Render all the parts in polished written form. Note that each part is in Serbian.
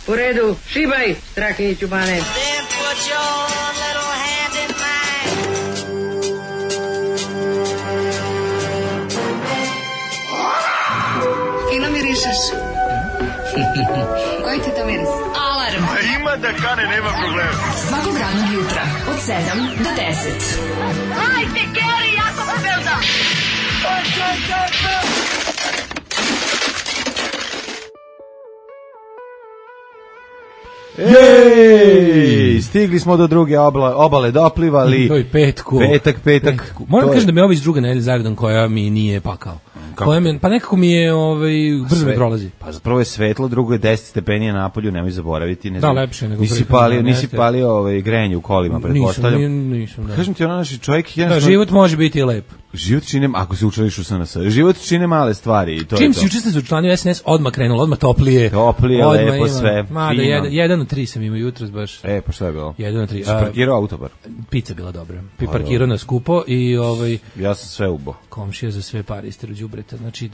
U redu, šibaj, Strahinjiću Bane. Fino mirišeš. Koji ti to miris? Alarm. Ima da kane, nema problema. Svakog radnog jutra od 7 do 10. Hajde, Geri, jako se belda. Ej, stigli smo do druge obale, doplivali. To je petku. Petak. Moram kažem da mi je ovo iz druge nedelje zaredom koja mi nije pakao. Pa nekako mi je brzo mi prolazi. Pa prvo je svetlo, drugo je 10 stepenija napolju, nemoj zaboraviti. Ne znam, lepše nego nisi palio grenje u kolima, pretpostavljam. Nisam. Kažem ti, naši čovjek... Da, život može biti i lep. Život čine, ako se učlaniš u SNS, život čine male stvari. I to čim je si učestveno u članju SNS, odmah krenulo, odmah toplije, lepo sve. Mada, 1 od 3 sam imao jutros baš. Pa šta je bilo? 1 od 3. Si parkirao autobar? Pizza bila dobra. Parkirao na skupo i ja sam sve ubo. Komšija za sve pare istero đubreta. Znači,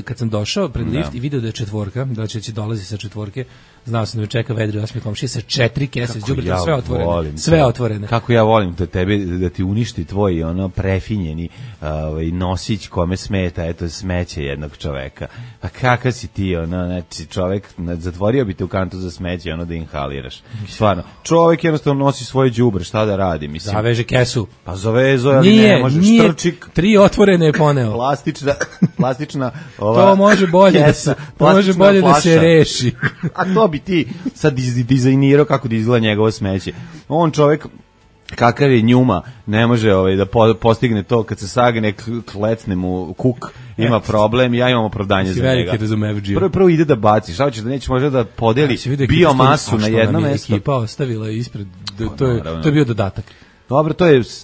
kad sam došao pred lift i video da je četvorka, da će dolazi sa četvorke, znao sam da me čeka vedri osmi komšija sa 4 kese s đubretom, sve otvorene. Kako ja volim da ti uništi tvoj prefinjeni nosić kome smeta, eto, smeće jednog čoveka. A kakav si ti, znači, čovek, zatvorio bi te u kantu za smeće, da inhaliraš. Stvarno, čovek jednostavno nosi svoje đubre, šta da radi, mislim. Zaveže kesu. Pa zavezo, ali ne možeš, trčik. 3 otvorene je poneo. Plastična to može bolje kesa, da se reši. A to bi ti sad dizajnirao kako da izgleda njegovo smeće. On čovek, kakav je njuma, ne može da postigne to kad se sagne, klecne mu kuk, ima problem, ja imam opravdanje za njega. Prvo ide da baci, šta hoćeš da neće možda da podeli biomasu na jedno mesto. Ekipa ostavila ispred, to je bio dodatak. Dobro,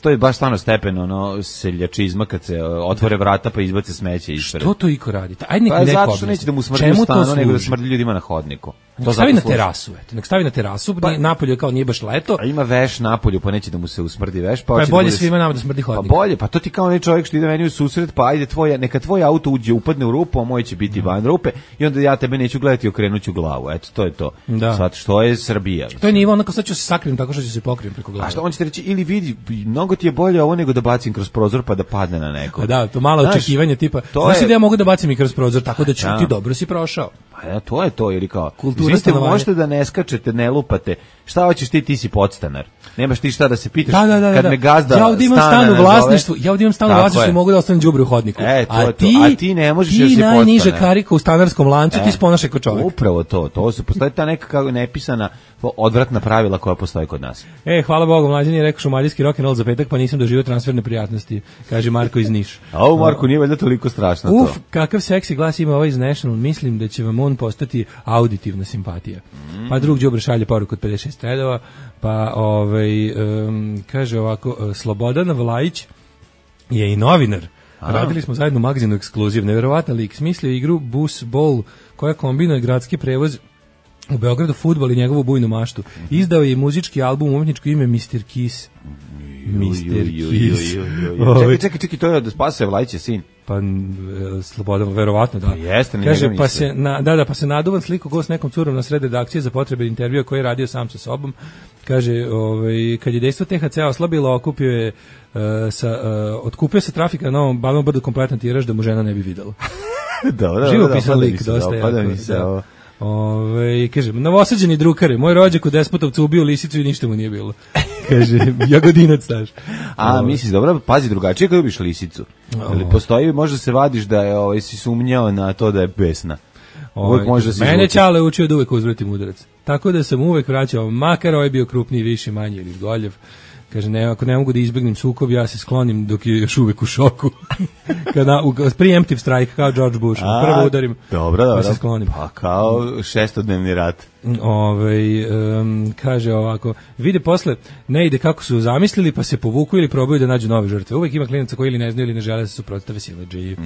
to je baš stvarno stepen seljačizma kad se otvore vrata pa izbace smeće ispred. Što to iko radi? Ajde nek neko zato što neće da mu smrdi u stanu, nego da smrdi ljudima na hodniku. Nek stavi na terasu, nek stavi na terasu, napolju kao nije baš leto. A ima veš napolju, pa neće da mu se usmrdi veš. Pa je bolje svima nama da smrdi hodnik. Pa bolje, pa to ti kao onaj čovjek što ide meni u susret, pa ajde neka tvoj auto upadne u rupu, a moj će biti van rupe i onda ja tebe neću gledati i okrenuću glavu. Eto, to je to. Sad što je Srbija. To je nivo, onako sad ću se sakrim tako što ću se pokrijem preko glave. A što on će reći, ili vidi, mnogo ti je bolje ovo nego da bacim kroz prozor pa da padne na neko. Da, to malo očekivanje tipa, znaš da ja mogu da bacim i kroz prozor tako da ću ti dobro si prošao. Pa to je to, ili kao, vi možete da ne skačete, ne lupate, šta hoćeš ti si podstanar, nemaš ti šta da se pitaš, kad me gazda ja ovdje imam stan u vlasništvu, mogu da ostanem đubre u hodniku, a ti ne možeš jer si podstanar. Ti najniža karika u stanarskom lancu, ti sponaš kao čovjek. Upravo to postoji ta neka nepisana odvratna pravila koja postoji kod nas. Hvala Bogu, mlađan je rekao šumadijski rock'n'roll za petak, pa nisam doživio transferne prijatnosti, kaže Marko iz Niša. A ovo Marko nije valjda toliko strašno to. Kakav seksi glas ima ovaj iz National, mislim da će vam on postati auditivna simpatija. Pa drug đubre šalje poruku od 56 redova, pa kaže ovako, Slobodan Vlajić je i novinar. Radili smo zajedno u magazinu Ekskluziv, neverovatan lik, smislio igru Bus Bowl koja kombinuje gradski prevoz u Beogradu, fudbal i njegovu bujnu maštu. Izdao je muzički album, umetničko ime Mr. Kiss. Čekaj, to je da spasuje Vlajiće sin. Pa Slobodan, verovatno da. Jeste, kaže, pa se naduvan sliku go s nekom curom na sred redakcije za potrebe intervjua koji je radio sam sa sobom. Kaže, kad je dejstvo THC oslabilo, otkupio se trafika na Novom Banovom Brdu kompletan tiraž da mu žena ne bi videla. Živo pisan lik, dosta jako. Kaže, novosađeni drukare, moj rođak u Despotovcu ubio lisicu i ništa mu nije bilo. Kaže, jagodinac staš. A, misliš, dobro, pazi drugačije kad ubiš lisicu. Ali postoji, možda se vadiš da je si sumnjao na to da je besna. Mene Ćale učio da uvek uzvratim udarac. Tako da sam uvek vraćao, makar ovaj bio krupniji, viši, manji ili goljev. Kaže, ako ne mogu da izbjegnem sukob, ja se sklonim dok je još uvek u šoku. Preemptive strike, kao George Bush. Prvo udarim, pa se sklonim. Pa kao šestodnevni rat. Kaže ovako, vide posle, ne ide kako su zamislili, pa se povuku ili probaju da nađu nove žrtve. Uvek ima klinaca koji ili ne znaju ili ne žele da se suprotstave siledžiji.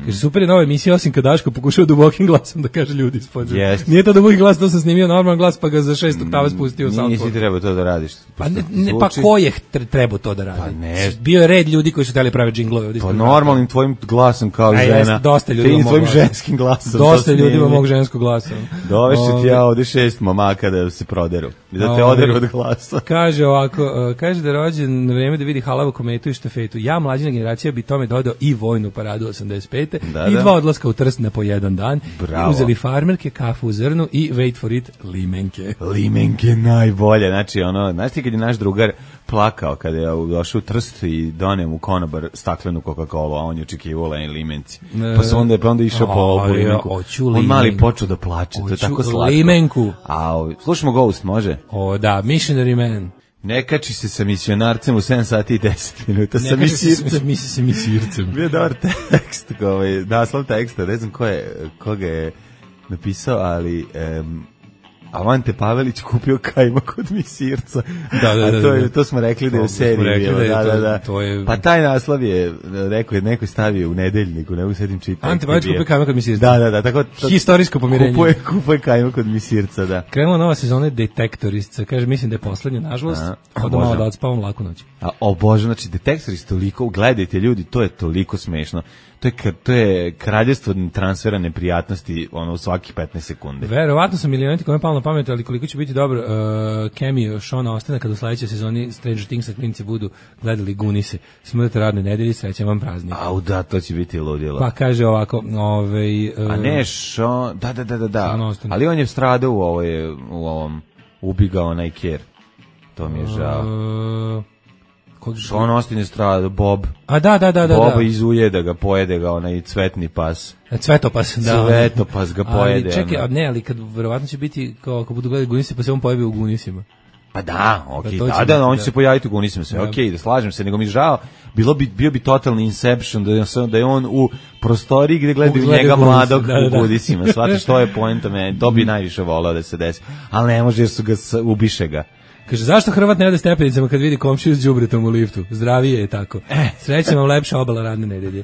Kaže, super je nova emisija, osim kad Daško pokušao dubokim glasom da kaže ljudi ispod. Nije to duboki glas, to sam snimio normalan glas, pa ga za 6 oktava spustio. Nisi trebao to da radiš. Pa ko je je trebao to da radi. Pa ne. Bio je red ljudi koji su hteli pravi džinglove ovdje. Pa normalnim tvojim glasom kao žena. Jeste, dosta ljudi Tim tvojim ženskim glasom. Dosta ljudima mog ženskog glasa. Dovešće ti ja ovdje 6 momaka da se proderu. Da te oderu od glasa. Kaže ovako, kaže da je rođen na vreme da vidi halavu kometu i štafetu. Ja, mlađina generacija, bi tome dodao i vojnu paradu 85. I 2 odlaska u Trst na po jedan dan. Bravo. Uzeli farmerke, kafu u zrnu i wait for it, limenke. Limenke najbolje. Znači, znaš ti kad je naš drugar plakao kada je došao u Trst i doneo mu konobar staklenu Coca-Cola, a on je očekivao limenci. Pa se onda išao po ovu limenku. On mali počeo da plače, to je tako slatko. Limenku. Slušamo Ghost, može? Da, Missionary Man. Ne kači se sa misionarcem u 7 sati i 10 minuta. Ne kači se sa misircem. Bio dobar tekst, naslov teksta, ne znam koga je napisao, ali... Avante Pavelić kupio kajmak od misirca. Da. To smo rekli da je u seriji bilo. Da. Pa taj naslov je, neko stavio u nedeljniku, ne mogu sedim čitati. Ante Pavelić kupio kajmak od misirca. Da. Tako, historijsko pomirenje. Kupuje kajmak od misirca, da. Krenula nova sezona Detektorista. Kaže, mislim da je poslednja, nažalost. Onda malo da odspavam laku noć. Bože, znači Detektorist toliko, gledajte ljudi, to je toliko smešno. To je kraljevstvo transfera neprijatnosti u svaki 15 sekundi. Verovatno sam milioniti kome palo na pamet, ali koliko će biti dobro cameo Šona Ostena kada u sledećoj sezoni Stranger Things klinici budu gledali Gunise. Smrte radne nedelje, srećan vam praznik. Da, to će biti ludilo. Pa kaže ovako, a ne Šon, da. Ali on je stradao u ovom ubigao onaj Ker. To mi je žao. Sean Austin je stradao, Bob. Da. Boba izuje da ga pojede ga onaj cvetni pas. Cvetopas, da. Cvetopas ga pojede. Ali čekaj, ali kad verovatno će biti kao ako budu gledali Gunise, pa se on pojavi u Gunisima. Pa da, okej. On će se pojaviti u Gunisima, sve okej, da slažem se, nego mi žao, bio bi totalni Inception da je on u prostoriji gde gledaju njega mladog u Gunisima. Shvatiš, to je poenta meni, to bi najviše voleo da se desi. Ali ne može jer su ga ubiše ga. Kaže, zašto Hrvat ne ode stepenicama kad vidi komšiju s đubretom u liftu? Zdravije je tako. Srećem vam lepša obala radne nedelje.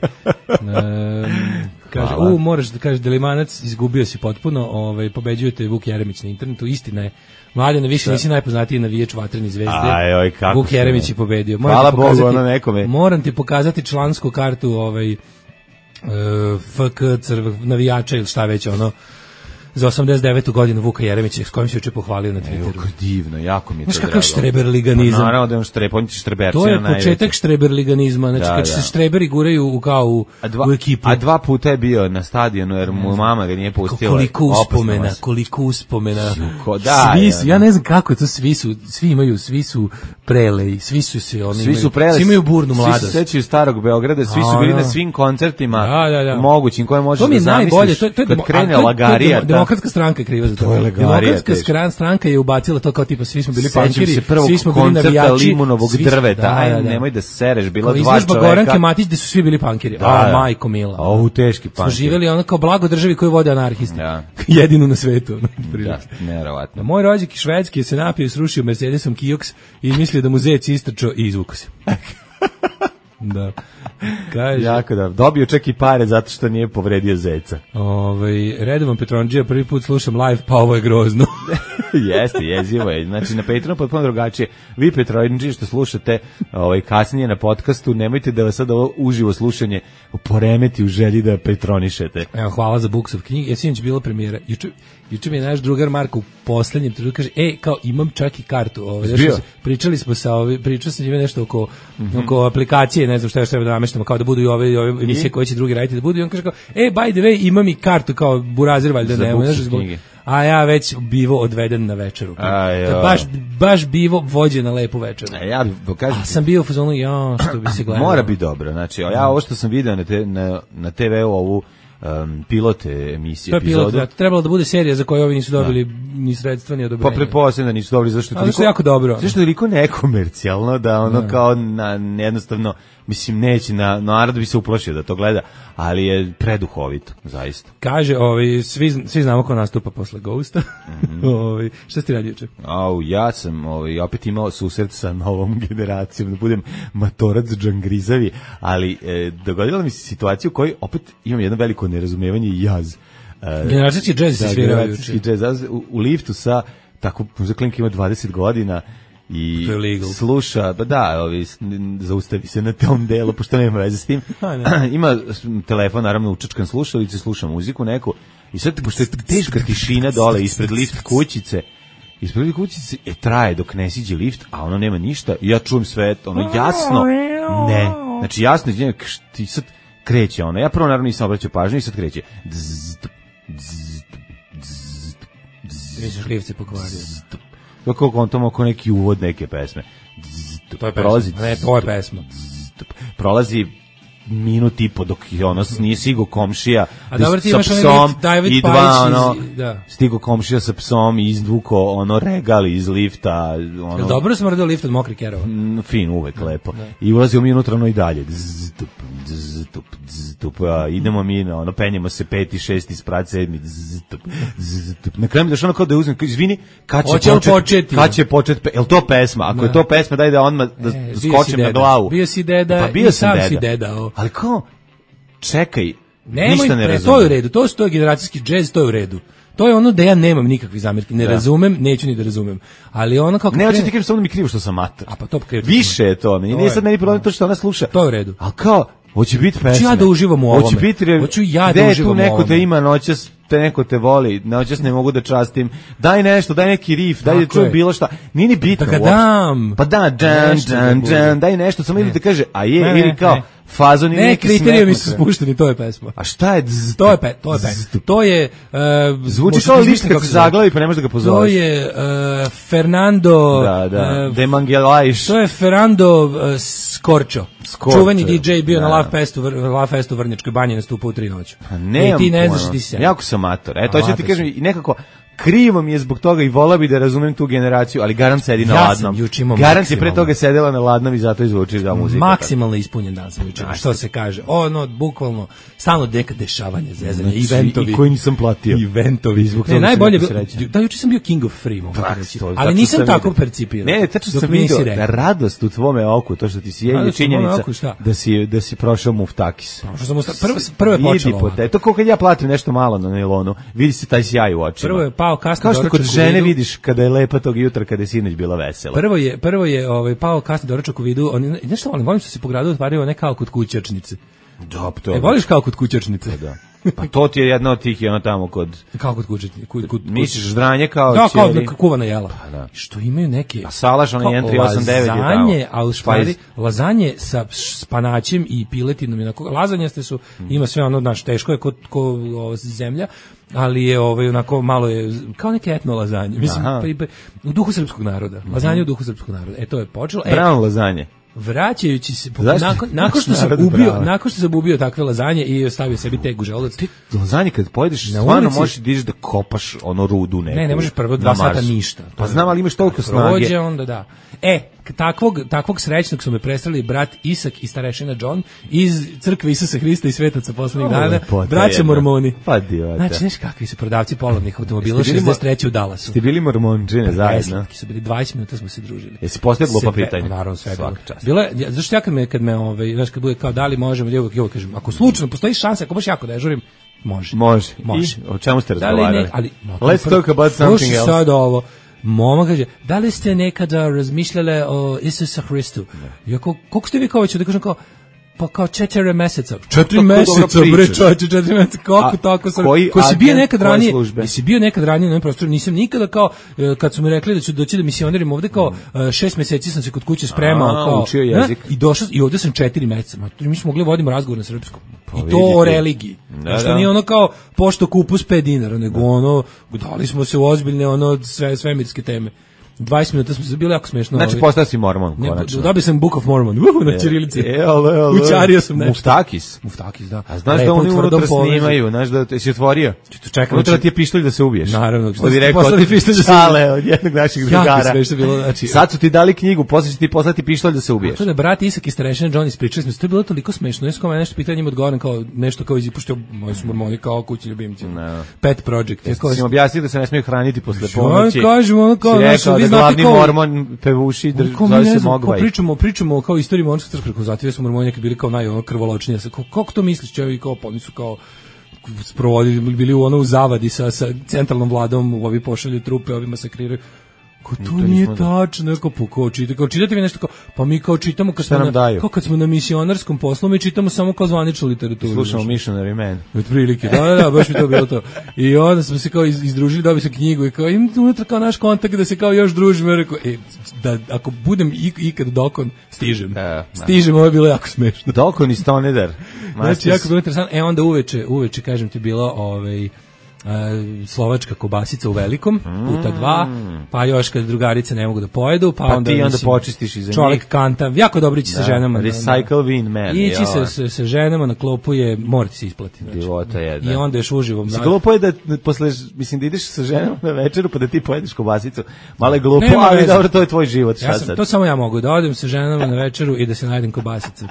Kaže, moraš da kažeš, Delimanac, izgubio si potpuno, pobeđujete Vuk Jeremić na internetu, istina je. Mladene, više nisi najpoznatiji navijač Vatrene zvezde. Vuk Jeremić je pobedio. Hvala Bogu, ono nekome. Moram ti pokazati člansku kartu FK navijača ili šta već za 89. godinu Vuka Jeremića, s kojim se juče pohvalio na Twitteru. Kako divno, jako mi je to drago. Znaš kakav štreberliganizam? Pa naravno da je on on će štreberci to je početak štreberliganizma, znači kad se štreberi guraju u ekipu. A 2 puta je bio na stadionu, jer mu mama ga nije pustila. Koliko uspomena. Svi, ja ne znam kako je to, svi su preleji, svi imaju burnu mladost. Svi se sećaju starog Beograda, svi su bili na svim koncertima mogućim koje možeš da zamisliš. Kad krene Lagarija, Demokratska stranka je kriva za to. Demokratska stranka je ubacila to kao tipa svi smo bili pankiri, svi smo bili navijači limunovog drveta. Nemoj da sereš, bila 2 čoveka. Izložba Goranke Matić gde su svi bili pankiri. Majko mila. Teški pankiri. Smo živeli kao blago državi koju vode anarhisti. Jedinu na svetu. Neverovatno. Moj rođak iz Švedske se napio i srušio Mercedesom Kioks i mislio da mu zec istrčao i izvukao se. Da. Kaže, jako da. Dobio čak i pare zato što nije povredio zeca. Redovan Petronđija, prvi put slušam live, pa ovo je grozno. Jeste, jezivo je. Znači na Patreonu potpuno drugačije. Vi Petronđiji što slušate kasnije na podcastu, nemojte da vas sad ovo uživo slušanje poremeti u želji da petronišete. Evo, hvala za Buksov knjig. Sinoć bila premijera. Juče mi je naš drugar Marko u poslednjem trenutku kaže, kao imam čak i kartu. Pričali smo pričao sam njime nešto oko aplikacije, ne znam šta još treba da nameštamo, kao da budu i ove emisije koje će drugi raditi da budu. I on kaže kao, by the way, imam i kartu kao burazir, valjda nema. A ja već bivo odveden na večeru. Baš bivo vođen na lepu večeru. A sam bio u fazonu, što bi se gledalo. Mora biti dobro. Znači, ja ovo što sam video na TV-u, ovu pilote emisije. To je pilot, trebalo da bude serija za koju ovi nisu dobili ni sredstva ni odobrenja. Pa pretpostavljam da nisu dobili zašto je jako dobro. Zašto je toliko nekomercijalno da kao jednostavno mislim neće narod bi se uplašio da to gleda, ali je preduhovito, zaista. Kaže, svi znamo ko nastupa posle Ghosta. Šta si ti radio juče? Ja sam opet imao susret sa novom generacijom, da budem matorac džangrizavi, ali dogodila mi se situacija u kojoj opet imam jedno veliko nerazumevanje i jaz. Generacijski džez se svirao juče. U liftu sa tako, muziklinka ima 20 godina i To je legal. sluša, pa da, zaustavi se na tom delu, pošto nema veze s tim. Ima telefon, naravno, učačkan slušalice, sluša muziku neku, i sad, pošto je teška tišina dole ispred lift kućice, traje dok ne siđe lift, a ono nema ništa, i ja čujem sve, ono, jasno, ne, znači jasno, ti sad kreće ono, ja prvo naravno nisam obraćao pažnju i sad kreće, Misliš, lift se pokvario. Kako kontom oko neki uvod neke pesme. To je pesma. Ne, to je pesma. Prolazi minut i po dok ono nije stigo komšija sa psom i dva ono stigo komšija sa psom i izvuko ono regali iz lifta ono. Dobro smrdio lift od mokrih kerova. Fin, uvek lepo. I ulazi mi unutra ono i dalje. Idemo mi ono penjemo se 5. 6. sprat 7. Na kraju mi došlo ono kao da uzmem, izvini, kad će početi, jel to pesma? Ako je to pesma, daj da odmah skočim na glavu. Bio si deda i sam si deda. Ali kao, čekaj, ništa ne razumem. To je u redu, to je generacijski džez, to je u redu. To je ono da ja nemam nikakvih zamjerki, ne razumem, neću ni da razumem. Ali ono kako ne, hoće ti kažem samo da mi krivo što sam mater. A pa to krivo. Više je to, nije sad meni problem to što ona sluša. To je u redu. Al kao, hoće biti pesme. Hoću ja da uživam u ovome. Hoću ja da uživam u ovome. Neko te ima noćas, te neko te voli, noćas ne mogu da častim. Daj nešto, daj neki riff, daj da čujem bilo šta. Nije ni bitno. Da ga dam. Pa da, daj nešto, samo ili da kaže, a je, ili kao, fazon i neki smetno. Ne, kriterijumi su spušteni, to je pesma. A šta je? To je pesma. To je... Zvuči kao lišt kad se zaglavi pa ne možeš da ga pozoveš. To je Fernando... De Mangelajš. To je Fernando Scorcho. Čuveni DJ bio na Love Festu u Vrnjačkoj banji, nastupao u 3 noći. Ne, ti ne znaš ti se. Jako sam mator. To ću ti kažem i nekako... Krivo mi je zbog toga i volao bi da razumem tu generaciju, ali garant sedi na ladnom. Garant je pre toga sedela na ladnom i zato izvuči da muzika. Maksimalno ispunjen dan sam juče. Što se kaže? Ono, bukvalno, stalno neka dešavanja, zezanja, eventovi. I koji nisam platio. Eventovi. Ne, najbolje, da, juče sam bio king of free, mogu reći. Ali nisam tako percipirao. Ne, tačno sam vidio da radost u tvome oku, to što ti si je činjenica da si prošao Muftakis. Prvo je počelo. To kao kad ja platim nešto malo na nailonu, vidi se taj sjaj u očima. Kao što kod žene vidiš kada je lepa tog jutra, kada je sinoć bila vesela. Prvo je pao kasni doručak u vidu, nešto volim što se po gradu otvario ne kao kod kućačnice. Voliš kao kod kućačnice? Da. Pa to ti je jedna od tih i ono tamo kod... Kao kod kućačnice. Misliš ždranje kao... Da, kao kuvana jela. Što imaju neke... A salaš, ono 1,389 lazanje, a u stvari lazanje sa spanaćem i piletinom. Lazanje su, ima sve ono, znaš, teško je ko zemlja, ali je onako malo je kao neke etno lazanje. Mislim, u duhu srpskog naroda. Lazanje u duhu srpskog naroda. To je počelo. Brown lazanje. Vraćajući se nakon što sam ubio takve lazanje i ostavio sebi teg u želudac. Ti lazanje kad pojedeš stvarno možeš da kopaš ono rudu neku. Ne možeš prvo 2 sata ništa. Pa znam, ali imaš toliko snage. Prođe onda da. Takvog srećnog su me prestrali brat Isak i starešina John iz crkve Isusa Hrista i svetaca poslednjih dana. Braća Mormoni. Pa divata. Znači, znaš kakvi su prodavci polovnih automobila 63 u Dallasu. Ste bili mormončine zajedno? Su bili 20 minuta smo se družili. Jesi postavio glupa pitanja? Naravno, sve bilo je, zašto ja kad me znaš, kad bude kao da li možemo, ja kažem, ako slučajno postoji šansa, ako baš jako dežurim, može. I o čemu ste razgovarali? Let's talk about something else. Sad ovo. Mama kaže, da li ste nekada razmišljale o Isusa Hristu? Ja koliko ste vi kao ću da kažem kao, pa kao 4 meseca. 4 meseca, bre čovječe, 4 meseca, kako tako sam? Ko si bio nekad ranije? Jesi bio nekad ranije na ovom prostoru? Nisam nikada kao, kad su mi rekli da ću doći da misioniram ovde, kao 6 meseci sam se kod kuće spremao. Kao, učio jezik. I došao, i ovde sam 4 meseca. Mi smo mogli vodimo razgovor na srpskom. I to o religiji. Što nije ono kao pošto kupus 5 dinara, nego ono, dali smo se u ozbiljne svemirske teme. 20 minuta smo se bili jako smešno. Znači, postao si mormon, konačno. Dobio sam Book of Mormon, na ćirilici. Učario sam nešto. Muftakis, da. A znaš da oni unutra snimaju, znaš da si otvorio? Unutra ti je pištolj da se ubiješ. Naravno. Što bi rekao, Čale od jednog naših drugara. Sad su ti dali knjigu, posle će ti poslati pištolj da se ubiješ. To da brat Isak i starešina John ispričali smo se, to je bilo toliko smešno. Jesu kao nešto pitanje im odgovoram kao nešto kao izpuštio moji su mormoni kao kući ljubimci. Pet project. Jesi im objasnio da se ne smiju hraniti posle ponoći? Glavni mormon pevuši zove se Mogvaj. Pričamo kao istoriju mormonske crkve, kao zatim smo mormoni neki bili kao najkrvoločniji. Kako to misliš, čevi kao oni su kao sprovodili, bili u zavadi sa centralnom vladom, ovi pošalju trupe, ovi masakriraju. Ko to nije tačno, kao čitate vi nešto kao, pa mi kao čitamo kad smo na misionarskom poslu, mi čitamo samo kao zvaničnu literaturu. Slušamo Missionary Man. Otprilike, da, baš mi to bilo to. I onda smo se kao izdružili, dobili se knjigu i kao im unutra kao naš kontakt da se kao još družimo. Ja rekao, da ako budem ikad dokon, stižem. Stižem, ovo je bilo jako smešno. Dokon i Stonedar. Znači, jako bilo interesantno. Onda uveče, kažem ti, bilo slovačka kobasica u velikom, puta 2, pa još kad drugarice ne mogu da pojedu, pa onda ti onda počistiš iza njih. Čovjek kanta, jako dobro ići sa ženama. Recycle win man. Ići sa ženama na klopu je, mora ti se isplati. Života je, da. I onda još uživom. Glupo je da posle, mislim da ideš sa ženama na večeru pa da ti pojedeš kobasicu. Malo je glupo, ali dobro, to je tvoj život. To samo ja mogu, da odem sa ženama na večeru i da se najedem kobasice.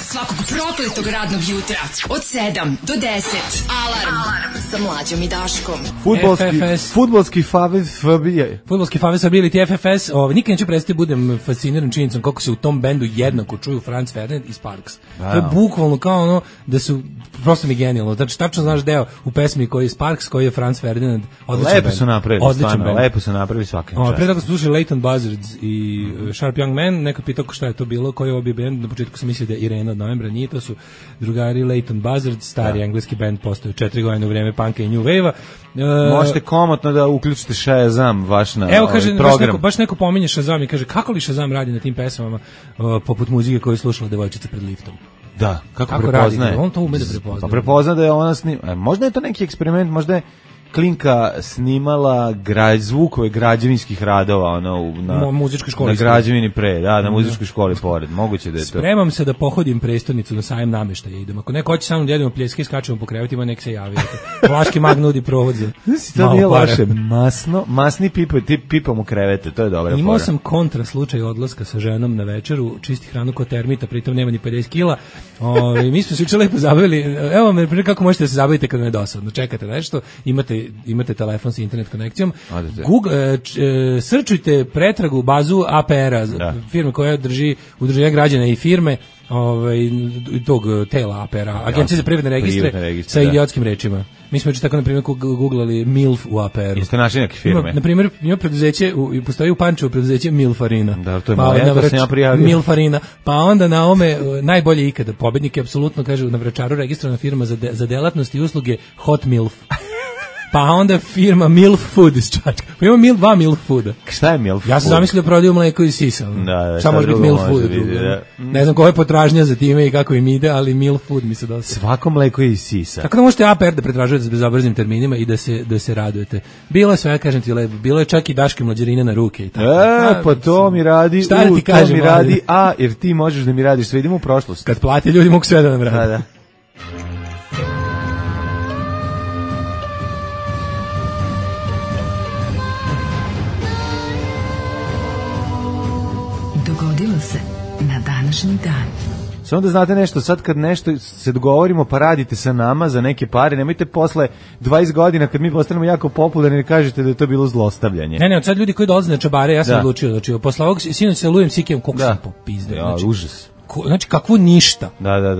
Svakog prokletog radnog jutra od 7 do 10. Alarm sa Mlađom i Daškom. Fudbalski favez Srbije. Fudbalski favez Srbije ili FFS. Nikad neću prestati budem fasciniran činjenicom kako se u tom bendu jednako čuju Franz Ferdinand i Sparks. To je bukvalno kao ono da su prosto mi genijalno. Znači tačno znaš deo u pesmi koji je Sparks, koji je Franz Ferdinand. Lepo su napravili, stvarno. Lepo su napravili svaki čas. Pre toga smo slušali Leighton Buzzards i Sharp Young Man. Neko pitao šta je to bilo, koji je ovo bio bend. Na početku sam mislio da je Irena od Novembra, nije, to su drugari Leighton Buzzards, stari engleski bend, postoji 4 godine u vreme punka i new wave-a. Možete komotno da uključite Shazam vaš na evo, kaže, program. Baš neko pominje Shazam i kaže kako li Shazam radi na tim pesmama poput muzike koju je slušala devojčica pred liftom. Da, kako prepoznaje? On to ume da prepozna. Pa prepozna da je ona možda je to neki eksperiment, možda je Klinka snimala zvukove građevinskih radova na muzičkoj školi. Na građevini na muzičkoj školi pored. Moguće da je to. Spremam se da pohodim prestonicu na sajem nameštaja. Idem. Ako neko hoće sa mnom da jedemo pljeske, skačemo po krevetima, nek se javi. Vlaški mag nudi provod za to nije loše. Masni pipamo krevete, to je dobra fora. Imao sam kontra slučaj odlaska sa ženom na večeru, čisti hranu kod termita, pritom nema ni 50 kila. Mi smo se juče lepo zabavili. Evo me kako možete da se zabavite kad me dosadno. Čekate nešto, imate telefon sa internet konekcijom. Srčujte pretragu bazu APR-a, firme koja drži udruženja građana i firme tog tela APR-a, Agencije za privredne registre sa idiotskim rečima. Mi smo tako na primjer googlali MILF u APR-u. Jeste našli neke firme? Na primjer, ima preduzeće, postoji u Pančevu preduzeće Milfarina. Da, to je moja, to sam ja prijavio. Milfarina. Pa onda na ome najbolje ikada. Pobednik je apsolutno, kažu, na Vračaru registrovana firma za delatnosti i usluge Hot Milf. Pa onda firma Milf Food iz Čačka. Pa ima dva Milf Fooda. Šta je Milf Food? Ja sam zamislio da prodaju mleko i sisa. Samo može biti Milf Food. Ne znam koja je potražnja za time i kako im ide, ali Milf Food mi se dosta. Svako mleko i sisa. Tako da možete APR da pretražujete s bezobraznim terminima i da se radujete. Bilo je sve, kažem ti lepo, bilo je čak i Daške mlađerine na ruke i tako. Pa to mi radi, šta da ti kažem, mi radi, jer ti možeš da mi radiš, sve idemo u prošlost. Kad plate ljudi mogu sve da nam radi. Da. Dogodilo se na današnji dan. Samo da znate nešto, sad kad nešto se dogovorimo pa radite sa nama za neke pare, nemojte posle 20 godina kad mi postanemo jako popularni ne kažete da je to bilo zlostavljanje. Ne, od sad ljudi koji dolaze na čabare, ja sam odlučio, znači posle ovog sinoć se lujem sikem koliko sam popizdeo. Ja, znači, užas. Znači kakvo ništa. Da.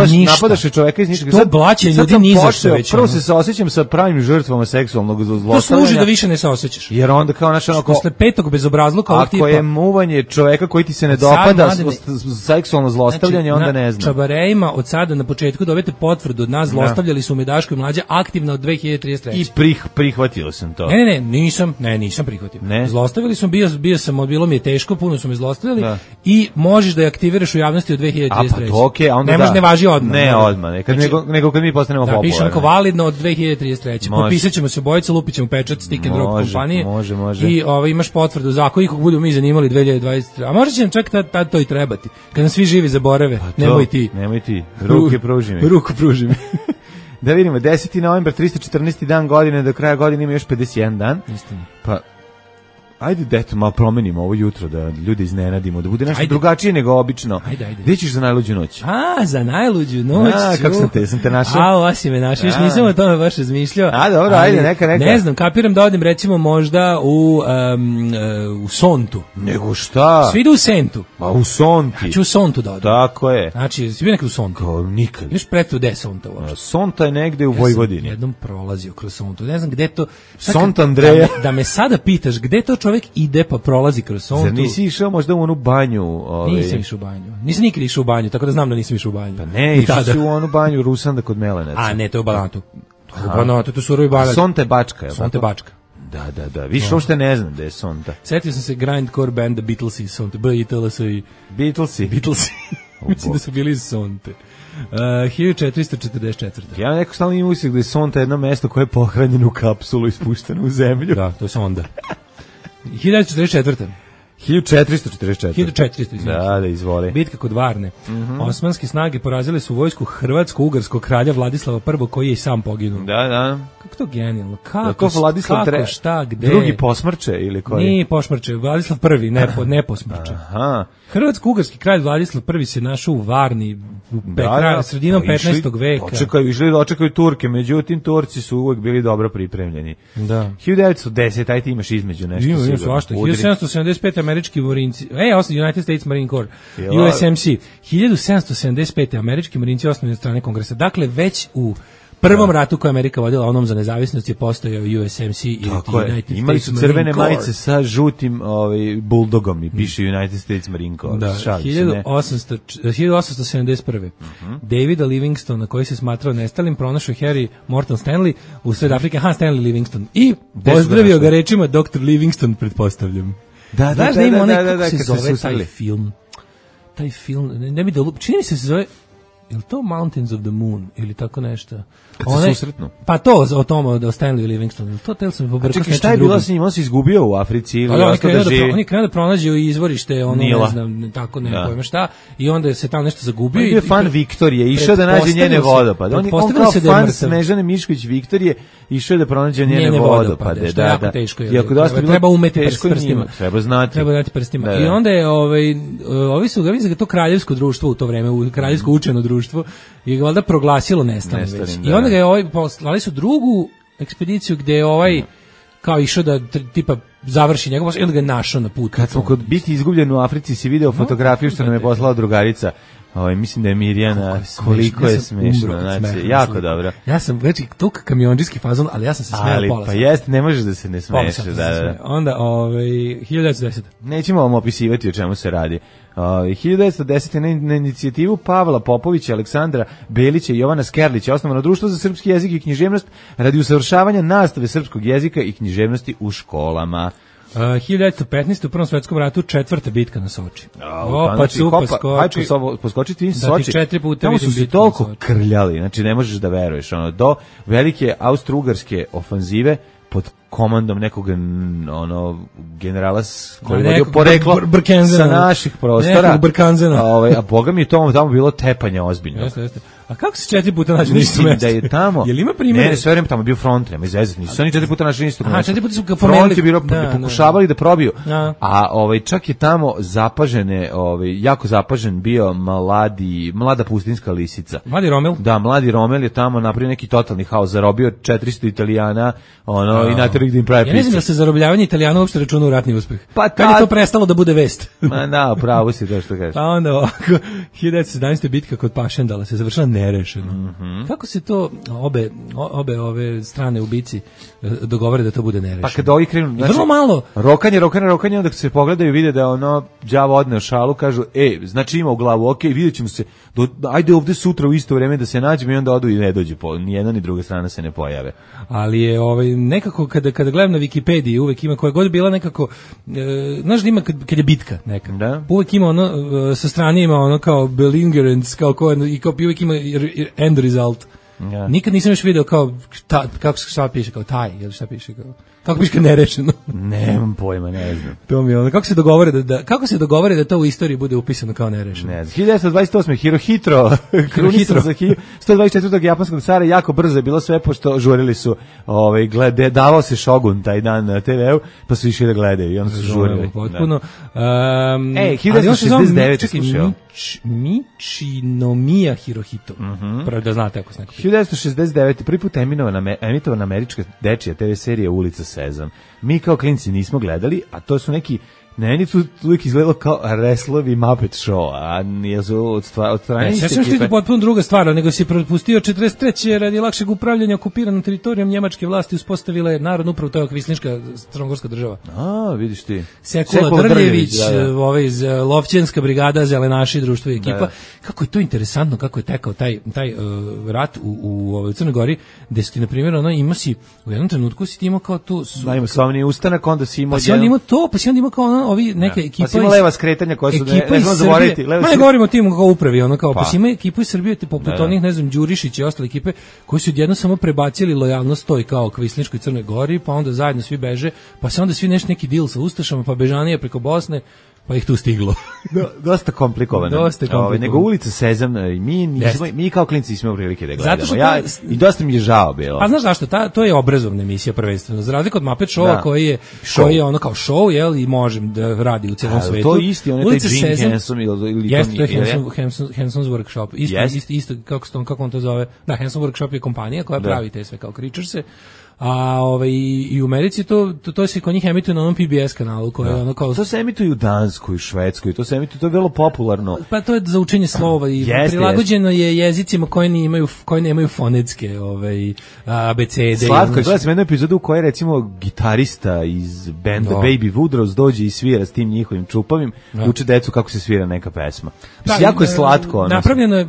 Ništa. Napadaš čoveka iz ničega. To blaće ljudi ni za što već. Prvo se saosećam sa pravim žrtvama seksualnog zlostavljanja. To služi da više ne se osjećaš. Jer onda kao posle petog bezobrazluka ovog tipa. Ako je muvanje čoveka koji ti se ne dopada seksualno zlostavljanje, znači, onda ne znam. Na čabarejima od sada na početku dobijete potvrdu od nas, zlostavljali su me Daško i Mlađa aktivno od 2033. I prihvatio sam to. Ne, nisam prihvatio. Zlostavljali su, bilo mi je teško, puno su me zlostavljali i možeš da je aktiviraš u javnosti od 2033. A pa to a onda ne može, ne važi odmah. Ne odmah, nego kad mi postanemo popularni. Da, pišem kao validno od 2033. Potpisat ćemo se obojica, lupit ćemo pečat stick and drop kompanije. Može. I imaš potvrdu za ako ih budemo mi zanimali 2023. A možda će nam čak tad to i trebati. Kad nas svi živi zaborave, nemoj ti. Ruke pruži mi. Ruku pruži mi. Da vidimo, 10. novembar, 314. dan godine, do kraja godine ima još 51 dan. Istina. Pa Ajde, deto, malo promenimo ovo jutro, da ljude iznenadimo, da bude nešto Ajde. drugačije nego obično. Ajde. Gde ćeš za najluđu noć? Za najluđu noć. Kako sam te našao? Ova si me našao, još nisam o tome baš razmišljao. Dobro, ajde, neka. Ne znam, kapiram da odim recimo možda u Sontu. Nego šta? Svi idu u Sentu. Pa u Sonti. Ja ću u Sontu da odim. Tako je. Znači, svi bio nekad u Sontu. Kao nikad. Još predstavu gde je Sonta uopšte. Sonta je negde u Vojvodini. Ja sam jednom prolazio kroz Sontu. Ne znam gde to... Sont Andreja. Da me sada pitaš gde to čovjek ide pa prolazi kroz Sontu. Zar nisi išao možda u onu banju? Nisam išao u banju. Nisam nikad išao u banju, tako da znam da nisam išao u banju. Pa ne, išao si u onu banju Rusanda kod Melenaca. A ne, to je u Banatu. To je surovi Banat. Sonta je Bačka. Sonta je Bačka. Da. Više uopšte ne znam da je Sonta. Setio sam se grindcore band The Beatlesi, Sonte, B-I-T-L-S-I. Beatlesi? Mislim da su bili iz Sonte. 1444. Ja neko stalno imam utisak da je Sonta jedno mesto koje je pohranjeno u kapsulu i spušteno u zemlju. Da, to je Sonda. 1944. 1444. 1400, da, izvoli. Bitka kod Varne. Osmanske snage porazile su vojsku hrvatsko-ugarskog kralja Vladislava I, koji je i sam poginuo. Da. Kako to genijalno? Kako Vladislav kako, šta, gde? Drugi posmrče ili koji? Nije posmrče, Vladislav I, ne posmrče. Aha. Hrvatsko-ugarski kralj Vladislav I se našao u Varni sredinom 15. veka. Očekaju Turke, međutim Turci su uvek bili dobro pripremljeni. Da. 1910, ajde imaš između nešto sigurno. Ima svašta. 1775. američki marinci, United States Marine Corps, USMC. 1775. američki marinci osnovani od strane Kongresa. Dakle, već u prvom ratu koji Amerika vodila, onom za nezavisnost, je postojao USMC i United imali States su crvene Marine Corps. majice sa žutim buldogom i piše United States Marine Corps. Da, 1871. Davida Livingstona, koji se smatrao nestalim, pronašao Harry Morton Stanley u Sred Afrike, Stanley Livingstone. I pozdravio ga rečima Dr. Livingston, pretpostavljam. Znaš da ima onaj, kako se zove taj film? Taj film, ne bi da čini mi se zove, je li to Mountains of the Moon ili tako nešto? Kad se susretnu? Pa to o tom, o Stanley Livingstonu. To tel sam pobrkao s nečim drugim. Šta je bilo s njim? On se izgubio u Africi ili ostao da živi? On je krenuo da pronađe izvorište, ono, Nila. ne znam, tako ne pojma šta, i onda se tamo nešto zagubio. On je fan Viktorije, išao da nađe njene vodopade. On kao fan Snežane Mišković Viktorije, išao da pronađe njene vodopade. Što je jako teško. Treba umeti prstima. Treba znati. Treba dati prstima. I onda je, ovi su ga to kraljevsko društvo u to vreme, kraljevsko učeno društvo, je ga valjda proglasilo nestalim već. I onda ga je slali su drugu ekspediciju gde je kao išao da tipa završi njegov posao i onda ga je našao na putu. Kad smo kod biti izgubljen u Africi si video fotografiju što nam je poslala drugarica. Mislim da je Mirjana, koliko je smešno, znači, jako dobro. Ja sam već tuk kamiondžijski fazon, ali ja sam se smejao pola. Pa jeste, ne možeš da se ne smeješ. Onda, 1910. Nećemo vam opisivati o čemu se radi. 1910. na inicijativu Pavla Popovića, Aleksandra Belića i Jovana Skerlića osnovano Društvo za srpski jezik i književnost radi usavršavanja nastave srpskog jezika i književnosti u školama. 1915. u Prvom svetskom ratu 4. bitka na Soči. Poskočiti in Soči. 4 puta tamo su se toliko krljali, znači ne možeš da veruješ. Do velike austro-ugarske ofanzive pod komandom nekog generala koji je vodio poreklo sa naših prostora. A boga mi je tamo bilo tepanja ozbiljno. Jeste. A kako se 4 puta nađu mislim da je tamo. Jel ima primjer? Ne, sve vreme tamo je bio front, nema izvezati. Nisu oni 4 puta našli istog mesta. 4 puta su ga pomenuli. Front je bilo, pokušavali da probiju. A čak je tamo zapažene, jako zapažen bio mlada pustinska lisica. Mladi Romel? Da, mladi Romel je tamo napravio neki totalni haos, zarobio 400 Italijana, i naterao ih da im pravi ja ne znam da se zarobljavanje Italijana uopšte računa u ratni uspeh. Pa kad je to prestalo da bude vest? Ma da, pravo si to što kažeš. A onda ovako, 1917. bitka kod Pašendala se završila nerešeno. Kako se to obe ove strane ubici dogovore da to bude nerešeno? Pa kad ovi krenu, znači, vrlo malo. Rokanje, onda se pogledaju vide da đavo odneo šalu, kažu, znači ima u glavu, vidjet ćemo se, ajde ovde sutra u isto vreme da se nađemo i onda odu i ne dođu, ni jedna ni druga strana se ne pojave. Ali je nekako kada gledam na Wikipediji uvek ima koja god bila nekako, znaš da ima kad je bitka neka, da? Uvek ima sa strane ima kao belligerents, kao uvek ima end result. Nikad nisam još video kao kako šta piše kao taj ili šta piše kao Kako piše nerešeno? Nemam pojma, ne znam. To mi je ono, kako se dogovore da to u istoriji bude upisano kao nerešeno? Ne znam. 1928. Hirohito, krunisan za 124. japanskog cara, jako brzo je bilo sve, pošto žurili su, davao se Shogun taj dan na TV-u, pa su išli da gledaju i onda su žurili. Potpuno. 1969. slušao. Michinomiya Hirohito. Pravo da znate ako se neko pita. 1969. prvi put emitovana američka dečija TV serija Ulica Sezam. Mi kao klinci nismo gledali, a to su neki meni tu uvijek izgledalo kao Reslovi Muppet Show, a nije su od strane iste ekipe. Sve što je potpuno druga stvar, nego si propustio 43. radi lakšeg upravljanja okupiranom teritorijom njemačke vlasti uspostavile narodnu upravu, to je Kvislinška crnogorska država. A, vidiš ti. Sekula Drljević, iz Lovćenska brigada, Zelenaši, društvo i ekipa. Da. Kako je to interesantno, kako je tekao taj rat u Crnoj Gori, gde si ti, na primjer, ima si, u jednom trenutku si ti imao kao tu... Ima slavni ustanak, onda si imao... Pa si onda imao to, pa si onda imao kao ovi neke ekipa. Pa si ima leva skretanja koja su ne znam zaboraviti. Ma ne govorimo o tim kao upravi, ono kao pa si ima ekipu iz Srbije poput onih, ne znam, Đurišić i ostale ekipe koji su odjednom samo prebacili lojalnost toj kao Kvislinškoj Crnoj Gori, pa onda zajedno svi beže, pa se onda svi neki deal sa ustašama, pa bežanije preko Bosne. Pa ih tu stiglo. Dosta komplikovano. Nego Ulica Sezam, mi kao klinci nismo prilike da gledamo. I dosta mi je žao bilo. A znaš zašto? To je obrazovna emisija prvenstveno. Za razliku od Muppet Showa koji je ono kao show, jel, i može da radi u celom svetu. To je isti, on je taj Jim Henson ili jeste, to je Henson's Workshop. Isto kako on to zove. Da, Henson's Workshop je kompanija koja pravi te sve kao Creaturese. A i u Americi to se kod njih emituje na onom PBS kanalu koji je ono kao... To se emituje u Danskoj, Švedskoj, to se emituje, to je vrlo popularno. Pa to je za učenje slova i prilagođeno je jezicima koji nemaju fonetske abecede. Slatko, gledam sam jednu epizodu u kojoj recimo gitarista iz benda Baby Woodrows dođe i svira s tim njihovim čupavim, uče decu kako se svira neka pesma. Jako je slatko. Napravljeno je,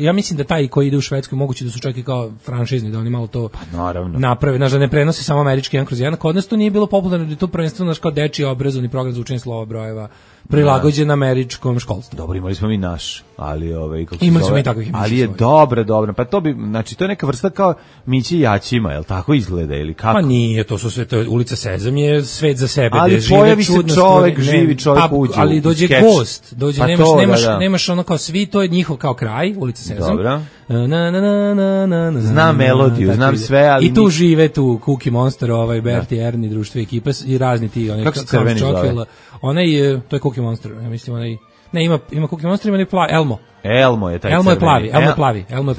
ja mislim da taj koji ide u Švedskoj moguće da su čak i kao franšizni, da oni malo to... Pa naravno. Napravi, da ne prenose samo američki 1/1. Kod nas to nije bilo popularno, da je to prvenstveno kao dečiji obrazovni program za učenje slova, brojeva, prilagođen američkom školstvu. Dobro, imali smo i naš, ali imali smo i takvih emisija. Ali je dobro. Pa to bi, znači to je neka vrsta kao Mići Jaćima, je l' tako izgleda ili kako? Pa nije, to su sve, to Ulica Sezam je svet za sebe. Ali pojavi se čovek, živi čovek uđe. Ali dođe gost, nemaš ono kao svi, to je njihov kao kraj, Ulica Sezam. Dobro. Znam melodiju, znam sve, ali... I tu žive tu Cookie Monster, Berti, Ernie, društvo ekipe i razni ti. Kako se crveni zove? To je Cookie Monster, ja mislim ne, ima Cookie Monster, ima plavi, Elmo je taj Elmo je plavi. Elmo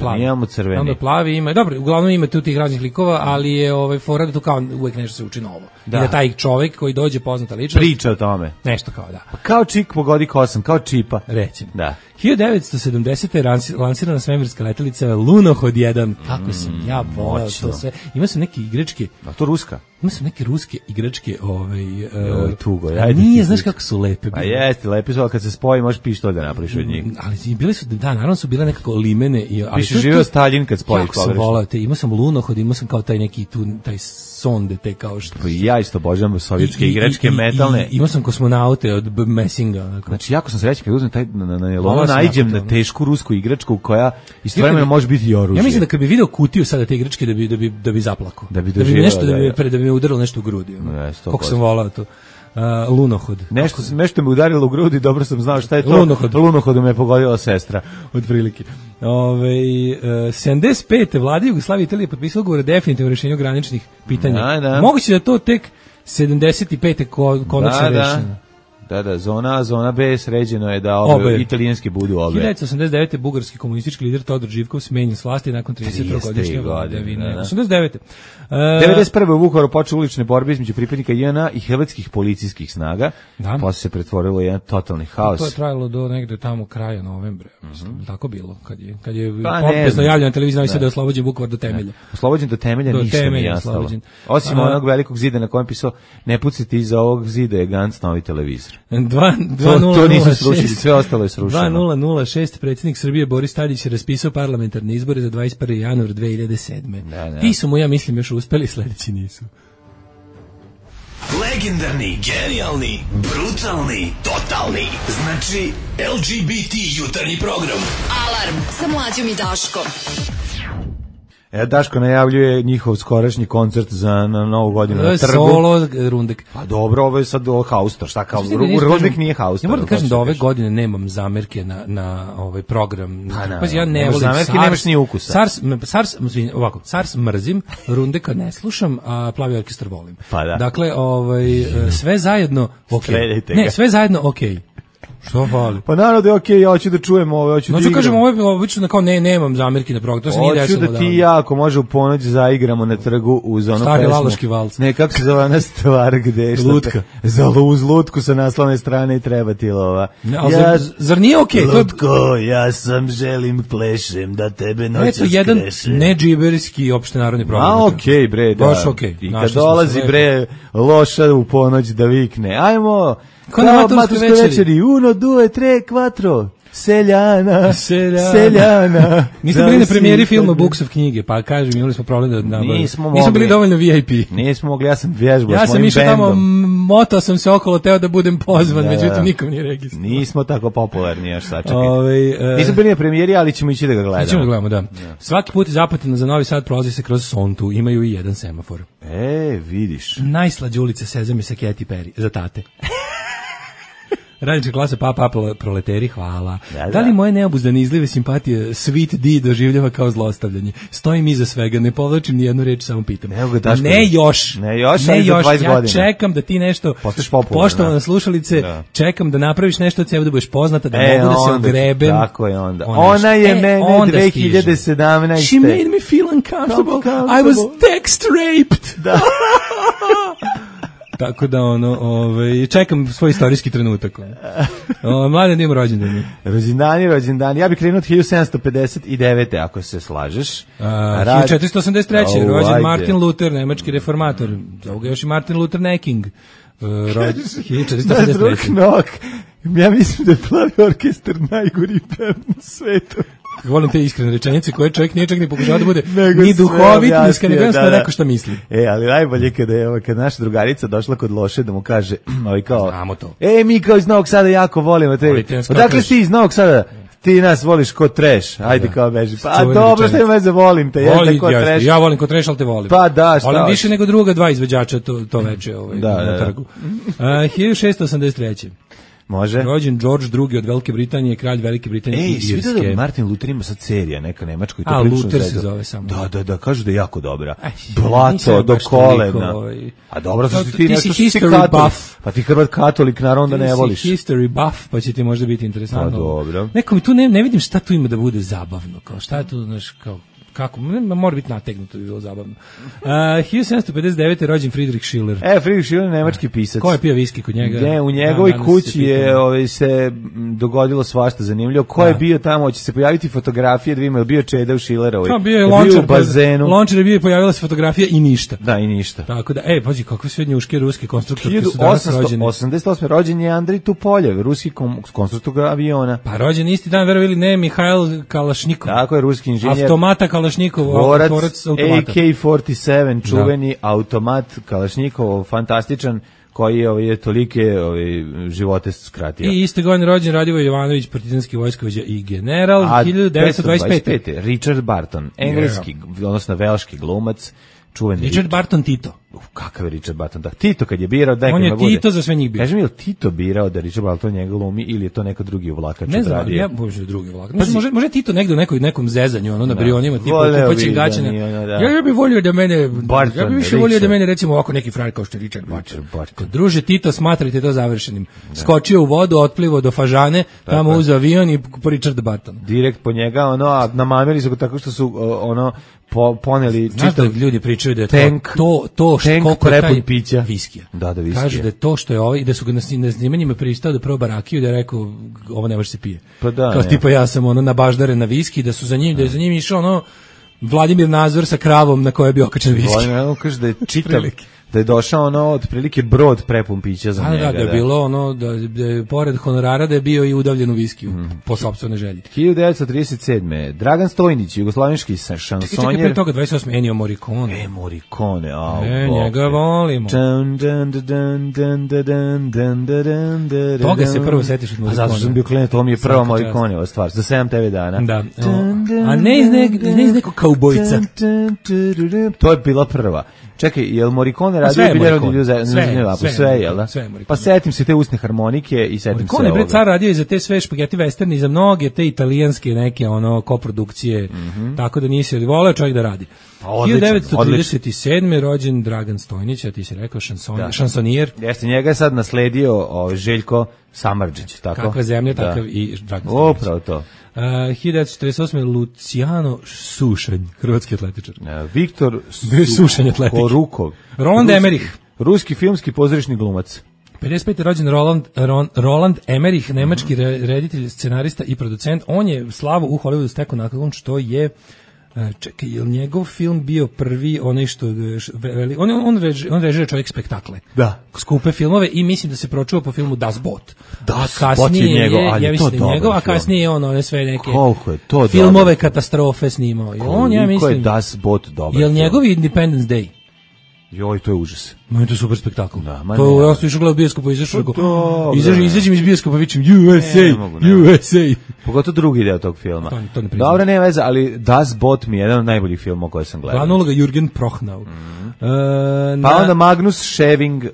crveni. Elmo je plavi, ima, dobro, uglavnom ima tu tih raznih likova, ali je fora da tu kao uvek nešto se uči novo. Da. I da taj čovjek koji dođe poznata ličnost. Priča o tome. Nešto kao da. Pa kao čik pogodi kosam, kao čipa. Recimo. Da. 1970. lansirana svemirska letelica Lunohod 1. Kako sam ja voleo to sve. Ima sam neke igračke. A to ruska? Ima sam neke ruske igračke, tugo. Nije, znaš kako su lepe. Pa jeste, lepe su, ali kad se spoji možeš pištolj da napraviš od njih. Ali bile su, da, naravno su bile nekako limene. Piše živeo Staljin kad spojiš pogrešno. Jako sam volao te, imao sam Lunohod, imao sam kao taj neki taj sonde te kao što... Pa ja isto obožavam sovjetske igračke metalne. Imao sam kosmonaute od Messinga. Onako. Znači, jako sam srećan kad uzmem taj naiđem na tešku rusku igračku koja istovremeno može biti i oružje. Ja mislim da kad bi video kutiju sada te igračke da bi zaplakao. Da bi me udarilo nešto u grudi. Kako sam volao to. Lunohod. Nešto me udarilo u grudi, dobro sam znao šta je to. Lunohodom me pogodila sestra. Otprilike. 75. vlada Jugoslavije i Italije potpisala ugovor o definitivnom rješenju graničnih pitanja. Da. Moguće da to tek 75. konačno rešeno. Da, zona B sređeno je da italijanski budu obe. 1989. bugarski komunistički lider Todor Živkov smenjen s vlasti nakon 33-godišnje vladavine. 89. 91. u Vukovaru počeo ulične borbe između pripadnika JNA i hrvatskih policijskih snaga. Posle se pretvorilo jedan totalni haos. To je trajalo do negde tamo kraja novembra. Tako bilo kad je pompezno javljena televizija da je oslobođen Vukovar do temelja. Oslobođen do temelja ništa nije ostalo. Osim onog velikog zida na kojem pisao ne pucite iza ovog zida je Gantz novi televizor. To nisu srušili, sve ostalo je srušeno. 2006. predsjednik Srbije Boris Tadić je raspisao parlamentarne izbore za 21. januar 2007. Ti su mu, ja mislim, još uspeli, sledeći nisu. Legendarni, genijalni, brutalni, totalni. Znači, LGBT jutarnji program. Alarm sa Mlađom i Daškom. Daško najavljuje njihov skorašnji koncert na Novu godinu na trgu. Solo Rundek. Pa dobro, ovo je sad haustor, šta kao, Rundek nije haustor. Ja moram da kažem da ove godine nemam zamerke na ovaj program. Pa ja ne volim zamerke, nemaš ni ukusa. SARS mrzim, Rundeka ne slušam, a Plavi orkestar volim. Pa da. Dakle, sve zajedno Streljajte ne, ga. sve zajedno okej. Što fali? Pa naravno da je okej, ja hoću da čujem ovo, hoću da igram. Kažem, ovo je obično kao nemam zamerki na program, to se nije desilo. Hoću da ti i ja, ako može u ponoć, zaigramo na trgu uz ono Stari pesmu. laloški valc. Ne, kako se zove ona stvar gde? Lutka. Uz lutku sa naslovne strane i treba ti lova. Zar nije okej? Lutko, ja sam želim plešem da tebe noćas kreše. Eto, jedan nedžiberski opštenarodni program. A okej, bre, da. Baš okej. I kad dolazi, bre, loša u ponoć da vikne, ajmo, kao na maturskoj večeri. 1, 2, 3, 4. Seljana. Nismo bili na premijeri filma Buksov knjige, pa kažem, imali smo problem da nismo bili dovoljno VIP. Nismo mogli, ja sam vježbao ja s mojim sam išao bendom. Tamo, motao sam se okolo, teo da budem pozvan, međutim nikom nije registrovan. Nismo tako popularni, još sačekaj. Nismo bili na premijeri, ali ćemo ići da ga gledamo. Ćemo da gledamo, da. Svaki put iz Apatina za Novi Sad prolazi se kroz Sontu, imaju i jedan semafor. Vidiš. Najslađe ulice Sezame sa Katy Perry, za tate. Radnička klasa, papa, proleteri, hvala. Da li moje neobuzdane izlive simpatije Sweet D doživljava kao zlostavljanje? Stojim iza svega, ne povlačim ni jednu reč, samo pitam. Ne još, ja čekam da ti nešto, poštovana slušalice, čekam da napraviš nešto od sebe, da budeš poznata, da mogu da se ogrebem. Tako je onda. Ona je mene 2017. She made me feel uncomfortable. I was text raped. Da. Tako da čekam svoj istorijski trenutak. Mladen ima rođendani. Rođendani. Ja bih krenuo od 1759. ako se slažeš. 1483. rođen Martin Luther, nemački reformator. Zovu ga još i Martin Luther Necking. Rođen 1483. Ja mislim da je Plavi orkestar najgori band na svetu. Volim te iskrene rečenice koje čovjek nije čak ni pokušao da bude ni duhovit, ni skrenuo rekao šta misli. Ali najbolje kad naša drugarica došla kod Loše da mu kaže, kao, znamo to. Mi kao iz Novog Sada jako volimo te. Odakle si ti iz Novog Sada? Ti nas voliš kod trash, ajde kao beži. Pa dobro, šta ima veze, volim te, jeste kod trash. Ja volim kod trash, ali te volim. Pa da, šta? Volim više nego druga dva izvođača to veče na trgu. 1683. Može. Rođen George II od Velike Britanije, kralj Velike Britanije i Irske. Svi da Martin Luther ima sad serija, neka nemačka. Luther se zove samo. Da, kažu da je jako dobra. Blato do kolena. A dobro, što ti nešto si buff. Pa ti Hrvat katolik, naravno da ne voliš. Ti si history buff, pa će ti možda biti interesantno. Pa dobro. Neko mi tu ne vidim šta tu ima da bude zabavno. Kao šta je tu, znaš, kao kako, mora biti nategnuto, bi bilo zabavno. 1759. rođen Friedrich Schiller. Friedrich Schiller, nemački pisac. Ko je pio viski kod njega? U njegovoj kući je se dogodilo svašta zanimljivo. Ko je bio tamo, hoće se pojaviti fotografije, da vidimo, je bio Čeda u Schillerovoj. Bio je Lončar, u bazenu. Lončar je bio i pojavila se fotografija i ništa. Da, i ništa. Tako da, pazi, kakve sve njuške ruske konstruktorke su danas rođene. 1888. rođen je Andrij Tupoljev, ruski konstruktor aviona. Pa rođen isti dan, verovili ne, Mihajl Kalašnikov. Tako je, ruski inženjer. Automata Kalašnikov, tvorac automata. AK-47, čuveni automat Kalašnikov, fantastičan, koji je tolike živote skratio. I iste godine rođen Radivoje Jovanović, partizanski vojskovođa i general. 1925. Richard Barton, engleski, odnosno velški glumac, čuveni. Richard Barton Tito. Kakav je Richard Barton? Da, Tito kad je birao, on je Tito za sve njih bio. Kaži mi, je li Tito birao da Richard Barton njega glumi ili je to neko drugi uvlakač? Ne znam, ja bože drugi uvlakač. Može Tito negde u nekom zezanju, na brionima, tipa kupaćim gaćene. Ja bih volio da mene, ja bih više volio da mene recimo ovako neki frajer kao što je Richard Barton. Druže Tito, smatrajte to završenim. Skočio u vodu, otplivo do Fažane, tamo uz avion i po Richard Barton. Direkt po njega, a namamili su ga tako što su poneli čitav. Ljudi pričaju da je to koliko je taj pića viskija. Da, viskija. Kaže da je to što je ovaj, da su ga na snimanjima pristao da proba rakiju, da je rekao ovo ne može se pije. Pa da, kao tipa ja sam na baždare na viski, da su za njim, da je za njim išao Vladimir Nazor sa kravom na kojoj je bio okačen viski. Kaže da je da je došao ono otprilike brod prepun pića za njega. Da je bilo ono da je pored honorara da je bio i udavljen u viskiju po sopstvenoj želji. 1937. Dragan Stojnić, jugoslovenski šansonjer. Čekaj, pre toga 28. Ennio Morricone. Morricone, njega volimo. Toga se prvo setiš od Morricone. A zato sam bio klinac, to mi je prva Morriconeova stvar, za 7 TV dana. Da. A ne iz nekog kaubojca. To je bila prva. Čekaj, je li Morricone radio sve, jel da? Pa setim se te usne harmonike i setim se ovoga. Morricone je car radio i za te sve špageti westerni, i za mnoge te italijanske neke ono koprodukcije, tako da nisi voleo čovjek da radi. 1937. rođen Dragan Stojnić, a ti si rekao šansonijer. Jeste, njega je sad nasledio Željko Samardžić, tako? Kakva zemlja, takav i Dragan Stojnić. Upravo to. 1948. Luciano Sušanj, hrvatski atletičar. Viktor Korukov. Roland Emmerich. Ruski filmski pozorišni glumac. 55. rođen Roland Emmerich, nemački reditelj, scenarista i producent. On je slavu u Hollywoodu stekao nakon što je čekaj, je li njegov film bio prvi onaj što on režira čovjek spektakle. Da. Skupe filmove i mislim da se pročuo po filmu Das Boot. Das Boot je njegov, ali ja mislim to dobro njegov, a kasnije je one sve neke koliko je to filmove dobro. Katastrofe snimao. I on, ja mislim, je Das Boot dobar. Je li njegov Independence Day? Joj, to je užas. Ma to je super spektakl. Da, to ja sam išao gledao bioskopa, izađem iz bioskopa, vičem USA. Pogotovo drugi deo tog filma. Dobro, nema veze, ali Das Boot mi je jedan od najboljih filmova koje sam gledao. Glavna uloga Jürgen Prochnau. Pa onda Magnus Scheving,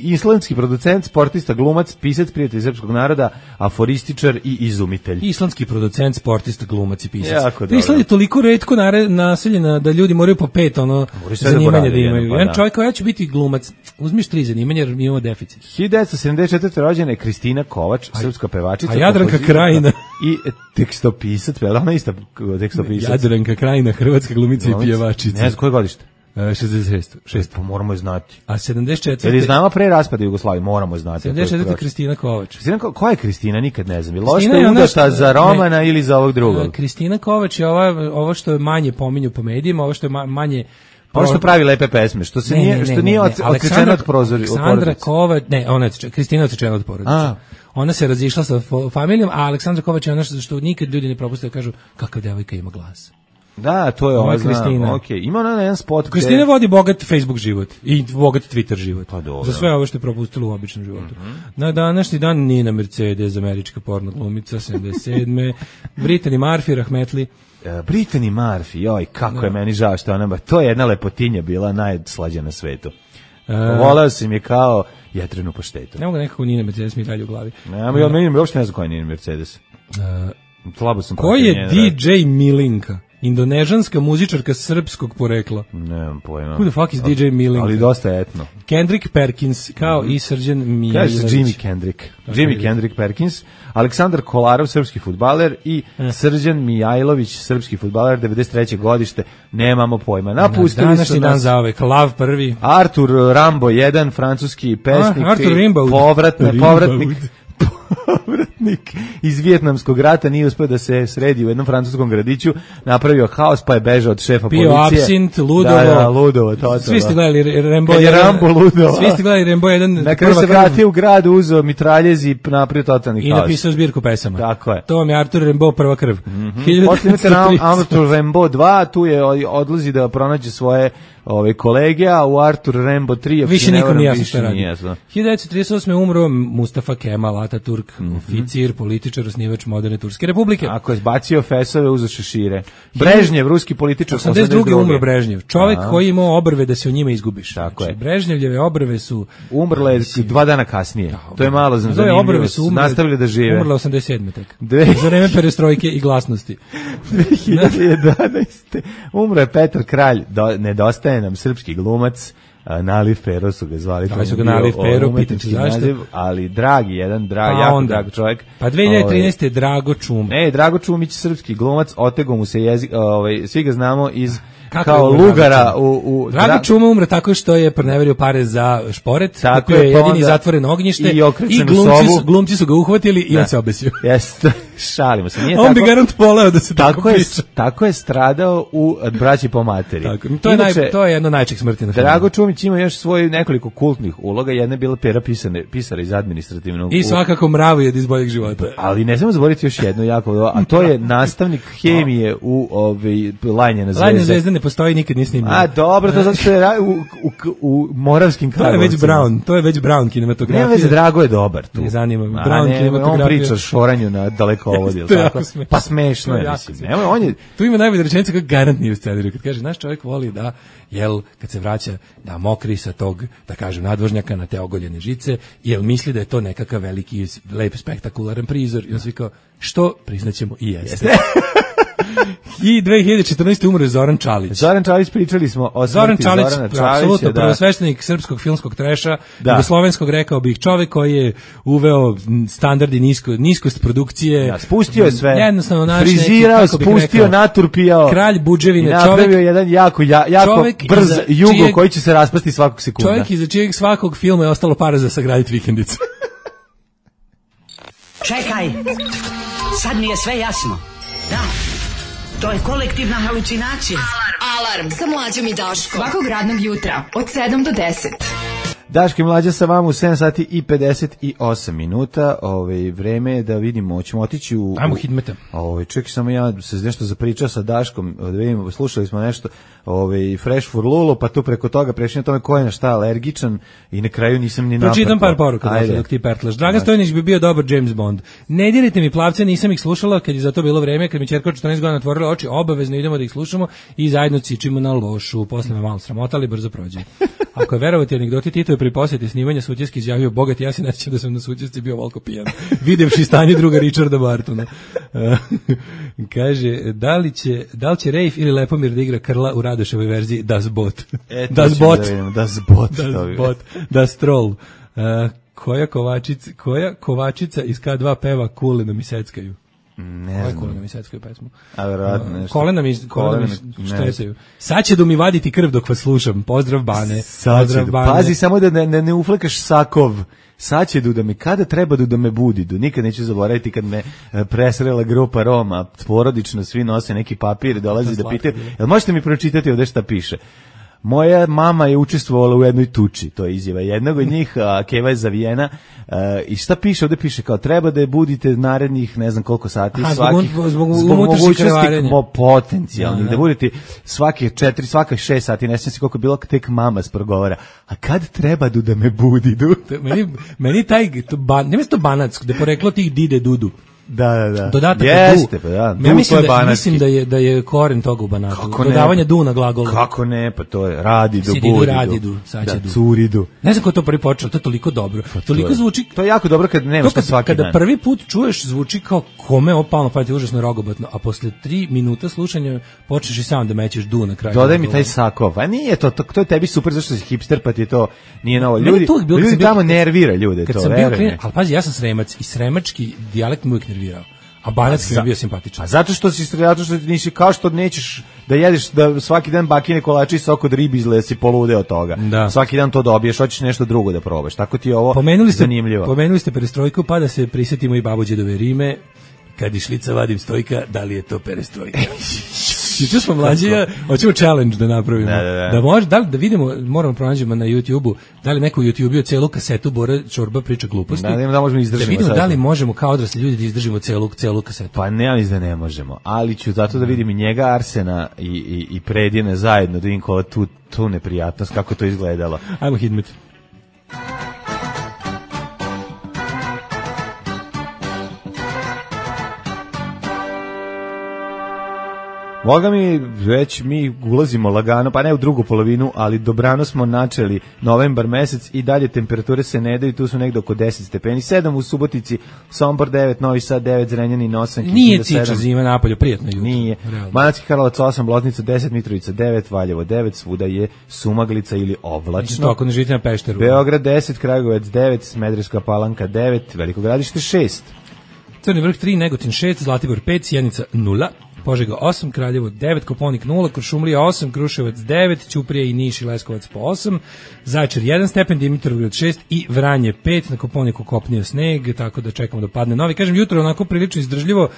islandski producent, sportista, glumac, pisac, prijatelj srpskog naroda, aforističar i izumitelj. Islandski producent, sportista, glumac i pisac. Island je toliko retko naseljena da ljudi moraju po 5 zanimanja da imaju. Jedan čovjek koja će biti glumac, uzmiš 3 zanimanja jer mi imamo deficit. 1974. rođena je Kristina Kovač, srpska pevačica. A Jadranka Krajina. I tekstopisac, ona ista tekstopisac. Jadranka Krajina, hrvatska glumica i pjevačica. Ne znam koje godište? 66. Pa moramo je znati. A 74. Ili znamo pre raspada Jugoslavije, moramo je znati. 74. Kristina Kovač. Koja je Kristina? Nikad ne znam. Loša je udata za Romana ili za ovog drugog? Kristina Kovač je ovo što je manje pominju po medijima, ovo što je manje... Ono što pravi lepe pesme, što nije odsečena od porodice. Aleksandra Kovač, Kristina je odsečena od porodice. Ona se razišla sa familijom, a Aleksandra Kovač je ona što nikad ljudi ne propuste da kažu kakva devojka ima glas. Da, to je ova Kristina. Ima ona jedan spot. Kristina vodi bogat Facebook život i bogat Twitter život. Za sve ovo što je propustila u običnom životu. Na današnji dan Nina Mercedes, američka porno glumica, 77. Brittany Murphy, rahmetli. Brittany Murphy, joj, kako je meni žao što ona, to je jedna lepotinja bila najslađa na svetu. Voleo sam je kao jetrenu paštetu. Ne mogu nekako Nina Mercedes mi dalje u glavi. Meni uopšte ne znam koja je Nina Mercedes. Slabo sam ko je DJ Milinka? Indonežanska muzičarka srpskog porekla. Nemam pojma. Who the fuck is DJ Milinka? Ali dosta etno. Kendrick Perkins, kao i Srđan Mijailović. Kaže Jimmy Kendrick. Jimmy Kendrick Perkins. Aleksandar Kolarov, srpski fudbaler i Srđan Mijailović, srpski fudbaler, 93. godište. Nemamo pojma. Napustili današnji dan za ove. Lav prvi. Artur Rimbaud, jedan francuski pesnik. Artur Rimbaud. Povratnik iz Vijetnamskog rata, nije uspio da se sredi u jednom francuskom gradiću, napravio haos pa je bežao od šefa policije. Pio apsint, ludovo. Da, ludovo, to. Svi ste gledali Rambo 1. Kad je Rambo ludovo. Svi ste gledali Rambo 1. Na kraju se vratio u grad, uzeo mitraljez i napravio totalni haos. I napisao zbirku pesama. Tako je. To vam je Artur Rambo, prva krv. Posle imate Artur Rambo 2, tu je odlazi da pronađe svoje kolege, a u Artur Rambo 3 više nikom nije jasno šta radi. 1938. umro Mustafa Kemal Ataturk, oficir, političar, osnivač moderne Turske republike. Ako je zbacio fesove, uzeo šešire. Brežnjev, ruski političar, 82. umro Brežnjev. Čovjek koji imao obrve da se o njima izgubiš. Tako je. Brežnjevljeve obrve su... Umrle 2 dana kasnije. To je malo zanimljivo. Obrve su nastavili da žive. Umrle 87. tek. Za vreme perestrojke i glasnosti. 2011. Umro je Petar Kralj, nedostaje nam srpski glumac, Naliv Pero su ga zvali. Da su ga Naliv Pero, pitam se zašto. Ali dragi, jako drag čovjek. Pa 2013. Drago Čumić. Drago Čumić, srpski glumac, otego mu se jezik, svi ga znamo iz kao lugara u Drago Čuma umre tako što je proneverio pare za šporet, tako je jedini zatvoren ognjište i glumci su ga uhvatili i on se obesio. Jeste. Šalimo se, nije On tako. bi garant poleo da se tako priča. Tako je stradao u Braći po materi. Tako, Inače, to je jedno najčešćih smrti na filmu. Drago Čumić ima još svoje nekoliko kultnih uloga, jedna je bila Pera pisara iz administrativnog. I svakako Mravojed iz Boljeg života. Ali ne smemo zaboraviti još jedno jako, a to je nastavnik hemije u Lajnjena zvezda. Lajnjena zvezda ne postoji, nikad nije snimljeno. A dobro, to zato što je u Moravskim Karlovcima. To je već Brown kinematografija. Ne veze, Drago je dobar tu. Ne zanima me. Brown kinematografija. On priča o šoranju na dalekovodi, ili tako? Pa smešno je, mislim. Tu ima najbolja rečenica kako garant nije u scenariju. Kad kaže, naš čovjek voli da, kad se vraća, da mokri sa tog, da kažem, nadvožnjaka na te ogoljene žice, jel misli da je to nekakav veliki, lep, spektakularan prizor. I on svi kao, što priznaćemo i jeste. I 2014. umro je Zoran Čalić. Zoran Čalić, pričali smo o smrti Zorana Čalića. Apsolutno, prvosveštenik srpskog filmskog treša, jugoslovenskog, rekao bih, čovjek koji je uveo standardi niskost produkcije. Da, spustio je sve. Jednostavno frizirao, spustio, naturpijao. Kralj buđevine, čovjek. I napravio jedan jako brz jugo koji će se raspasti svakog sekunda. Čovjek iza čijeg svakog filma je ostalo para za sagraditi vikendicu. Čekaj, sad mi je sve jasno. Da, to je kolektivna halucinacija. Alarm sa Mlađom i Daškom. Svakog radnog jutra od 7 do 10. Daško i Mlađa sa vama u 7 sati i 58 minuta. Vreme je da vidimo, ćemo otići u... Ajmo hitmeta. Čekaj, samo ja se nešto zapričao sa Daškom, da vidimo, slušali smo nešto Fresh for Lulu, pa tu preko toga prešli na tome ko je na šta alergičan i na kraju nisam ni napravo. Pročitam par poruka dok ti pertlaš. Dragan Stojnić bi bio dobar James Bond. Ne dirajte mi plavce, nisam ih slušala kad je za to bilo vreme, kad mi ćerka 14 godina otvorila oči, obavezno idemo da ih slušamo i zajedno cičimo na lošu. Posle me malo sramotali, brzo prođe. Ako je verovati anegdoti, Tito je pri posjeti snimanja Sutjeski izjavio, bogat, ja se nećem da sam na Sutjesci bio volko pijan, videvši stanje druga Richarda Bartona. Kaže, da li će Rejf ili Lepomir da igra Krla u Radoševoj verziji Das Bot? Das Bot. Das Troll. Koja kovačica iz K2 peva Kulena mi seckaju? Ne znam. Kolena mi seckaju pesmu. A verovatno nešto. Kolena mi štecaju. Sad će da mi vaditi krv dok vas slušam. Pozdrav Bane. Pozdrav Bane. Pazi samo da ne uflekaš sakov. Sad će da me, kada treba da me budi, nikad neću zaboraviti kad me presrela grupa Roma, porodično, svi nose neki papir, dolazi da pitaju, jel možete mi pročitati ovde šta piše? Moja mama je učestvovala u jednoj tuči, to je izjava jednog od njih, keva je zavijena, i šta piše, ovde piše kao treba da je budite narednih ne znam koliko sati, zbog mogućnosti potencijalnih, da budete svake 6 sati, ne znam si koliko je bilo, tek mama sprogovara, a kad treba da me budi? Meni taj, nema se to banatsko, da je poreklo tih dide dudu. Da. Dodatak jeste, du. Ja mislim da je koren toga u banatu. Dodavanje du na glagolu. Kako ne, pa to je radi du, radi du, sad će du. Curi du. Ne znam ko to prvi počeo, to je toliko dobro. Toliko zvuči. To je jako dobro kad nemaš to svaki dan. Kada prvi put čuješ, zvuči kao kome opalno, pa ti je užasno rogobatno, a posle 3 minuta slušanja počneš i sam da mećeš du na kraju. Dodaj mi taj sakov. A nije to je tebi super zašto si hipster, pa ti to nije novo. Ljudi tamo nervira ljude to, verujem. Al pazi, ja sam Sremac i sremački dijalekt mu nervirao. A banatski mi je bio simpatičan. A zato što nisi, kao što nećeš da jedeš da svaki dan bakine kolači i sok od ribe izgleda si polude od toga. Da. Svaki dan to dobiješ, hoćeš nešto drugo da probaš. Tako ti je ovo zanimljivo. Pomenuli ste perestrojku, pa da se prisjetimo i Babođedove rime. Kad iz šlica vadim stojka, da li je to perestrojka? Juče smo mlađi, hoćemo challenge da napravimo. Da može, da vidimo, moramo pronađemo na YouTubeu, da li neko u YouTubeu celu kasetu Bora Čorba priča gluposti. Da možemo izdržimo. Da vidimo da li možemo kao odrasli ljudi da izdržimo celu kasetu. Pa ne, da ne možemo, ali ću zato da vidim i njega, Arsena i Predine zajedno, da vidim kola tu neprijatnost, kako to izgledalo. Ajmo hitmet. Boga mi, već mi ulazimo lagano, pa ne u drugu polovinu, ali dobrano smo načeli novembar mesec i dalje temperature se ne daju, tu su negde oko 10 stepeni, 7 u Subotici, Sombor 9, Novi Sad 9, Zrenjanin 8, Kikinda 7. Nije ciča zima napolju, prijatno jutro. Nije. Banatski Karlovac 8, Loznica 10, Mitrovica 9, Valjevo 9, svuda je sumaglica ili oblačno. To ako ne živite na Pešteru. Beograd 10, Kragujevac 9, Smederevska Palanka 9, Veliko Gradište 6. Crni vrh 3, Negotin 6, Zlatibor 5, Sjenica 0. Požega 8, Kraljevo 9, Koponik 0, Kuršumlija 8, Kruševac 9, Ćuprija i Niš i Leskovac po 8, Zaječar 1 stepen, Dimitrovgrad 6 i Vranje 5, na Koponiku kopnio sneg, tako da čekamo da padne novi. Kažem, jutro onako prilično izdržljivo,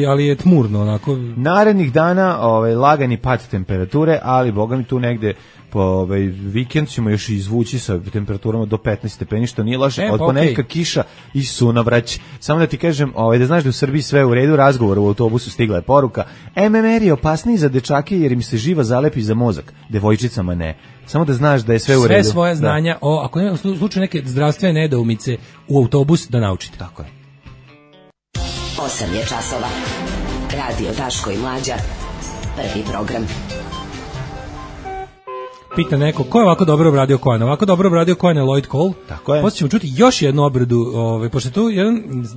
ali je tmurno onako. Narednih dana lagani pad temperature, ali boga mi tu negde po vikend ćemo još izvući sa temperaturama do 15 stepeni, što nije loše. Od ponedjeljka kiša i sunovrać. Samo da ti kažem, da znaš da u Srbiji sve u redu, razgovor u autobusu stigla je poruka. MMR je opasniji za dečake jer im se živa zalepi za mozak, devojčicama ne. Samo da znaš da je sve u redu. Sve svoje znanja, ako nema u slučaju neke zdravstvene nedoumice u autobus, da naučite. Tako je. 8 je časova. Radio Daško i Mlađa. Prvi program. Pita neko, ko je ovako dobro obradio Coena? Ovako dobro obradio Coena je Lloyd Cole. Tako je. Poslije ćemo čuti još jednu obradu, pošto je tu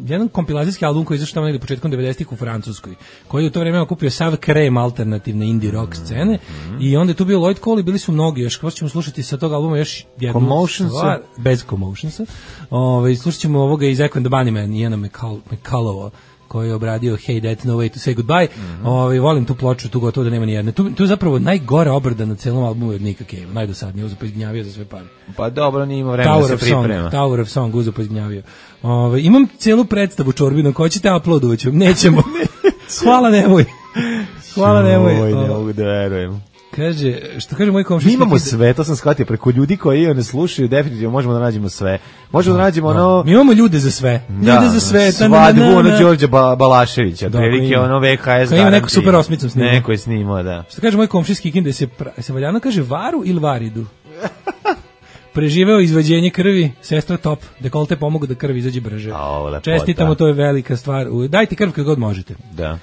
jedan kompilacijski album koji je izašao tamo negdje početkom 90-ih u Francuskoj, koji je u to vreme okupio sav krem alternativne indie rock scene, i onda je tu bio Lloyd Cole i bili su mnogi još. Poslije ćemo slušati sa tog albuma još jednu stvar, bez Commotionsa. Slušat ćemo ovoga iz Echo and the Bunnymen, Iana McCullougha, koji je obradio Hey That's No Way to Say Goodbye. Volim tu ploču, tu gotovo da nema ni jedne. Tu je zapravo najgora obrada na celom albumu od Nika Cave, najdosadnije, uzo pa izgnjavio za sve pare. Pa dobro, nije imao vremena da se priprema. Tower of Song, uzo pa izgnjavio. Imam celu predstavu Čorbinom, ko ćete uploadovat ću? Nećemo. Hvala, nemoj. Hvala, nemoj. Ne mogu da verujem. Kaže, što kaže moj komšija? Mi imamo sve, to sam shvatio, preko ljudi koji ne slušaju, definitivno možemo da nađemo sve. Možemo da nađemo ono... Mi imamo ljude za sve. Ljude za sve. Svadbu Đorđa Balaševića, prilike VHS. Ima neku super osmicom snimao. Neko je snimao, da. Što kaže moj komšijski Kikin, da se valjano kaže varu ili varidu? Preživeo izvađenje krvi, sestra top, dekolte pomogu da krv izađe brže. Čestitamo, to je velika stvar. Dajte krv kad god možete. Da.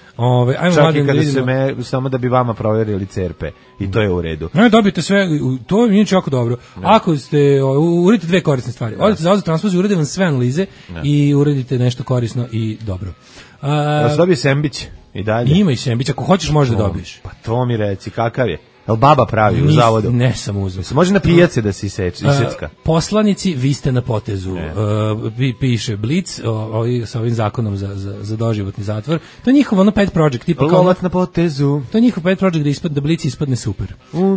Ajmo čak i kada se samo da bi vama provjerili cerpe. I to je u redu. Ne, dobijete sve, to je inače jako dobro. Ako ste, uradite dve korisne stvari. Odete za transfuziju, urade vam sve analize i uradite nešto korisno i dobro. Da se dobije sembić i dalje. Ima i sembić, ako hoćeš možda dobiješ. Pa to mi reci, kakav je? Jel baba pravi u zavodu? Ne sam uzeo. Može na pijace da se isecka? Poslanici, vi ste na potezu. Piše Blitz sa ovim zakonom za doživotni zatvor. To je njihov pet project. Lovac na potezu. To je njihov pet project da Blitz ispadne super.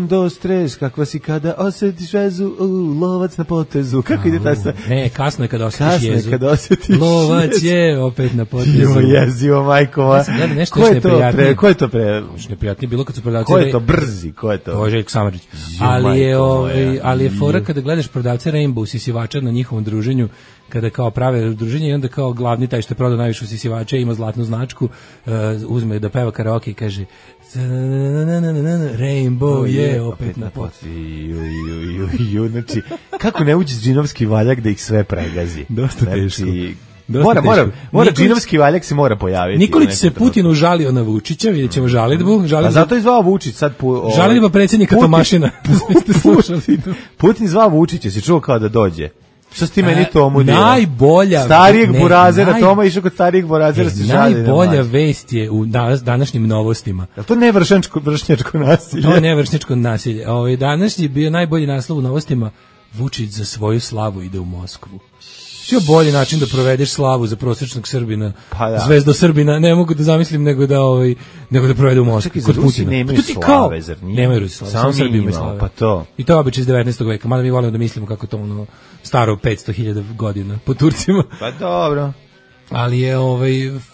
Dos, tres, kakva si kada osjetiš vezu, lovac na potezu. Kako ide ta stvar? Ne, kasno je kada osjetiš jezu. Kasno je kada osjetiš jezu. Lovac je opet na potezu. Jezivo, majkova. Ko je to pre? Neprijatnije bilo kad su prodavci. Ko je to brzi? Ko je to? Ovo je Željko Samardžić. Ali je fora kada gledaš prodavce Rainbow sisivača na njihovom druženju, kada kao prave druženje i onda kao glavni taj što je prodao najviše sisivača ima zlatnu značku, uzme da peva karaoke i kaže Rainbow je opet na potezu. Znači, kako ne uđe džinovski valjak da ih sve pregazi? Dosta teško. Mora džinovski valjak se mora pojaviti. Nikolić se Putinu žalio na Vučića, vidjet ćemo žalidbu. A zato je zvao Vučić sad... Žalidba predsjednika Tomašina. Putin zvao Vučića, si čuo kao da dođe. Što si ti meni tomu dira? Najbolja... Starijeg burazera, Toma išao kod starijeg burazera se žali. Najbolja vest je u današnjim novostima. Je to ne vršnjačko nasilje? To je ne vršnjačko nasilje. Današnji je bio najbolji naslov u novostima. Vučić za svoju slavu ide u Moskvu. Što bolji način da provedeš slavu za prosječnog Srbina, zvezdo Srbina, ne mogu da zamislim nego da provede u Moskvi kod Putina. Nemaju slave, zar nije? Nemaju Rusi slave, samo Srbi imaju slave. Pa to. I to je običaj iz 19. veka, mada mi volimo da mislimo kako to staro 500.000 godina po Turcima. Pa dobro. Ali je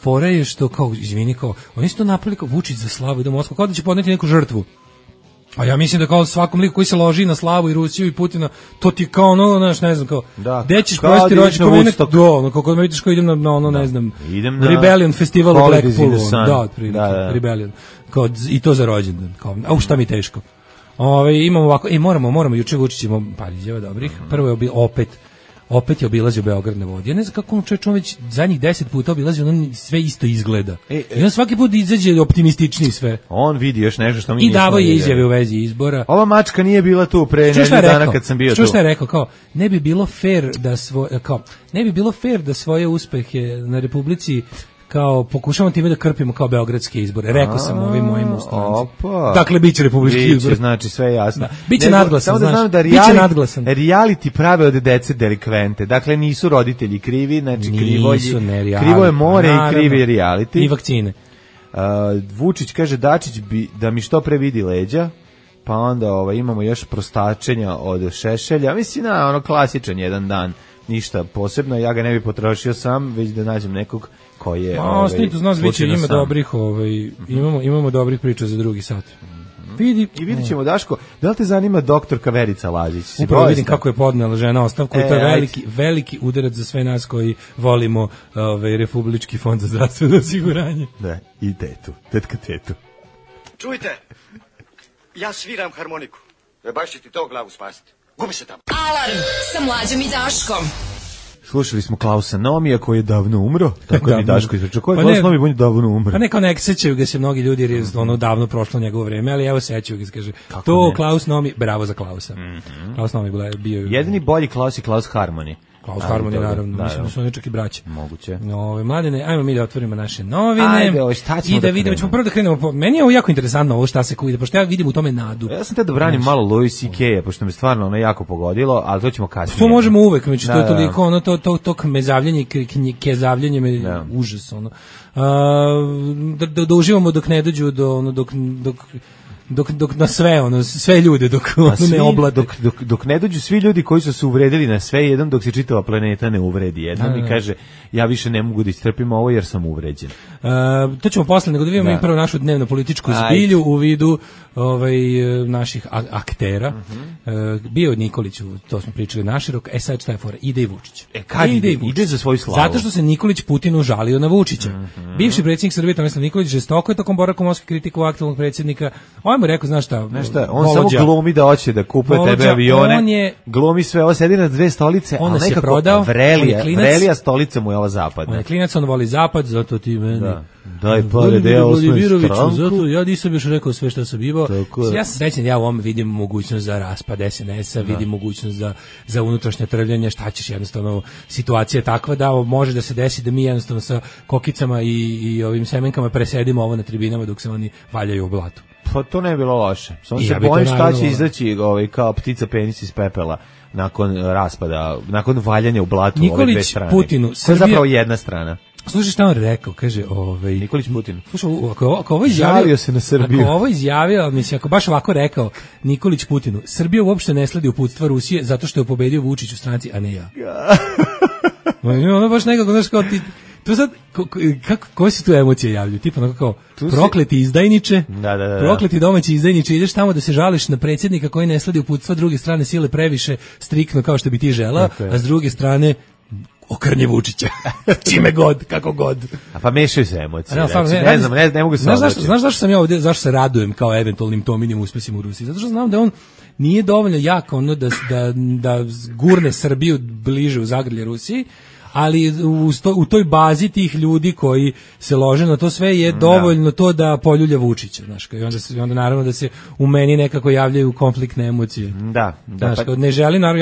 fora je što kao, izvini, kao, oni su to napravili kao Vučić za slavu ide u Moskvu, kao da će podneti neku žrtvu. A ja mislim da kao svakom liku koji se loži na slavu i Rusiju i Putina, to ti kao ne znam, kao, gde ćeš provesti rođendan, kako me vidiš kao idem na ne znam, Rebellion festival u Blackpoolu, Rebellion, kao, i to za rođendan, kao, šta mi teško. Imamo ovako, moramo, juče Vučić imamo par izjava dobrih, prvo je opet je obilazio Beograd na vodi. Ja ne znam kako on već zadnjih 10 puta obilazio, on sve isto izgleda. I on svaki put izađe optimističniji sve. On vidi još nešto što mi nismo. I davo je izjave u vezi izbora. Ova mačka nije bila tu pre nedelju dana kad sam bio tu. Što je rekao, kao, ne bi bilo fair da svoje uspehe na Republici kao pokušamo time da krpimo kao beogradske izbore. Rekao sam ovim mojim ustancima. Dakle, biće republički izbor. Znači, sve je jasno. Biće nadglasan, znaš. Reality prave od dece delikvente. Dakle, nisu roditelji krivi, znači krivo je more i krivi reality. I vakcine. Vučić kaže Dačić bi da mi što pre vidi leđa, pa onda imamo još prostačenja od Šešelja, mislim ono klasičan jedan dan, ništa posebno, ja ga ne bi potrošio sam, već da nađem nekog koji je Snito zna zviće, ima dobrih imamo dobrih priča za drugi sat. I vidit ćemo, Daško, da li te zanima doktorka Verica Lazić? Upravo vidim kako je podnela žena ostavku, to je veliki udarac za sve nas koji volimo Republički fond za zdravstveno osiguranje. Da, i tetka tetu. Čujte, ja sviram harmoniku. Baš će ti to glavu spasiti. Gubi se tamo. Alarm sa Mlađom i Daškom. Slušali smo Klausa Nomija koji je davno umro, tako da mi Daško izrečao. Ko je Klaus Nomi, on je davno umro. Pa neko ne sećaju ga se mnogi ljudi jer je davno prošlo njegovo vreme, ali evo sećaju ga, kaže, to Klaus Nomi, bravo za Klausa. Klaus Nomi bio... Jedini bolji Klaus je Klaus Harmony. Klaus Harmony, naravno, mislim da su oni čak i braće. Moguće. Mladene, ajmo mi da otvorimo naše novine. Ajde, šta ćemo i da vidimo, ćemo prvo da krenemo. Meni je ovo jako interesantno ovo šta se kuide, pošto ja vidim u tome nadu. Ja sam te da branim malo Louis C.K.-a, pošto me stvarno ono jako pogodilo, ali to ćemo kasnije. To možemo uvek, znači to je toliko, ono, to kmezavljanje, kezavljanje me užas, ono. Da uživamo dok ne dođu do, ono, dok na sve sve ljude dok ne oblade, dok ne dođu svi ljudi koji su se uvredili na sve jednom, dok se čitava planeta ne uvredi jednom i kaže ja više ne mogu da istrpim ovo jer sam uvređen. To ćemo posle, nego da vidimo i prvo našu dnevno političku zbilju u vidu naših aktera. Bio Nikolić, to smo pričali naširok, sad šta je fora, ide i Vučić. Ide za svoju slavu. Zato što se Nikolić Putinu žalio na Vučića. Bivši predsjednik Srbije Tomislav Nikolić žestoko je tokom boravka u Moskvi kritikovao aktualnog predsjednika. On mu rekao, znaš šta, on samo glumi da hoće da kupuje tebe avione, glumi sve, ovo sedi na dve stolice, ali nekako vrelija stolica mu je ova zapadna. On je klinac, on voli zapad, zato ti meni... Daj pare da ja osnovim stranku. Zato ja nisam još rekao sve što sam imao. Ja sam srećan, ja u ovom vidim mogućnost za raspad SNS-a, vidim mogućnost za unutrašnje trvljanje, šta ćeš, jednostavno situacija je takva da može da se desi da mi jednostavno sa kokicama i ovim semenkama presedimo ovo na tribinama dok se oni valjaju u blatu. Pa to ne je bilo loše. Samo se bojim šta će izaći kao ptica penis iz pepela nakon raspada, nakon valjanja u blatu ove dve strane. Nikolić Putinu, to je zapravo jedna strana. Slušaj šta on rekao, kaže, Nikolić Putin. Slušaj, ako ovo izjavio, žalio se na Srbiju. Ako ovo izjavio, mislim, ako baš ovako rekao Nikolić Putinu, Srbija uopšte ne sledi uputstva Rusije zato što je pobedio Vučić u stranci, a ne ja. Ono baš nekako, znaš, kao ti... To sad, koje se tu emocije javljaju? Tipa onako kao, prokleti izdajniče, prokleti domaći izdajniče, ideš tamo da se žališ na predsjednika koji ne sledi uputstva druge strane sile previše striktno kao što bi ti želao, a s druge strane okrnje Vučića. Čime god, kako god. A pa mešaju se emocije. Ne mogu se znaš zašto sam ja ovdje, zašto se radujem kao eventualnim Tominim uspesima u Rusiji? Zato što znam da on nije dovoljno jak ono da gurne Srbiju bliže u zagrlje Rusiji, ali u toj bazi tih ljudi koji se lože na to sve je dovoljno to da poljulja Vučića, znaš, i onda naravno da se u meni nekako javljaju konfliktne emocije. Da. Znaš, ja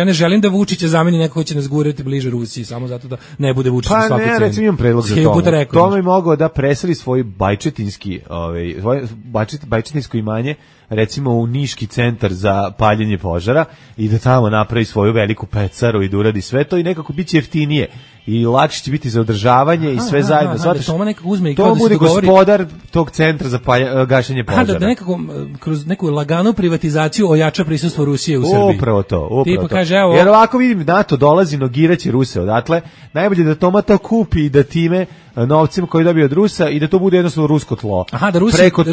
ne želim da Vučića zameni neko koji će nas gurati bliže Rusiji, samo zato da ne bude Vučić na svaku cenu. Pa ne, recimo imam predlog za to. Tome mogao da preseli svoj bajčetinsko imanje, recimo u Niški centar za paljenje požara i da tamo napravi svoju veliku pecaru i da uradi sve to i nekako biće jeftinije i lakše će biti za održavanje i sve zajedno. To bude gospodar tog centra za gašenje požara. Da nekako kroz neku laganu privatizaciju ojača prisustvo Rusije u Srbiji. Upravo to. Jer ovako vidim, NATO dolazi, nogiraće Ruse odatle. Najbolje da Toma to kupi i da time novcima koji dobije od Rusa i da to bude jednostavno rusko tlo. Da Rusi preko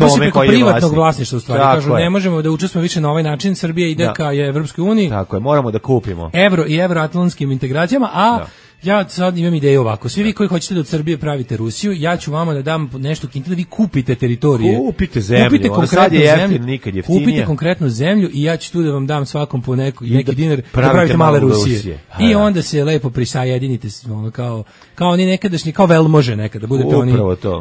privatnog vlasništva u stvari. Kažu, ne možemo da učestvujemo više na ovaj način, Srbija ide ka Evropskoj uniji. Tako je, moramo da kupimo. Evro i evroatlantskim integracijama, ja sad imam ideju ovako, svi vi koji hoćete da od Srbije pravite Rusiju, ja ću vama da dam nešto kinta da vi kupite teritorije. Kupite zemlju, sad je jeftin, nikad jeftinije. Kupite konkretnu zemlju i ja ću tu da vam dam svakom po neki dinar da pravite male Rusije. I onda se lepo prisajedinite kao oni nekadašnji, kao velmože nekada, budete oni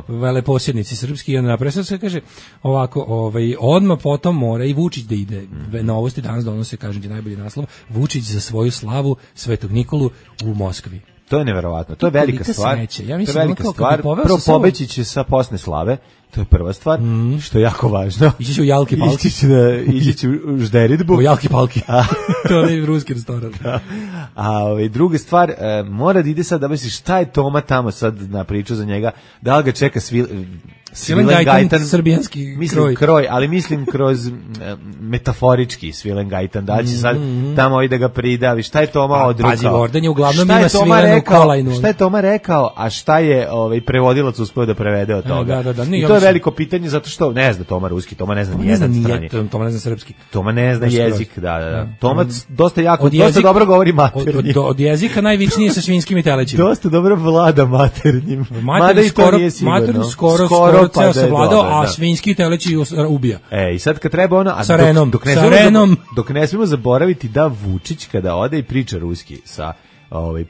veleposjednici srpski i onda napravo sad se kaže ovako, odmah potom mora i Vučić da ide. Novosti danas donose, kažem ti najbolji naslov, Vučić za svoju slavu Svetog Nikolu u Moskvi. To je neverovatno, to je velika stvar. To je velika stvar. Prvo pobeći će sa posne slave, to je prva stvar, što je jako važno. Ići će u Jalki Palki. Ići će u Žderitbu. U Jalki Palki. To je ruski restoran. A druga stvar, mora da ide sad da misliš šta je Toma tamo sad na priču za njega, da li ga čeka Svilengajtan, srbijanski mislim kroj, ali mislim kroz metaforički Svilengajtan, da će sad tamo i da ga pridavi. Šta je Toma odrukao? Pazi, Vordan je uglavnom ima svilenu kolajnu. Šta je Toma rekao, a šta je prevodilac uspeo da prevede od toga? Da, I to je veliko pitanje, zato što ne zna Toma ruski, Toma ne zna ni jedan strani. Toma ne zna srpski. Toma ne zna jezik, da. Toma dosta dobro govori maternjim. Od jezika najvičnije sa svinjskim i telećima. Dosta dobro vlada maternjim. Maternji skoro ceo se vladao, a svinjski teleći ubija. I sad kad treba ono... Sa Renom. Dok ne smemo zaboraviti da Vučić kada ode i priča ruski sa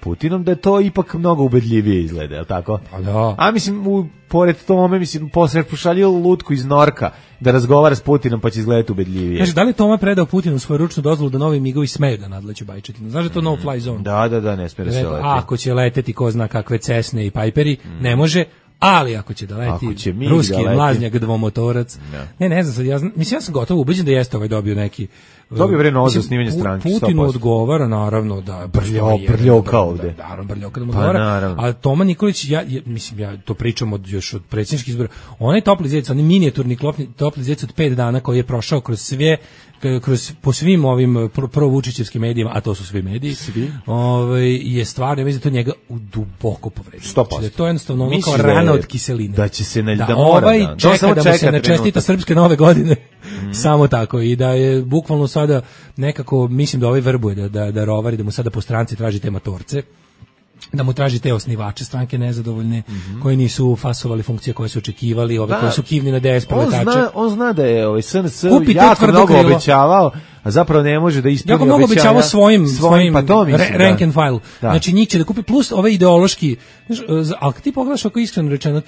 Putinom, da je to ipak mnogo ubedljivije izgleda, je li tako? Pa da. A mislim, pored tome, posle pošalju lutku iz Norka da razgovara s Putinom, pa će izgledati ubedljivije. Kaže, da li Toma predao Putinu svoju ručnu dozvolu da novi migovi smeju da nadleću Bajčetinu? Znaš da to no fly zone? Da, ne smije da se leti. Ako će leteti ko zna kakve Cessne i Piperi, ne može. Ali ako će da leti ruski mlaznjak dvomotorac. Ne znam, ja sam gotovo ubeđen da jeste dobio neki... Dobio bre novo za snimanje stranke. Putinu odgovara, naravno, da... Brljoka ovde. Naravno, Brljoka da mu odgovara. A Toma Nikolić, ja to pričam još od predsjedničkih izbora, onaj topli zec, onaj minijaturni topli zec od 5 dana koji je prošao kroz sve, po svim ovim provučićevskim medijima, a to su svi mediji, je stvarno, ja mislim da to njega duboko povredio. 100%. Da to je jednostavno ono kao rana od kiseline. Da će se da mora, čeka da mu se načestita srpske nove godine. Samo tako, i da je bukvalno sada nekako, mislim da ovaj verbuje da rovari, da mu sada po stranci traži te matorce, da mu traži te osnivače stranke nezadovoljne, koji nisu fasovali funkcije koje su očekivali, koji su kivni na DS proletače. On zna da je SNS jako mnogo obećavao, a zapravo ne može da ispuni obećanja. Jako mnogo obećavao svojim pa to mislim, rank and file. Da. Znači njih će da kupi, plus ove ideološki, ali kad ti pogledaš ako iskreno rečeno,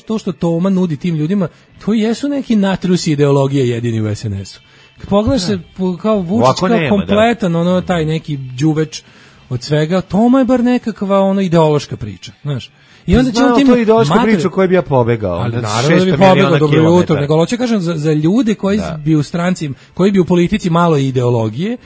to što Toma nudi tim ljudima, to jesu neki natrusi ideologije jedini u SNS-u. Kad pogledaš se kao Vučić, kao kompletan, taj neki đuveč od svega, Toma je bar nekakva ideološka priča, znaš. I onda će on tim to ideološka priča koju bi ja pobegao. Ali naravno da bi pobegao, dobro jutro, nego hoće kažem za ljude koji bi u stranci, koji bi u politici malo ideologije,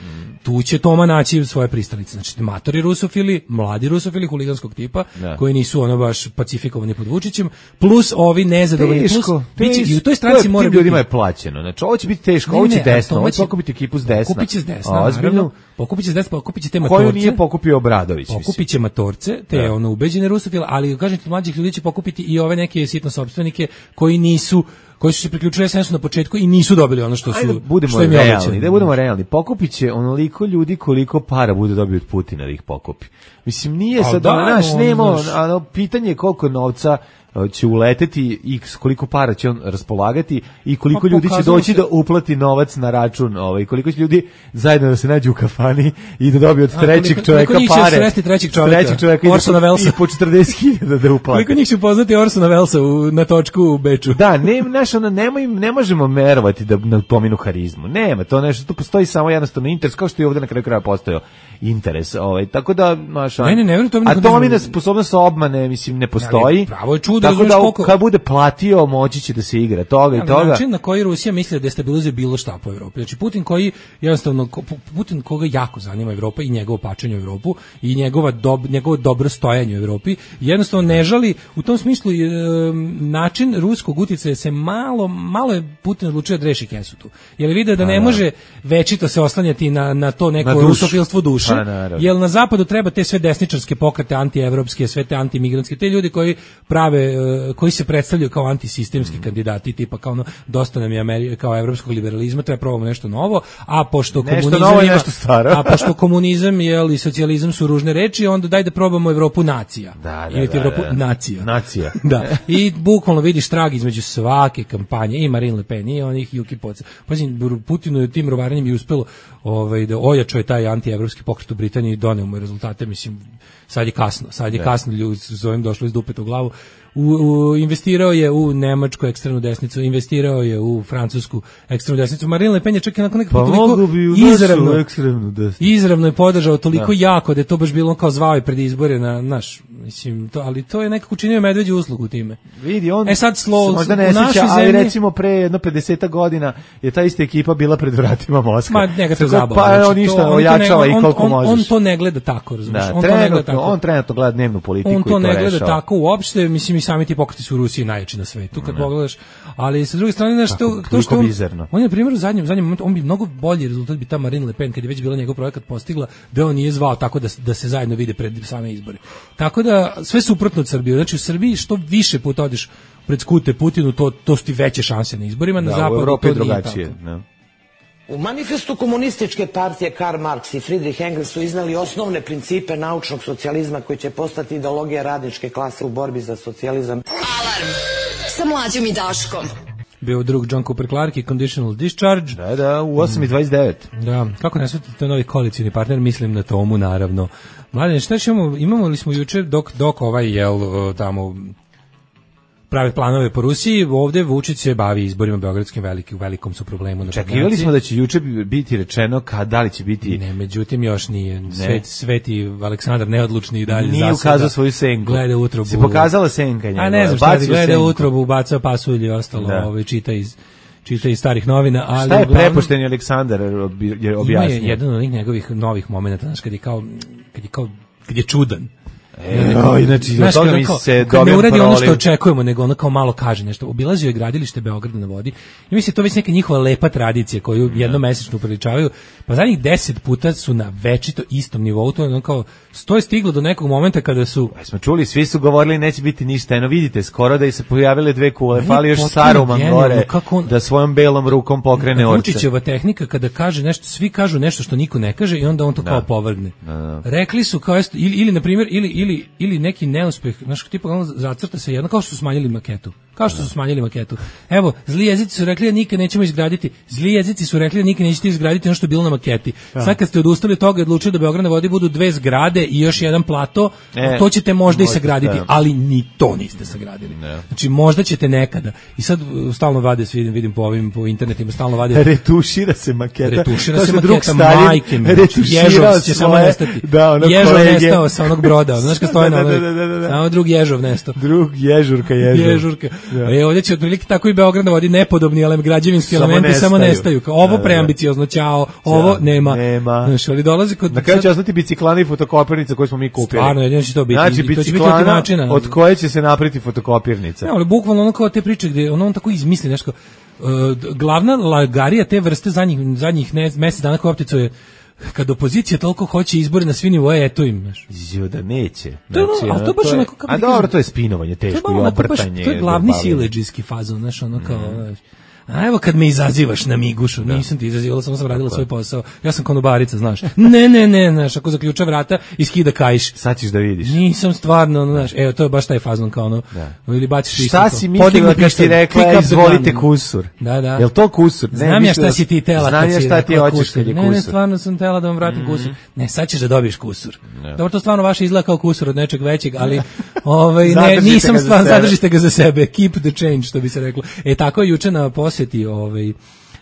tu će Toma naći svoje pristalice. Znači, matori rusofili, mladi rusofili, huliganskog tipa, koji nisu baš pacifikovani pod Vučićem, plus ovi nezadovoljni, plus i u toj stranci mora biti... ljudima je plaćeno. Znači, ovo će biti teško, ovo će desno, ovo će pokupiti ekipu s desna. Pokupit će s desna, naravno. Pokupit će s desna, pokupit će te matorce. Koju nije pokupio Obradović. Pokupit će matorce, te ubeđene rusofile, ali kažem ti, mlađih ljudi će pokupiti i ove neke sitno sopstvenike koji su se priključili SNS-u na početku i nisu dobili ono što su budemo realni. Pokupit će onoliko ljudi koliko para bude dobio od Putina da ih pokupi. Mislim, nije sad pitanje je koliko novca će uleteti i koliko para će on raspolagati i koliko ljudi će doći da uplati novac na račun, koliko će ljudi zajedno da se nađu u kafani i da dobiju od trećeg čoveka pare. Koliko njih će sresti trećeg čoveka Orsona Wellesa. I po 40.000 da uplati. Koliko njih će upoznati Orsona Wellesa na točku u Beču. Da, ne možemo merovati da na pominu harizmu. Nema, to nešto, tu postoji samo jednostavno interes, kao što je ovdje na kraju kraja postojao interes. Tako da, a Tomina sposobnost obmane, mislim, ne postoji. Pravo je čudo. Tako da kad bude platio, moći će da se igra toga i toga. Način na koji Rusija misli da destabilizuje bilo šta po Evropi. Znači Putin koga jako zanima Evropa i njegovo pačenje u Evropu i njegovo dobro stojanje u Evropi, jednostavno ne žali u tom smislu način ruskog uticaja se malo je Putin odlučio da reši kesu tu. Jer vide da ne može večito se oslanjati na to neko rusofilstvo duše. Jer na zapadu treba te sve desničarske pokrete, antievropske, sve te antimigrantske, te ljudi koji se predstavljaju kao antisistemski kandidati, tipa kao dosta nam je kao evropskog liberalizma, treba probamo nešto novo, a pošto komunizam i socijalizam su ružne reči, onda daj da probamo Evropu nacija. Evropu nacija. Da. I bukvalno vidiš trag između svake kampanje, i Marine Le Pen, i onih Juki Poca. Pazim, Putinu je tim rovaranjem i uspelo da ojačao je taj antievropski pokret u Britaniji i doneo mu rezultate, mislim, sad je kasno, ljudi s ovim došlo iz dupeta u glavu. Investirao je u nemačku ekstremnu desnicu, investirao je u francusku ekstremnu desnicu. Marine Le Pen je čak i nakon nekako toliko izravno je podržao toliko jako da je to baš bilo kao zvao je pred izbore Mislim, ali to je nekako učinio medveđu uslugu time. Vidi, on sad možda ne sjeća, ali recimo pre jedno 50 godina je ta ista ekipa bila pred vratima Moskve. Ma njega to zabavno. Pa on ništa ojačava i koliko možeš. On to ne gleda tako, razumiješ? On trenutno gleda dnevnu politiku i to rešava. On to ne gleda tako uopšte, mislim i sami ti pokreti su u Rusiji najjači na svetu, kad pogledaš, ali sa druge strane nešto to što on je na primjer u zadnjem momentu, on bi mnogo bolji rezultat bi ta Marine Le Pen kad je već bila njegov projekat postigla, da on nije zvao tako da se zajedno vide pred same izbore. Tako da sve suprotno od Srbije. Znači u Srbiji što više puta odeš pred skute Putinu, to su ti veće šanse na izborima, na zapadu u Evropi to drugačije. U manifestu komunističke partije Karl Marx i Friedrich Engels su iznali osnovne principe naučnog socijalizma koji će postati ideologija radničke klase u borbi za socijalizam. Alarm sa Mlađom i Daškom. Bio drug John Cooper Clarke i Conditional Discharge. Da, u 8:29. Da, kako ne shvatite, to je novi koalicijni partner, mislim na Tomu, naravno. Mladene, šta imamo li smo jučer dok ovaj tamo prave planove po Rusiji, ovdje Vučić se bavi izborima beogradskim, velikom su problemu na Čekivali Badnjaci. smo da će juče biti rečeno da li će biti... Ne, međutim još nije. Sveti Aleksandar neodlučni i dalje nije ukazao svoju senku. Gleda utrobu. Se pokazala senka njegova. A ne znam šta je, gleda utrobu, bacao pasulj i ostalo, čita iz starih novina. Ali šta je prepošteni Aleksandar objasnio? Ima je jedan od njegovih novih momenata, znaš, kad je čudan. Znači, od toga mi se kad ne uradi ono što očekujemo, nego ono kao malo kaže nešto. Obilazio je gradilište Beograda na vodi i mislim to već neka njihova lepa tradicija koju jednomesečno upriličavaju, pa zadnjih 10 puta su na večito istom nivou. To je ono kao, to je stiglo do nekog momenta kada su... Smo čuli, svi su govorili neće biti ništa, eno vidite, skoro da i se pojavile 2 kule, fali još Saruman gore, da svojom belom rukom pokrene orce. Vučićeva tehnika kada kaže nešto, svi kažu nešto što niko ne kaže i onda on to kao povrgne. Rekli su kao, ili na primjer, ili neki neuspeh, znaš, tipa ono zacrta se jedno, kao što su smanjili maketu. Evo, zli jezici su rekli da nikad nećemo izgraditi, zli jezici su rekli da nikad nećete izgraditi ono što je bilo na maketi. Sad kad ste odustali od toga i odlučili da Beograd na vodi budu 2 zgrade i još jedan plato, to ćete možda i sagraditi, ali ni to niste sagradili. Znači, možda ćete nekada. I sad stalno vade, vidim po internetima, stalno vade. Retušira se maketa, majke mi. Ježov će samo nestati. Ježov nestao sa onog broda, znaš kad stoje na samo drug Ježov nesto. Drug Ježurka. Ovdje će otprilike tako i Beograd na vodi nepodobni građevinski elementi samo nestaju. Ovo preambiciozno, ćao, ovo nema. Znaš, ali dolazi kod... Na kraju će ostati biciklana i fotokopirnica koju smo mi kupili. Stvarno, jedino će to biti. Znači, biciklana od koje će se napraviti fotokopirnica. Ne, ali bukvalno ono kao te priče gdje on tako izmisli nešto. Glavna lagarija te vrste zadnjih mjesec dana koja optico je kad opozicija toliko hoće izbore na svi nivoje, eto im, znaš. Da neće. Ali to baš onako... A dobro, to je spinovanje teško i obrtanje. To je glavni siledžijski fazon, znaš, ono kao... A evo kad me izazivaš na migušu, nisam ti izazivala, samo sam radila svoj posao. Ja sam konobarica, znaš. Ne, znaš, ako zaključa vrata i skida kajš. Sad ćeš da vidiš. Nisam stvarno, znaš, evo, to je baš taj fazon kao ono. Ili baciš isto. Šta si mislila kad si rekla, izvolite kusur? Da. Jel to kusur? Znam ja šta si ti tela kad si rekla kusur. Znam ja šta ti hoćeš kad je kusur. Ne, stvarno sam tela da vam vratim kusur. Ne, sad ćeš da dobiješ kusur. Dobro, to stvarno vaše izgleda kao kusur od nečeg većeg, ali ne, nisam stvarno, zadržite ga za sebe. Keep the change, što bi se reklo. Tako je juče na posjeti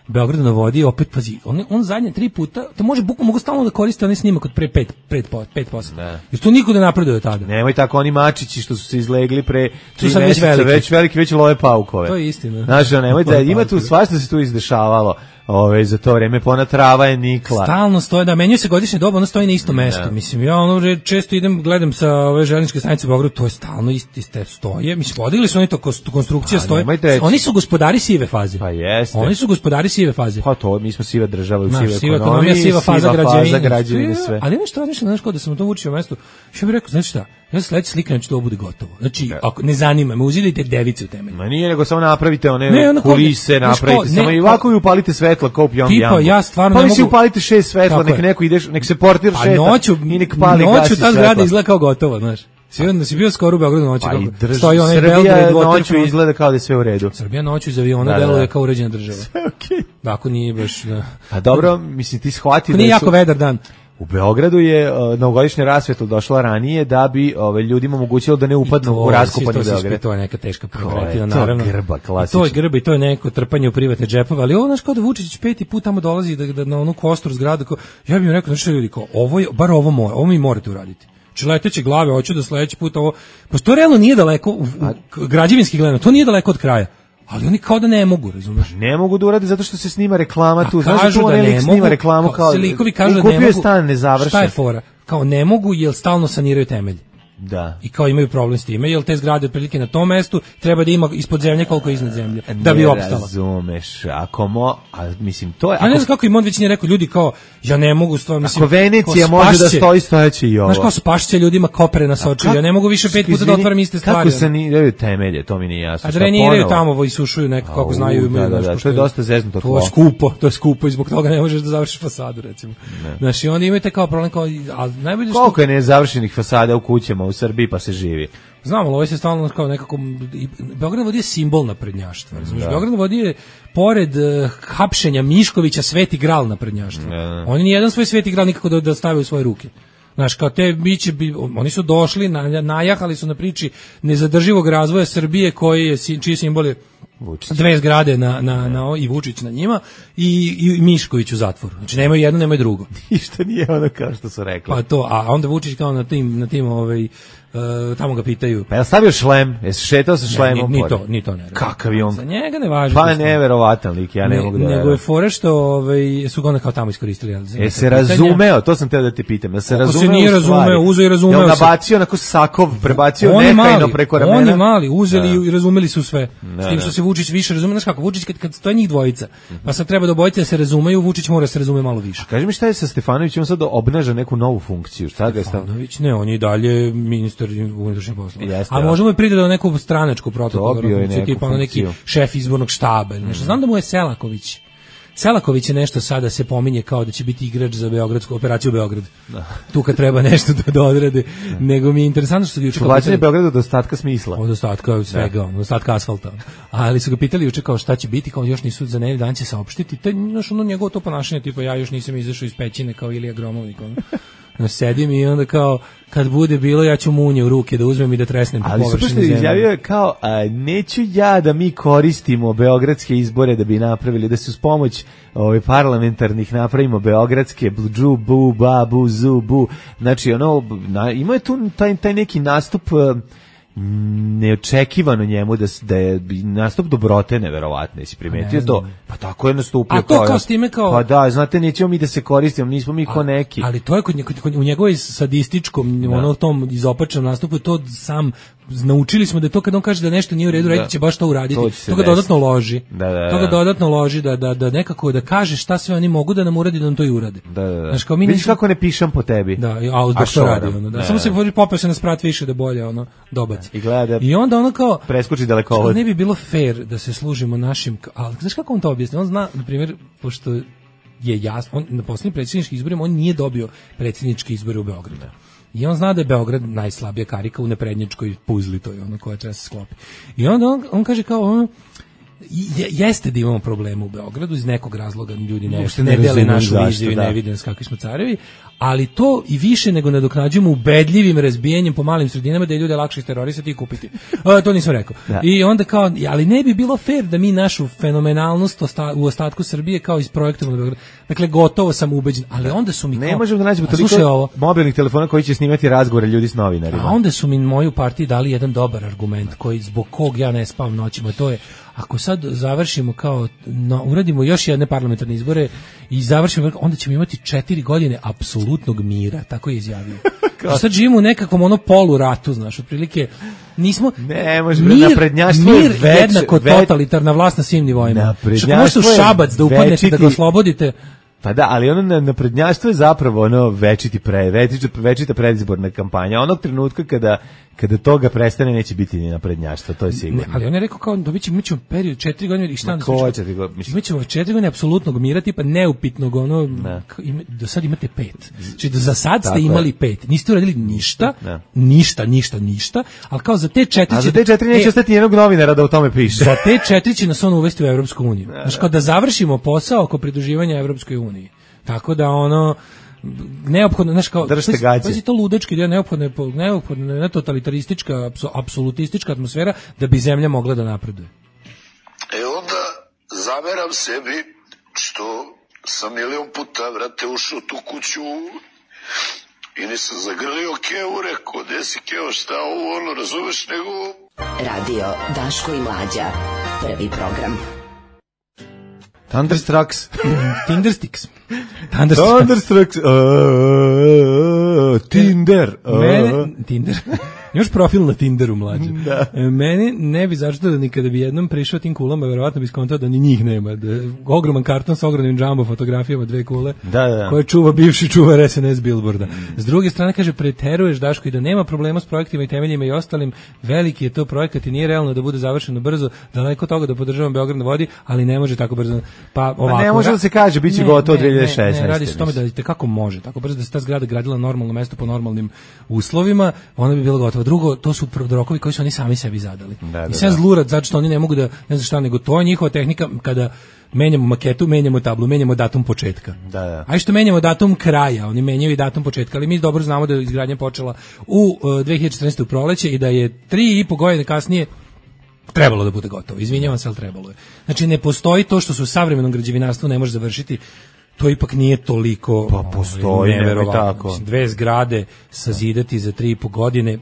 Beogradu na vodi, opet pazi, on zadnje 3 puta, to mogu stalno da koriste onaj snimak od pre 5%. Jer to niko ne napreduje tada. Nemoj tako, oni mačići što su se izlegli pre 3 meseca, već veliki, već love paukove. To je istina. Znaš, nemoj da, ima tu svašta se tu izdešavalo. Za to vreme pona trava je nikla. Stalno stoje, da menjuje se godišnje doba, ono stoji na isto mesto. Mislim, ja često idem, gledam sa ove željezničke stanice u Beogradu, to je stalno iste stoje. Mislim, podigli su oni to, konstrukcija stoje. Oni su gospodari sive faze. Pa jeste. Oni su gospodari sive faze. Pa to, mi smo siva država, siva ekonomija, siva faza građevine, sve. Ali nešto razmišljam, znaš, kao da sam to učio mesto, što bih rekao, znači šta, ja se sledeći slikam, će to bude gotovo. Znači, ako ne zanima me, uzidite device u temelju. Ma nije, nego samo napravite one kulise, napravite, samo i ovako i upalite svetla, kao Tipa, ja stvarno ne mogu... Pa mi upalite 6 svetla, nek se portir šeta i nek pali gasi noću ta zgrada izgleda kao gotovo, znaš. Si bio skoro u Beogradu noću. Stoji onaj Srbija noću izgleda kao da je sve u redu. Srbija noću iz aviona deluje kao uređena država. Sve okej. Tako nije baš... A dobro, mislim, ti shvati da nije jako vedar dan. U Beogradu je novogodišnja rasveta došla ranije da bi ljudima omogućilo da ne upadnu u raskopani Beograd. To je neka teška pretina, naravno. To je grba, klasično. To je grba i to je neko trpanje u privatne džepove, ali ovo, znaš, kao da Vučić 5. put tamo dolazi da na onu kostur zgradu, ja bih im rekao, znači ljudi, ovo mi morate uraditi. leteće glave, hoću da sledeći put ovo, pa to realno nije daleko, građevinski gledano, to nije daleko od kraja. Ali oni kao da ne mogu, razumeš? Ne mogu da urade zato što se snima reklama tu. Znaš kažu da da ne snima mogu, reklamu kao likovi kažu da ne kupio mogu. stan nezavršen. Šta je fora? Kao ne mogu jer stalno saniraju temelj. Da. I kao imaju problem s time, jer te zgrade otprilike na tom mestu treba da ima ispod zemlje koliko iznad zemlje, da bi opstala. Ne razumeš, mislim, to je... Ja ne znam kako im on već nije rekao, ljudi kao, ja ne mogu stvarno, mislim... Ako Venecija može da stoji, stojeće i ovo. Znaš kao spašće ljudima kopere na Soču, ja ne mogu više 5 puta da otvaram iste stvari. Kako saniraju temelje, to mi nije jasno. A dreniraju tamo i sušuju nekako, kako znaju. Da, to je dosta zeznuto tlo. To je skupo i zbog toga ne možeš da završiš fasadu, recimo. Znaš, i onda imate kao problem, kao, ali najbolje što... Koliko je nezavršenih fasada u kućama u Srbiji pa se živi? Znam, ali ovo se stalno kao nekako... Beograd vodi je simbol naprednjaštva. Beograd vodi je, pored hapšenja Miškovića, Sveti Gral naprednjaštva. Oni nijedan svoj Sveti Gral nikako da stave u svoje ruke. Znaš, kao te biće, oni su došli, najahali su na priči nezadrživog razvoja Srbije, čiji simbol je dve zgrade i Vučić na njima i Mišković u zatvoru. Znači nemaju jedno, nemaju drugo. Ništa nije ono kao što su rekli. Pa to, a onda Vučić kao na tim tamo ga pitaju. Pa je stavio šlem? Jesi šetao sa šlemom? Ni to ne. Kakav je on? Za njega ne važi. Pa neverovatan lik, ja ne mogu da... Nego je fora što su ga onda kao tamo iskoristili. Se razumeo, to sam teo da te pitam. Jel se razumeo? Se nije razumeo, uzeo i razumeo. Jel nabacio onako sakov, prebacio nekajno preko ramena? Oni mali, uzeli i razumeli su sve. S tim što se Vučić više razume. Znaš kako, Vučić kad stoje njih dvojica, pa sad treba da obojice da se razumeju, Vučić mora se razume malo više. Kaži mi šta je sa Stefanovićem, on sad obnaša neku novu funkciju. Šta ga je Stefanović? Ne, on je dalje ministar unutrašnjih poslova. A možemo i priti do neku stranačku protokolarnu, tipa ono neki šef izbornog štaba ili nešto. Znam da mu je Selaković je nešto sada se pominje kao da će biti igrač za beogradsku operaciju Beograd. Tu kad treba nešto da odrade. Nego mi je interesantno što su ga juče... Čuvlačenje Beograda od ostatka smisla. Od ostatka svega, od ostatka asfalta. Ali su ga pitali juče kao šta će biti, kao još nisu za nedelju dan će saopštiti. To je njegovo to ponašanje, tipa ja još nisam izašao iz pećine kao Ilija Gromovnik. Sedim i onda kao kad bude bilo ja ću munje u ruke da uzmem i da tresnem po površini zemlje. Ali izjavio je kao neću ja da mi koristimo beogradske izbore da bi napravili, da se uz pomoć parlamentarnih napravimo beogradske džu, bu, ba, bu, zu, bu. Znači ima je tu taj neki nastup neočekivano njemu da je nastup dobrote neverovatno, jesi primetio to? Pa tako je nastupio. A to kao s time kao... Pa da, znate, nećemo mi da se koristimo, nismo mi ko neki. Ali to je u njegovoj sadističkom, tom izopačenom nastupu, to sam naučili smo da to kad on kaže da nešto nije u redu, reći će baš to uraditi. To ga dodatno loži. To ga dodatno loži da nekako da kaže šta sve oni mogu da nam uradi, da nam to i urade. Znaš, kao mi vidiš kako ne pišem po tebi. Da, a zbog što radi. Samo se popeo se na sprat više da bolje dobaci. I onda ono kao preskoči dalekovod. Ne bi bilo fair da se služimo našim, ali znaš kako on to objasni? On zna, na primjer, pošto je jasno, na posljednjim predsjedničkim izborima on nije dobio predsjedničke izbore u Beogradu. I on zna da je Beograd najslabija karika u neprednjačkoj puzli, to je ono koja treba se sklopi. I onda on kaže kao jeste da imamo problema u Beogradu, iz nekog razloga ljudi ne dele našu viziju i ne vide kakvi smo carevi, ali to i više nego nadoknađujemo ubedljivim razbijanjem po malim sredinama da je ljude lakše terorisati i kupiti. To nisam rekao. I onda kao, ali ne bi bilo fair da mi našu fenomenalnost u ostatku Srbije kao isprojektujemo na Beogradu. Dakle, gotovo sam ubeđen, ali onda su mi kao... Ne možemo da nađemo toliko mobilnih telefona koji će snimati razgovore ljudi s novinarima. A onda su mi moju partiju dali jedan dobar argument koji zbog kog ja ne spavam noćima, to je ako sad završimo kao, uradimo još jedne parlamentarne izbore i završimo, onda ćemo imati 4 godine apsolutnog mira, tako je izjavio. Sad živimo u nekakvom poluratu, znaš, otprilike nismo... Ne, naprednjaštvo mir jednako totalitarna vlast na svim nivoima. Što možete u Šabac da upadnete, da ga oslobodite... Pa da, ali ono naprednjaštvo je zapravo večita predizborna kampanja. Onog trenutka kada toga prestane neće biti ni naprednjaštvo, to je sigurno. Ne, ali on je rekao kao mi ćemo period 4 godine i šta mi ćemo 4 godine apsolutnog mira, tipa neupitnog do sad imate 5. Znači za sad ste imali 5. Niste uradili ništa, ali kao za te 4 A za te 4 neće ostati jednog novinara da o tome piše. Za te 4 će nas on uvesti u Evropsku uniju. Znači kao da završimo posao oko pridruživanja Evropskoj uniji. Tako da neophodno, znaš kao, pazi to ludački, neophodno je totalitaristička, apsolutistička atmosfera da bi zemlja mogla da napreduje. Onda zameram sebi što sam milion puta, ušao tu kuću I nisam zagrlio Kevu, rekao, gde si Keo, šta ovo, ono, razumeš, nego... Radio Daško i Mlađa. Prvi program. Thunderstrucks. Tindersticks. Thunderstrucks. Tinder. Tinder. Imaš profil na Tinderu, Mlađe. Da. Meni ne bi začuto da nikada bi jednom prišao tim kulama, verovatno bi skontao da ni njih nema. Da ogroman karton sa ogromnim džambo fotografijama, 2 kule, koje čuva bivši čuvar SNS Billboarda. S druge strane, kaže, preteruješ, Daško, i da nema problema s projektima i temeljima i ostalim, veliki je to projekat i nije realno da bude završeno brzo, daleko toga da podržavam Beograd na vodi, ali ne može tako brzo. Pa ovako, ne može da se kaže, bit će gotovo 2016. Ne, radi se o tome da kako može, tako brzo da se ta zgrada gradila na normalno mesto po normalnim uslovima, ona bi bila gotova. Drugo, to su rokovi koji su oni sami sebi zadali. I sad zlurat, zato što oni ne mogu da, ne znam šta, nego to je njihova tehnika kada menjamo maketu, menjamo tablu, menjamo datum početka. A što menjamo datum kraja, oni menjaju i datum početka, ali mi dobro znamo da je izgradnja počela u 2014. u proleće i da je 3,5 godine kasnije trebalo da bude gotovo. Izvinjavam se, ali trebalo je. Znači, ne postoji to što su u savremenom građevinarstvu ne može završiti. To ipak nije toliko, pa postoji, neverovatno. 2 zgrade sazidati za 3,5 godine.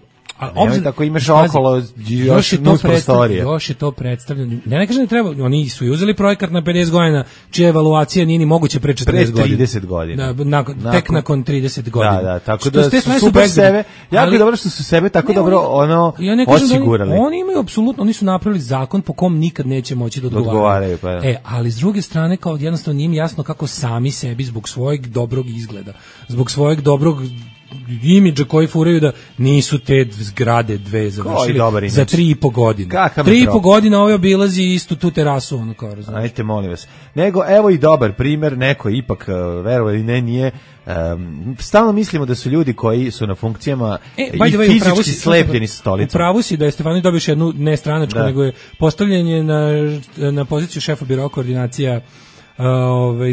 Obzirom tako imaš okolo još nus prostorije. Još je to predstavljeno. Ne kažem da treba, oni su uzeli projekat na 50 godina, čija evaluacija nije ni moguće pre 40 godina. Pre 30 godina. Tek nakon 30 godina. Da, tako da su super sebe, jako je dobro što su sebe tako dobro osigurali. Oni imaju apsolutno, oni su napravili zakon po kom nikad neće moći da odgovaraju. Ali s druge strane, kao jednostavno nije im jasno kako sami sebi zbog svojeg dobrog izgleda, zbog svojeg dobrog imidža koji furaju da nisu te zgrade 2 završili za 3,5 godine. 3,5 godina ovaj obilazi istu tu terasu, ono kao razumiješ. Ajte, molim vas. Nego, evo i dobar primjer, neko ipak, verovali ili ne, nije, stalno mislimo da su ljudi koji su na funkcijama i fizički slepljeni sa stolicom. Upravo si da je Stefanović dobio jednu ne stranačku, nego je postavljanje na poziciju šefa biroa koordinacija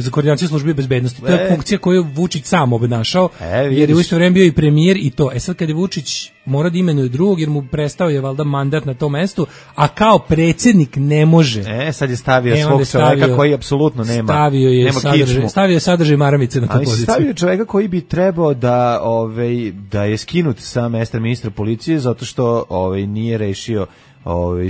za koordinaciju službe bezbednosti. To je funkcija koju Vučić sam obnašao, jer je u isto vreme bio i premijer i to. Sad kad je Vučić mora da imenuje drugog, jer mu prestao je valjda mandat na tom mestu, a kao predsjednik ne može. Sad je stavio svog čovjeka koji apsolutno nema kičmu. Stavio je sadržaj maramice na tu poziciju. Stavio čovjeka koji bi trebao da je skinut sa mesta ministra policije, zato što nije rešio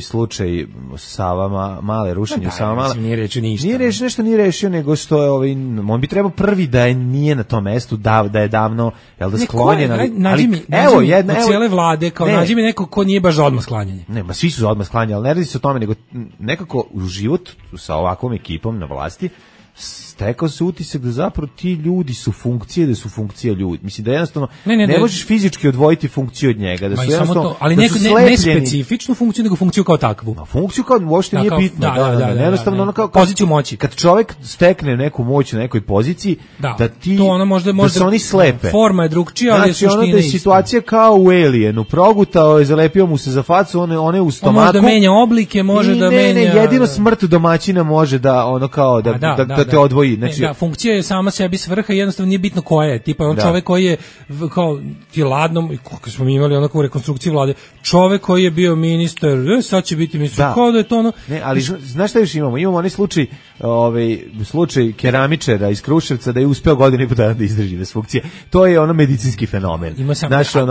slučaj Sava Male, rušenje Sava Male. Nije rečio ništa. Nije rešio, nego što je on bi trebao prvi da je nije na tom mestu, da je davno sklonjen. Nađi mi cijele vlade, kao nađi mi neko ko nije baš za odmah sklanjanje. Ne, ma svi su za odmah sklanjanje, ali ne radi se o tome, nego nekako u život sa ovakvom ekipom na vlasti stekao se utisak da zapravo ti ljudi su funkcije, da su funkcija ljudi. Mislim da jednostavno ne možeš fizički odvojiti funkciju od njega, da su jednostavno, ali ne specifičnu funkciju, nego funkciju kao takvu. Funkciju kao uopšte nije bitno. Jednostavno ono kao poziciju moći. Kad čovjek stekne neku moć na nekoj poziciji, da ti da se oni slepe. Forma je drugčija, ali je suština ista. Znači ono da je situacija kao u Alienu, progutao je, zalepio mu se za facu, one u stomaku. Može da menja oblike, može da menja. Ne, jedino smrt domaćina može da ono kao da te odvoji. Znači, funkcija je sama sebi svrha i jednostavno nije bitno koja je. Tipa on čovjek koji je kao ti ladnom, kako smo imali onako u rekonstrukciji vlade, čovjek koji je bio ministar, sad će biti ministar, kao da je to ono. Ne, ali znaš šta još imamo? Imamo onaj slučaj keramičara iz Kruševca da je uspeo godinu i po dana da izdrži bez funkcije. To je ono medicinski fenomen.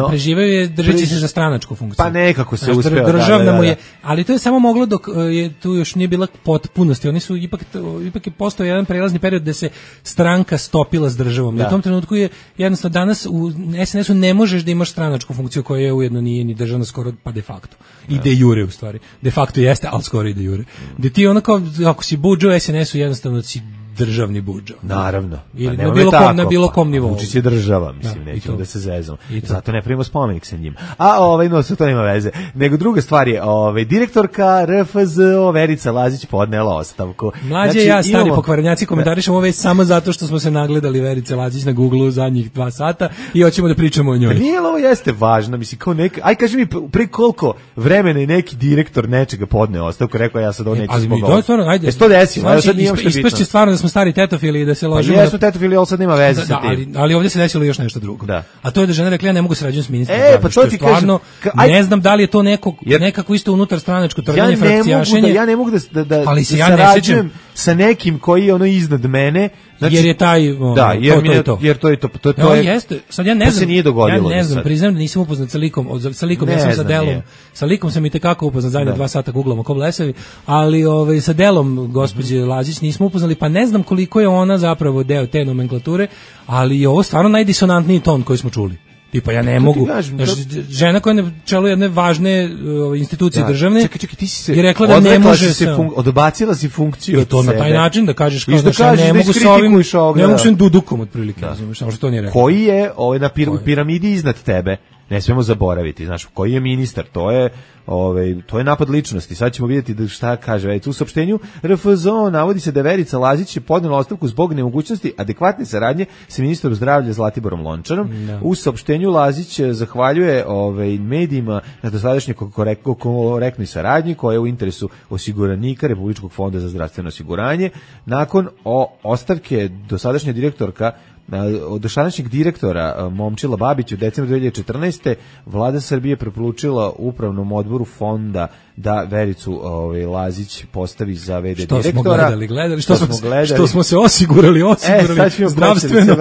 Preživeo je držeći se za stranačku funkciju. Pa nekako se uspeo. Državna mu je, ali to je samo moglo dok je tu još nije bila potpunosti. Oni su ipak je postao jedan prelazni period da se stranka stopila s državom. I u tom trenutku je jednostavno danas u SNS-u ne možeš da imaš stranačku funkciju koja je ujedno nije ni državna skoro pa de facto. I de jure u stvari. De facto jeste, ali skoro i de jure. Da ti ono kao, ako si budžo u SNS-u jednostavno si državni budžo. Naravno. Ili na bilo kom nivou. Vučić je država, mislim, nećemo da se zezamo. Zato ne pravimo spomenik sa njim. A to nema veze. Nego druga stvar je, direktorka RFZO Verica Lazić podnela ostavku. Mlađe ja, stari pokvarenjaci, komentarišemo ovo već samo zato što smo se nagledali Verice Lazić na Google zadnjih 2 sata i hoćemo da pričamo o njoj. Nije, ovo jeste važno, mislim, kao aj kaži mi, pre koliko vremena je neki direktor nečega podneo ostavku, rekao ja sad ovo neću zbog ovoga. Ajde. To desilo, sad nije uopšte bitno. Ispašće stvarno da smo smo stari tetofili i da se ložimo. Pa jesmo tetofili, ali sad nema veze sa tim. Ali ovdje se desilo još nešto drugo. Da. A to je da žena rekla ja ne mogu sarađivati s ministrom. Pa to ti stvarno, ne znam da li je to nekako isto unutar stranačko trganje, frakcijašenje. Ja ne mogu da sarađujem sa nekim koji je ono iznad mene. Znači, jer je taj jer to je to. To jeste. Sad ja ne znam. Se nije dogodilo. Ja ne znam, priznam da nisam upoznat sa likom, ja sam sa delom. Sa likom sam i tekako upoznat, zajedno 2 sata googlamo ko blesavi, ali sa delom gospođe Lazić nismo upoznali, pa ne znam koliko je ona zapravo deo te nomenklature, ali je ovo stvarno najdisonantniji ton koji smo čuli. Tipa ja ne mogu, žena koja je na čelu jedne važne institucije državne, ti si se je rekla da ne može odbacila si funkciju. To na taj način da kažeš kao da ne mogu sa ovim, ne mogu sa dudukom otprilike, samo što to nije rekla. Koji je na piramidi iznad tebe? Ne smemo zaboraviti, znaš, koji je ministar, to je napad ličnosti. Sad ćemo vidjeti da šta kaže. U saopštenju RFZO navodi se da Verica Lazić je podnela ostavku zbog nemogućnosti adekvatne saradnje sa ministrom zdravlja Zlatiborom Lončarom. U saopštenju Lazić zahvaljuje medijima na dosadašnjoj korektnoj saradnji koja je u interesu osiguranika Republičkog fonda za zdravstveno osiguranje. Nakon ostavke dosadašnja direktorka od dosadašnjeg direktora Momčila Babić u decembru 2014. Vlada Srbije preporučila upravnom odboru fonda da Vericu Lazić postavi za VD direktora. Što smo se osigurali zdravstveno.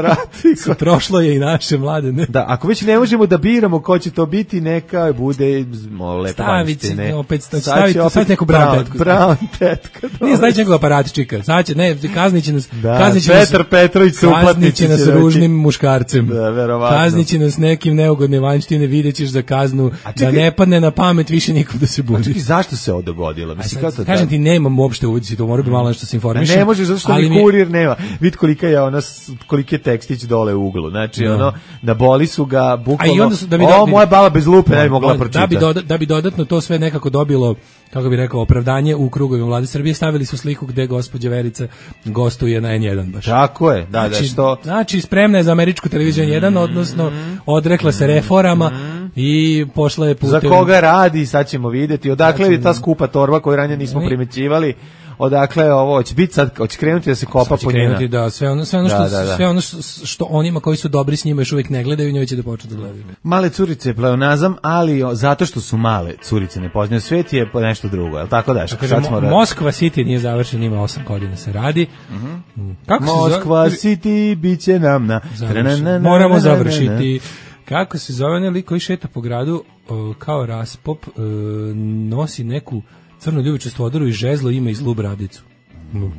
Prošlo je i naše mlade. Ne? Da, ako već ne možemo da biramo ko će to biti, neka bude staviti neku brown tetku. Nije znači nekog aparatičika. Znači, kazniće nas Petar Petrović se uplatniće s ružnim muškarcem. Kazniće nas nekim neugodne vanjštine, vidjet ćeš za kaznu da ne padne na pamet više nikom da se budi. Zašto se ovo dogodilo? Kažem ti, nemam uopšte uvidi, to mora bi malo nešto se informišem. Ne možeš, zato što mi kurir nema. Vid koliki je tekstić dole u uglu. Znači, naboli su ga bukvalno, moja baba bez lupe ne bi mogla pročitati. Da bi dodatno to sve nekako dobilo, kako bi rekao, opravdanje u krugovima Vlade Srbije, stavili su sliku gde gospođa Verica gostuje na N1 baš. Tako je, da, što... Znači, spremna je za američku televiziju N1, odnosno odrekla se reformama i pošla je putem... Za koga radi, sad ćemo vidjeti. Odakle je ta skupa torba koju ranije nismo primećivali. Odakle ovo će biti sad, hoće krenuti da se kopa po njena. Da, sve ono što onima koji su dobri s njima još uvijek ne gledaju, njoj će da počnu da gledaju. Male curice je pleonazam, ali zato što su male curice ne poznaju svijet je nešto drugo, je li tako daš? Moskva City nije završen, ima 8 godina se radi. Moskva City bit će nam na... Moramo završiti. Kako se zove onaj lik koji šeta po gradu kao raspop, nosi neku crnu ljubičastu odoru i žezlo ima i zlu bradicu.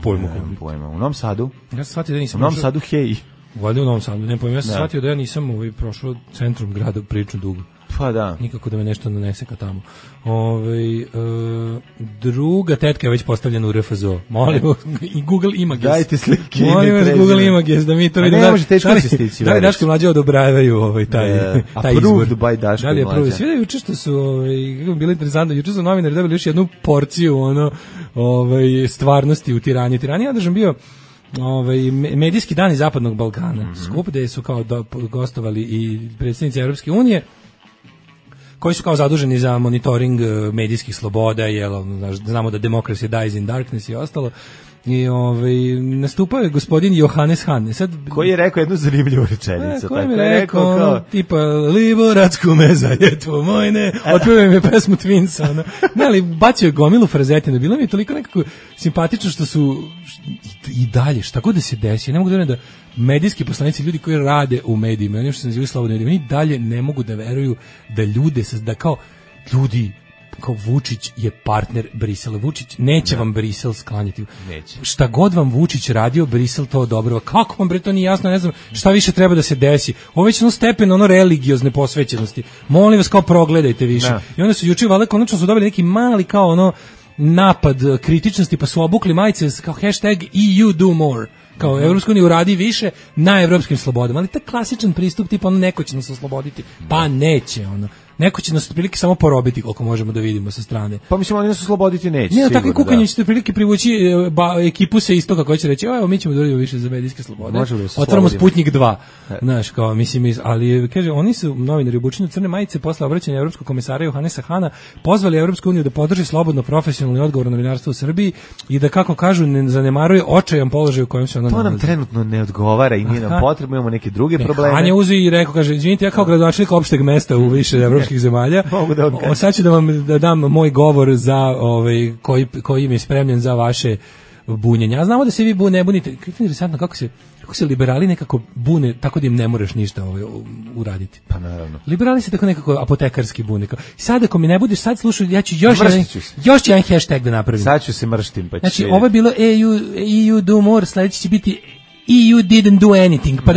Pojma. U Novom Sadu? Ja sam shvatio da nisam... U Novom Sadu, hej. Valjda u Novom Sadu, ne pojma. Ja sam shvatio da ja nisam prošao centrum grada prilično dugo. Pa da. Nikako da me nešto nanese ka tamo. Druga tetka je već postavljena u RFZO. Molim, i Google Images. Dajte slike. Molim vas Google Images da mi to vidimo. Ne može teško se stići. Da li Daško i Mlađa odobravaju taj izbor? Approved by Daško i Mlađa. Svi da juče što su, kako bilo interesantno, juče su novinari dobili još jednu porciju stvarnosti u Tirani. Tirani je održan bio medijski dani Zapadnog Balkana. Skup gde su kao gostovali i predstavnici Europske unije, koji su kao zaduženi za monitoring medijskih sloboda, znamo da democracy dies in darkness i ostalo. I nastupao je gospodin Johannes Hahn. Koji je rekao jednu zanimljivu rečenicu. Koji mi je rekao, tipa, Liborac kume zajetvo mojne, otpevaju mi pesmu Twinsa. Ne, ali bacio je gomilu frazetina. Bilo mi je toliko nekako simpatično što su i dalje, šta god da se desi, ne mogu da medijski poslanici, ljudi koji rade u medijima, oni što se nazivaju slobodni mediji, oni dalje ne mogu da veruju da ljude, da kao ljudi, kao Vučić je partner Brisela. Vučić neće vam Brisel sklanjati. Neće. Šta god vam Vučić radio, Brisel to odobrava. Kako vam bre to nije jasno, ne znam šta više treba da se desi. Ovo već stepen religiozne posvećenosti. Molim vas, kao progledajte više. Da. I onda su juče valjda konačno su dobili neki mali kao napad kritičnosti, pa su obukli majice kao hashtag EU do more. Kao Evropska unija uradi više na evropskim slobodama. Ali taj klasičan pristup tipa neko će nas osloboditi. Pa neće neko će nas otprilike samo porobiti koliko možemo da vidimo sa strane. Pa mislim, oni nas osloboditi neće. Ne, takvim kukanjem ćete otprilike privući ekipu sa istoka koja će reći, evo mi ćemo da uradimo više za medijske slobode. Otvaramo Sputnik 2. Znaš, kao, mislim, ali kaže, oni su novinari obučeni u crne majice posle obraćanja evropskog komisara Johannesa Hana pozvali Evropsku uniju da podrži slobodno, profesionalno i odgovorno novinarstvo u Srbiji i da, kako kažu, ne zanemaruje očajan položaj u kojem se ona nalazi. To nam trenutno ne odgovara i nije nam potrebno, imamo neke druge probleme. Han je uzeo i rekao, kaže, izvinite, ja kao gradonačelnik opšteg mesta u više evropskih zemalja, sad ću da vam dam moj govor za koji mi je spremljen za vaše bunjenje. A znamo da se vi ne bunite. Kako je interesantno kako se liberali nekako bune tako da im ne moraš ništa uraditi. Pa naravno. Liberali se tako nekako apotekarski bune. Sad ako mi ne budeš sad slušao, ja ću još jedan hashtag da napravim. Sad ću se mrštim. Pa znači, ovo je bilo EU do more, sledeći će biti EU didn't do anything, pa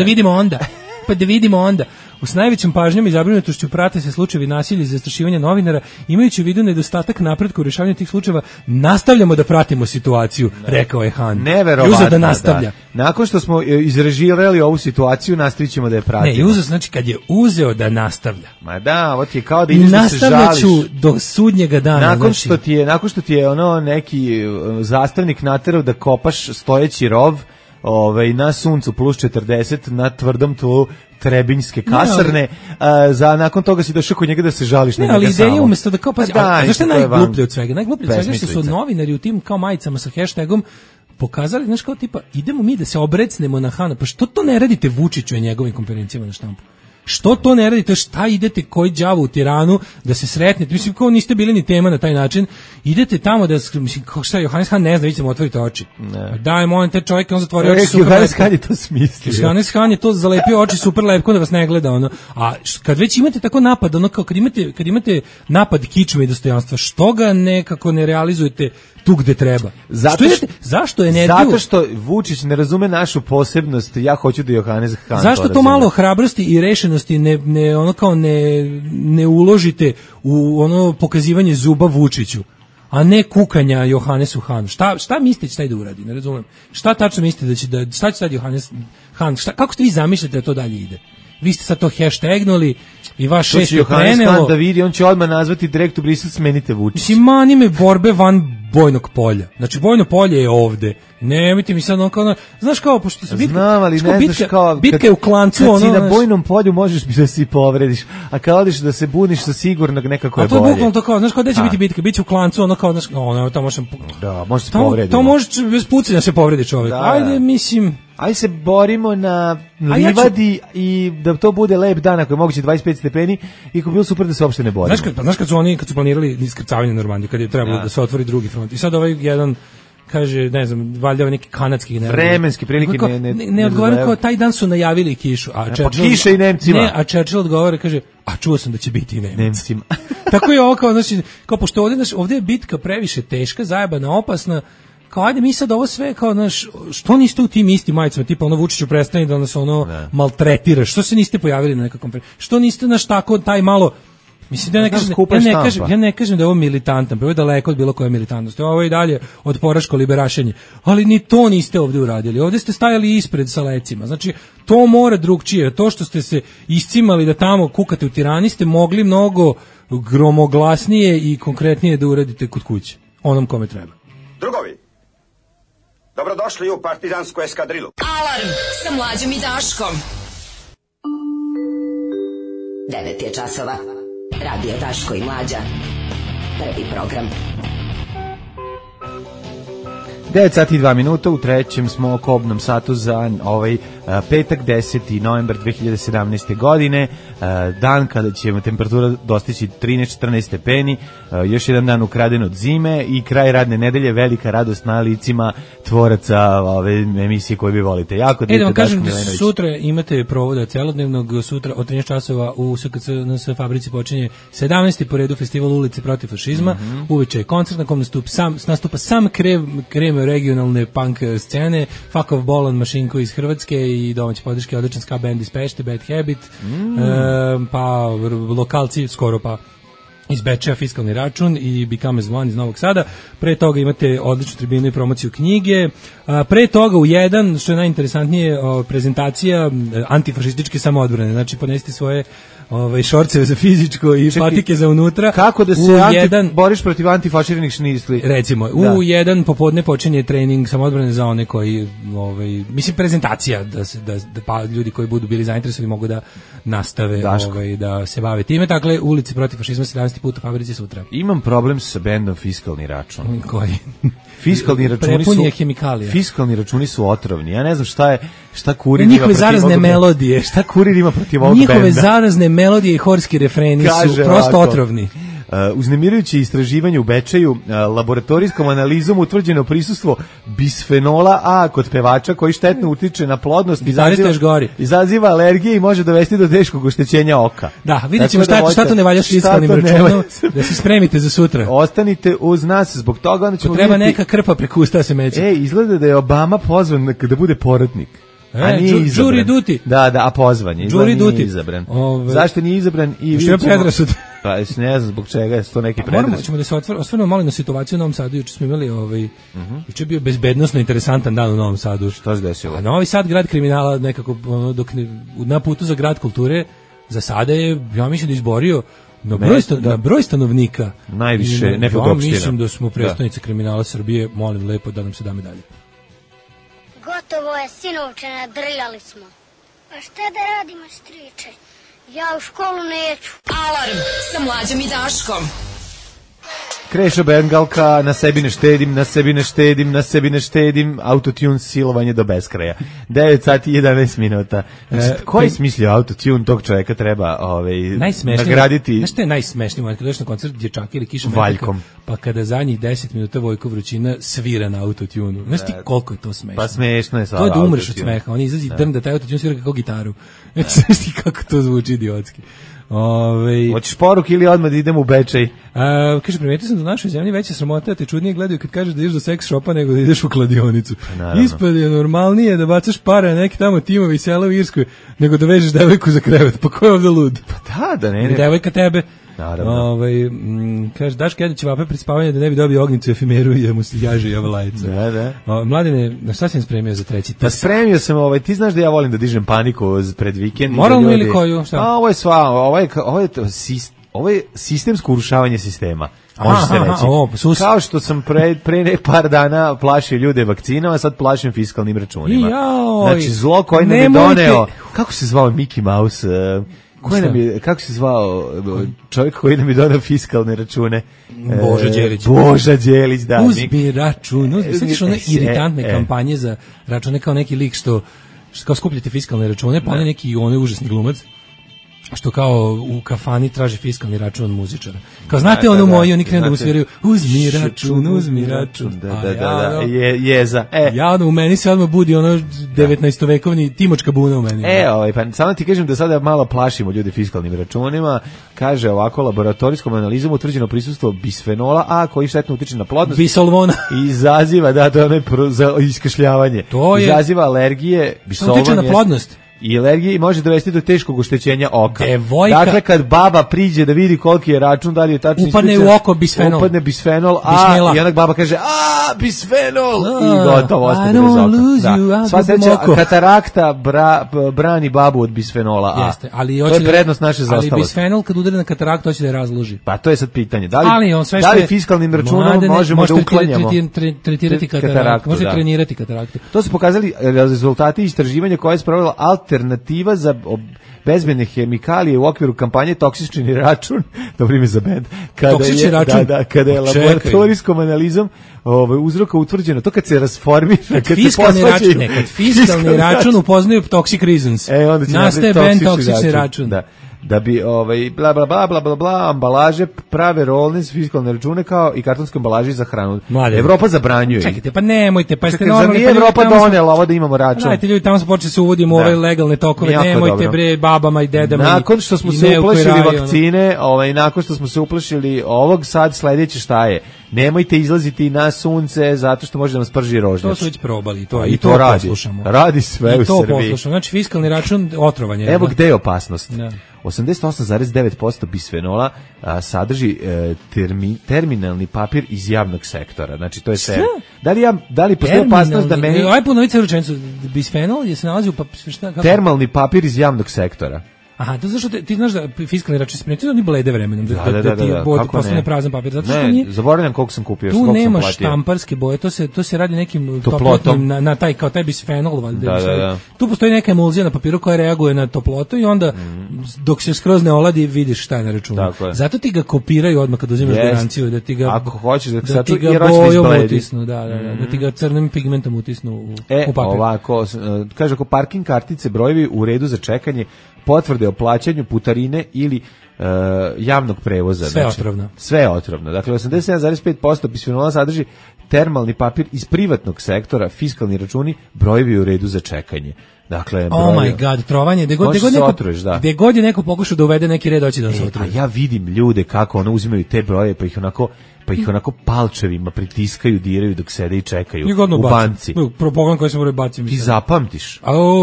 da vidimo onda. S najvećom pažnjom i zabrinutošću prate se slučajevi nasilja i zastrašivanja novinara, imajući u vidu nedostatak napretka u rješavanju tih slučajeva, nastavljamo da pratimo situaciju, rekao je Han. Neverovatno, da nastavlja. Da. Nakon što smo izrežirali ovu situaciju, nastavit ćemo da je pratimo. Ne, znači kad je uzeo da nastavlja. Ma da, ovo ti je kao da ideš da se žališ. Nastavljaću do sudnjega dana. Nakon što ti je ono neki zastavnik naterao da kopaš stojeći rov, na suncu plus 40 na tvrdom tlu Trebinjske kasarne, nakon toga si došao kod njega da se žališ na njega samo. Ali ideja umjesto da kao, pazi, zašto je najgluplje od svega? Najgluplje od svega što su novinari u tim kao majicama sa hashtagom pokazali, znaš, kao tipa, idemo mi da se obrecnemo na Hana, pa što to ne radite Vučiću i njegovim konferencijama na štampu? Što to ne radite? Šta idete koji đavo u Tiranu da se sretnete? Mislim, kao niste bili ni tema na taj način. Idete tamo da, mislim, kao šta je, Johannes Han ne zna, vi ćemo otvoriti oči. Daj, molim te čovjek, on zatvorio oči super. Johannes Han je to smislio. Johannes Han je to zalepio oči super lepko da vas ne gleda, ono. A kad već imate tako napad, ono, kao kad imate napad kičme i dostojanstva, što ga nekako ne realizujete tu gde treba? Zašto energiju? Zato što Vučić ne razume našu posebnost, ja hoću da Johannes Han zašto to malo hrabrosti i rešenosti ne uložite u ono pokazivanje zuba Vučiću, a ne kukanja Johannesu Hanu? Šta mislite šta ide uradi? Ne razumem. Šta tačno mislite šta će sad Johannes Han? Kako ste vi zamišljate da to dalje ide? Vi ste sad to hashtagnuli i vaš šest je prenelo. Johannes Han da vidi, on će odmah nazvati direkt u Brisel, smenite Vučić. Mislim, mani me borbe van bojnog polja. Znači, bojno polje je ovde. Nemojte mi sad ono, znaš kao, pošto se bitka je u klancu. Kad si na bojnom polju možeš da se povrediš, a kad odiš da se buniš sa sigurnog nekako je bolje. A to je bukvalno to kao, znaš kao, gde će biti bitka? Biće u klancu, ono kao, znaš, to možeš... Da, može se povrediti. To može bez pucanja se povredi čovjek. Ajde, mislim... Ajde se borimo na livadi i da to bude lep dan, ako je moguće 25 stepeni, i ako bi bilo super da se uopšte ne borimo. Znaš kad su planirali iskrcavanje na Normandiju, kad je trebalo da se otvori drugi front. I sad jedan kaže, ne znam, valjda neki kanadski vremenski prilike ne odgovara, kao taj dan su najavili kišu, kiša i Nemcima. Ne, a Churchill odgovara, kaže, a čuo sam da će biti i Nemcima. Tako je ovo kao, znači, kao pošto ovdje je bitka previše teška, zajebana, opasna, kao ajde mi sad ovo sve kao, znaš, što niste u tim istim majicama, tipa ono Vučiću prestani da nas ono maltretiraš, što se niste pojavili na nekakvom, što niste naš tako taj malo, mislim da ja ne kažem da je ovo militantan, pa je daleko od bilo koje militantnosti, ovo je i dalje od poraško liberašenje, ali ni to niste ovdje uradili, ovdje ste stajali ispred sa lecima, znači to mora drugčije, to što ste se iscimali da tamo kukate u Tirani ste mogli mnogo gromoglasnije i konkretnije da uradite kod kuće, onom kome treba. Drugovi, dobrodošli u partizansku eskadrilu. Alarm sa Mlađom i Daškom. 9 je časova. Radio Daško i Mlađa. Prvi program. 9 sati i 2 minuta, u trećem smo kobnom satu za ovaj petak 10. novembar 2017. godine, dan kada će temperatura dostići 13-14 stepeni, još jedan dan ukraden od zime i kraj radne nedelje, velika radost na licima tvoraca ove emisije koje vi volite. Jako da vam kažem da sutra imate provoda celodnevnog, sutra od 13 časova u SKC fabrici počinje 17. po redu festival ulice protiv fašizma, uveče je koncert na kom nastupa sam krem regionalne punk scene, Fuck Off Bolan, Mašinko iz Hrvatske i domaće podrške, odličan ska band iz Pešte, Bad Habit, pa lokalci skoro pa iz Bečeja, Fiskalni račun i Become as One iz Novog Sada. Pre toga imate odličnu tribinu i promociju knjige. Pre toga u jedan, što je najinteresantnije, prezentacija antifašističke samoodbrane. Znači, ponesite svoje šorceve za fizičko i patike za unutra. Kako da se boriš protiv antifaširanih šnisli? Recimo, u jedan popodne počinje trening samoodbrane za one koji, mislim, prezentacija, da ljudi koji budu bili zainteresovani mogu da nastave da se bave time. Dakle, ulici protiv fašizma 17. put u fabrici sutra. Imam problem sa bendom Fiskalni račun. Koji? Fiskalni računi su otrovni. Ja ne znam šta kurir ima njihove zarazne melodije. Šta kurir ima protiv ovog benda? Njihove zarazne melodije i horski refreni su prosto otrovni. Uznemirujuće istraživanje u Bečeju, laboratorijskom analizom utvrđeno prisustvo bisfenola A kod pevača koji štetno utiče na plodnost, izaziva alergije i može dovesti do teškog oštećenja oka. Da, vidjet ćemo šta to ne valja s fiskalnim računom, da se spremite za sutra. Ostanite uz nas, zbog toga onda ćemo treba neka krpa preko usta se meće. Izgleda da je Obama pozvan da bude poratnik. A nije izabran. Jury duty. Da, a pozvan je. Nije izabran. Zašto nije izabran? Što je predrasud? Pa ne znam zbog čega je to neki predrasud. Moramo ćemo da se osvrnemo malo na situaciju u Novom Sadu. Juče smo imali juče je bio bezbednosno interesantan dan u Novom Sadu. Šta se desilo? A Novi Sad, grad kriminala, nekako dok na putu za grad kulture, za sada je, ja mislim da izborio na broj stanovnika. Najviše nekog opština. Ja mislim da smo predstavnici kriminala Srbije, molim lepo da nam se da medalje. Gotovo je, sinovče, nadrljali smo. A šta da radimo, striče? Ja u školu neću. Alarm sa Mlađom i Daškom. Krešo Bengalka, na sebi ne štedim, autotune silovanje do beskraja. 9 sati i 11 minuta. Ko je smislio autotune, tog čovjeka treba nagraditi? Znaš što je najsmešniji moment, kada dođeš na koncert Dječaka ili Kiša Valjkom, pa kada zadnjih 10 minuta Vojko Vrućina svira na autotune. Znaš ti koliko je to smešno? Pa smešno je to je da umreš od smeha, oni izađi drn da taj autotune svira kako gitaru. Znaš ti kako to zvuči idiotski. Hoćeš poruke ili odmah da idemo u Bečej? Kaže, primetio sam da u našoj zemlji veća sramota, te čudnije gledaju kad kažeš da ideš do seks shopa nego da ideš u kladionicu. Ispad je normalnije da bacaš pare na neki tamo timovi sela u Irskoj nego da vežeš devojku za krevet. Pa ko je ovdje lud? Pa da, ne. Devojka tebe. Naravno. Kaže, Daško jede ćevape pred spavanje da ne bi dobio ognjicu efimeru i da mu se jaže javolajica. Da. Mladine, na šta sam spremio za treći? Pa spremio sam, ti znaš da ja volim da dižem paniku pred vikend. Moralno ili koju? Šta? Ovo je sistemsko urušavanje sistema. Može se reći. Kao što sam pre par dana plašio ljude vakcinama, sad plašim fiskalnim računima. Znači, zlo koji nam je doneo. Kako se zvao Mickey Mouse? Kako se zvao čovjek koji nam je donao fiskalne račune? Boža Đelić, da. Uzmi račun. Sjetiš one iritantne kampanje za račune kao neki lik što kao skupljate fiskalne račune, pa on je neki užasni glumac što kao u kafani traži fiskalni račun od muzičara. Kao znate onu moju, oni krenu da mu sviraju uzmi račun. Da, jeza. Ja u meni se odmah budi 19-vekovni Timočka buna u meni. Pa samo ti kažem da sada malo plašimo ljude fiskalnim računima. Kaže ovako, laboratorijskom analizom utvrđeno prisustvo bisfenola A koji štetno utiče na plodnost. Bisolvona. Izaziva, to je za iskašljavanje. Izaziva alergije, bisolvon utiče na plodnost. I alergiji može dovesti do teškog oštećenja oka. Dakle, kad baba priđe da vidi koliki je račun, da li je tačno upadne u oko bisfenol. Upadne bisfenol, i onak baba kaže, bisfenol! I gotovo, ostane bez oka. Sva sreća, katarakta brani babu od bisfenola A. Jeste, to je prednost naše zaostalosti. Ali bisfenol kad udari na kataraktu, hoće da je razloži. Pa to je sad pitanje. Da li fiskalnim računom možemo da uklanjamo tretirati kataraktu? Može trenirati kataraktu. To su pokazali rezultati istraživanja koje je sprovela alternativa za bezbedne hemikalije u okviru kampanje Toksični račun, dobro ime za bend, kada je laboratorijskom analizom uzroka utvrđeno, to kad se rasformira, kad fiskalni račun upoznaju Toxic Reasons, nastaje bend Toksični račun. Da bi bla bla bla bla bla ambalaže prave rolne fiskalne račune kao i kartonske ambalaže za hranu. Evropa zabranjuje. Čekajte, pa nemojte, pa ste normalni. Nije Evropa donela ovo da imamo račun. Dajte ljudi, tamo se počeli se uvodimo ove legalne tokove, nemojte bre babama i dedama. Nakon što smo se uplašili vakcine, nakon što smo se uplašili ovog, sad sledeće šta je? Nemojte izlaziti na sunce zato što može da nas prži rožnjač. To su već probali i to poslušamo. Radi sve u Srbiji. I to poslušamo. Znači fiskalni račun otrovanje. Evo gde je opasnost. 88,9% bisfenola sadrži terminalni papir iz javnog sektora. Znači to je sve. Da li postoji opasnost da meni... Aj ponovite rečenicu. Bisfenol je se nalazi u termalni papir iz javnog sektora. Aha, to zašto ti znaš da fiskalni račun se primetio, oni blede vremenom, da ti postane prazan papir. Zato što ne, zaboravljam koliko sam kupio, tu nema štamparske boje, to se radi nekim toplotnim na taj kao taj bisfenol, valjda. Tu postoji neka emulzija na papiru koja reaguje na toplotu i onda dok se skroz ne oladi vidiš šta je na računu. Zato ti ga kopiraju odmah kad uzimaš garanciju, da ti ga ako hoćeš da ti ga bojom utisnu, da ti ga crnim pigmentom utisnu u papir. Ovako, kaže ako parking kartice, brojevi u redu za čekanje, potvrde o plaćanju, putarine ili javnog prevoza. Sve otrovno. Sve otrovno. Dakle, 87,5% bisfenola sadrži termalni papir iz privatnog sektora, fiskalni računi, brojevi u redu za čekanje. Dakle, oh my god, trovanje, gde god je neko pokušao da uvede neki red, hoće da se otruje. A ja vidim ljude kako ono uzimaju te broje, pa ih onako palčevima pritiskaju, diraju dok sede i čekaju u banci. Pogledam koji se moraju baciti. Ti zapamtiš.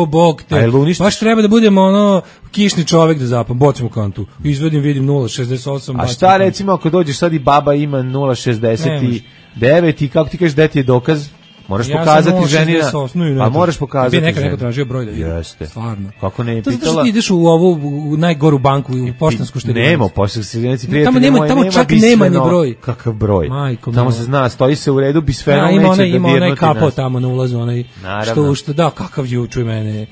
Bog te. Baš treba da budemo ono kišni čovek da zapam. Bocim u kantu. Izvedim, vidim 0,68. A šta recimo ako dođeš sad i baba ima 0,69 i kako ti kažeš da ti je dokaz? Moraš pokazati ženina. A moraš pokazati ženina. Neko tražio broj da vidi. Jeste. Stvarno. Kako ne je pitala? To zato što ti ideš u u najgoru banku, u poštansku štedionicu. Nema poštanske štedionice. Tamo čak nema ni broj. Kakav broj? Tamo se zna, stoji se u redu, bisfenol neće da dirnuti. Ima onaj kapo tamo na ulazu, onaj što da, kakav jučuj mene.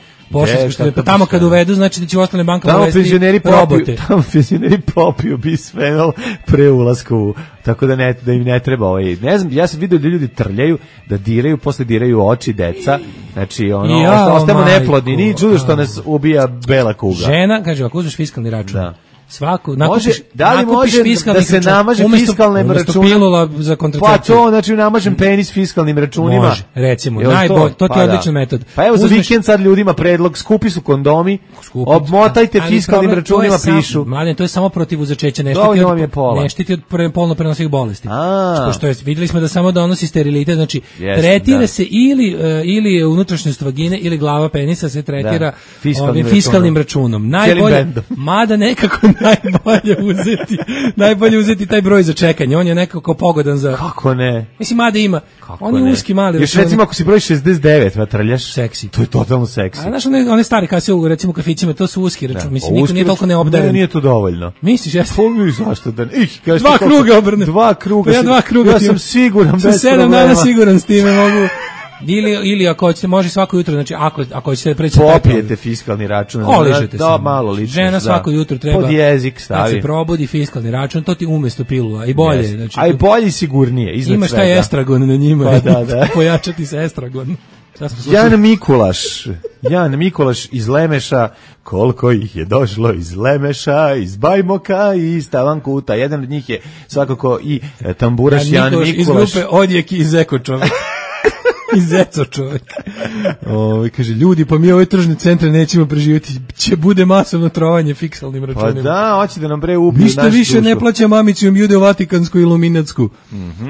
Pa tamo kad uvedu, znači da će u ostale bankama uvesti robote. Tamo penzioneri popiju bisfenol pre ulaska u, tako da im ne treba ne znam, ja sam vidio da ljudi trljaju, da diraju, posle diraju oči deca, znači ostajemo neplodni, nije čudo što nas ubija bela kuga. Žena, kaže, ako uzmeš fiskalni račun, svaku nakupiš da se namaže fiskalnim računom za kontracepciju. Pa to, znači namažem penis fiskalnim računima. Može, recimo, to ti je odličan metod. Pa evo za vikend sad ljudima predlog, skupi su kondomi, obmotajte fiskalnim računima, pišu. Mladen, to je samo protiv začeća, ne štiti od polno prenosivih bolesti. Pošto vidjeli smo da samo donosi sterilitet, znači tretira se ili unutrašnjost vagine ili glava penisa se tretira fiskalnim računom. Najbolje, mada nekako najbolje uzeti taj broj za čekanje. On je nekako pogodan za... Kako ne? Mislim, mada ima. On je uski mali. Još recimo ako si broj 69, vatrljaš. Seksi. To je totalno seksi. A znaš, one stari kase u recimo kafićima, to su uski račun. Mislim, niko nije toliko neobdaren. Nije to dovoljno. Misliš, jeste? Zašto da... Dva kruga obrne. Ja sam siguran. Sam 7 dana siguran s time mogu... Ili ako hoćete, može svako jutro, znači ako ćete preći popijete fiskalni račun, oližete se. Da, malo lično. Žena svako jutro treba pod jezik stavi. Kad se probudi fiskalni račun, to ti umesto pilula i bolje, yes. znači. A i bolje i sigurnije, iznad imaš svega. Imaš taj estragon na njima. Pa da. Pojačati se estragon. Jan Mikulaš iz Lemeša, koliko ih je došlo iz Lemeša, iz Bajmoka i iz Tavankuta. Jedan od njih je svakako i tamburaš Jan Mikulaš. Iz grupe Odjek i Zeko čovjek. Izeco čovjek. Kaže, ljudi, pa mi ove tržne centre nećemo preživjeti, će bude masovno trovanje fiksalnim računima. Pa da, hoće da nam ubiju našu dušu. Ništa više ne plaća mamicijom judeo-vatikansku i luminatsku.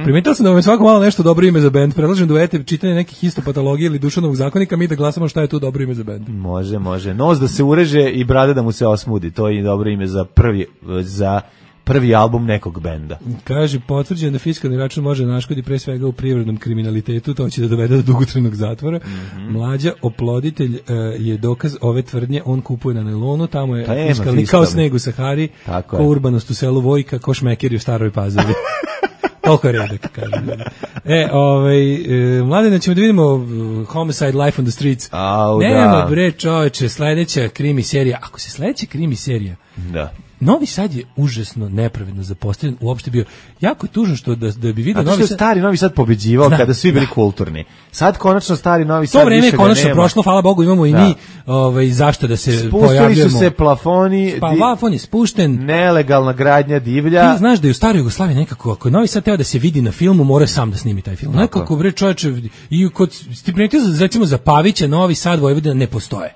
Primetila sam da vam je svako malo nešto dobro ime za bend. Predlažem da uvedete čitanje nekih histopatologije ili dušanog zakonika, mi da glasamo šta je tu dobro ime za bend. Može. Nos da se ureže i brada da mu se osmudi. To je dobro ime za prvi album nekog benda. Kaže, potvrđeno da fiskalni račun može naškoditi pre svega u privrednom kriminalitetu, to će da dovede do dugotrajnog zatvora. Mlađa oploditelj je dokaz ove tvrdnje, on kupuje na nailonu, tamo je fiskalni kao sneg u Sahari, ko urbanost u selu Vojka, ko šmekeri u Staroj Pazovi. Toliko je redak, kažem. Mladine, ćemo da vidimo Homicide Life on the Streets. Nema bre čoveče, sledeća krimi serija. Ako se sledeća krimi serija, da. Novi Sad je užasno nepravedno zapostavljen, uopšte bio jako je tužno što da bi vidio Novi Sad. Stari Novi Sad pobeđivao kada su svi bili kulturni. Sad konačno stari Novi Sad. To vreme je konačno prošlo, hvala Bogu, imamo i mi zašto da se pojavljujemo. Spustili su se plafoni. Pa plafon je spušten. Nelegalna gradnja divlja. Ti znaš da je u staroj Jugoslaviji nekako, ako je Novi Sad teo da se vidi na filmu, mora sam da snimi taj film. Nekako bre čoveče, i kod stipendijo recimo za Pavića Novi Sad Vojvodina ne postoje.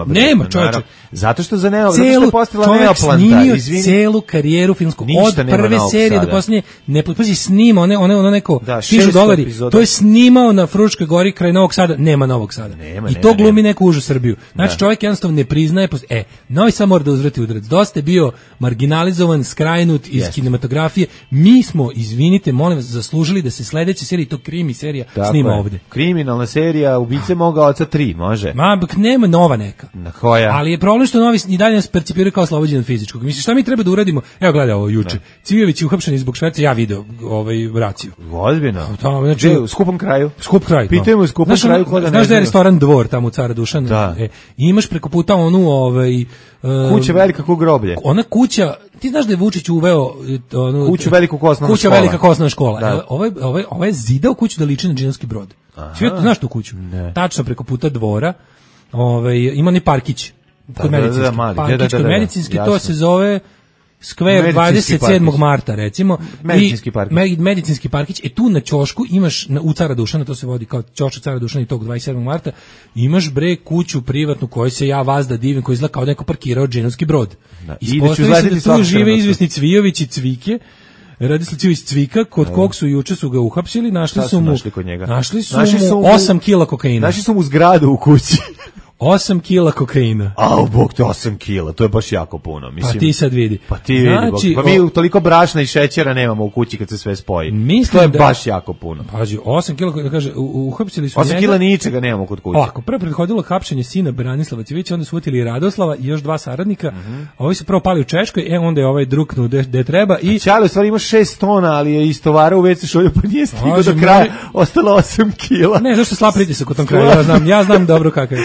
Nema čoveče. Zato što za Neoplan snimio celu karijeru filmsku. Od prve serije do posljednje, ne pazi, snima, ono neko, stižu dolari, epizoda. To je snimao na Fruškoj gori kraj Novog Sada, nema Novog Sada. I to glumi neku užu Srbiju. Znači čovjek jednostavno ne priznaje, Novi Sad mora da uzvrati udarac. Dosta je bio marginalizovan, skrajnut iz kinematografije. Mi smo, izvinite, molim vas, zaslužili da se sledeća serija, to krimi serija, snima ovde. Kriminalna serija, Ubice moga oca 3, može. Nema nova neka. Na koja? Ali je problem što novi i dalje nas percipiraju kao oslobođen od fizičkog. Misliš, šta mi treba da uradimo? Evo gledaj ovo juče. Cvijović je uhapšen zbog šverca, ja video raciju. Ozbiljno. Znači, u skupom kraju. Skup kraj. Pitaju u skupom kraju ko da ne. Znaš da je restoran Dvor tamo u Cara Dušana? Imaš preko puta onu kuća velika ko groblje. Ona kuća, ti znaš da je Vučić uveo kuću veliku osnovna škola. Kuća velika osnovna škola. Ovaj je zidao kuću da liči na Džinovski brod. Svi znaš tu kuću? Tačno preko puta Dvora. Ima ni parkić kod medicinski. Parkić kod medicinski, to se zove Skver 27. marta, recimo. Medicinski parkić. Tu na ćošku imaš, u Cara Dušana, to se vodi kao ćošak Cara Dušana i tog 27. marta, imaš kuću privatnu koju se ja vazda divim, koji izgleda kao neko parkirao Džinovski brod. Ispostavi se da tu žive izvesni Cvijović i Cvike. Radi se iz Cvika, kod kog su juče su ga uhapsili, našli su mu 8 kila kokaina. Našli su mu zgradu u kući. 8 kila kokaina. Bog, to 8 kila, to je baš jako puno. Mislim, pa ti sad vidi. Pa ti vidi, pa mi toliko brašna i šećera nemamo u kući kad se sve spoji. Mislim to je baš jako puno. Pazi, 8 kila, kaže, uhapsili su 8 kila ničega nemamo kod kuće. Ovako, prvo prethodilo hapšenje sina Branislava Cvijića, onda su utili Radoslava i još 2 saradnika. Ovi su prvo pali u Češkoj, onda je ovaj druknuo gde treba. I Ćale u stvari ima 6 tona, ali je istovarao u WC šolju, pa nije stigao do kraja, ostalo 8 kila. Ne, zašto slab pritisak u tom kraju, ja znam dobro kakav je.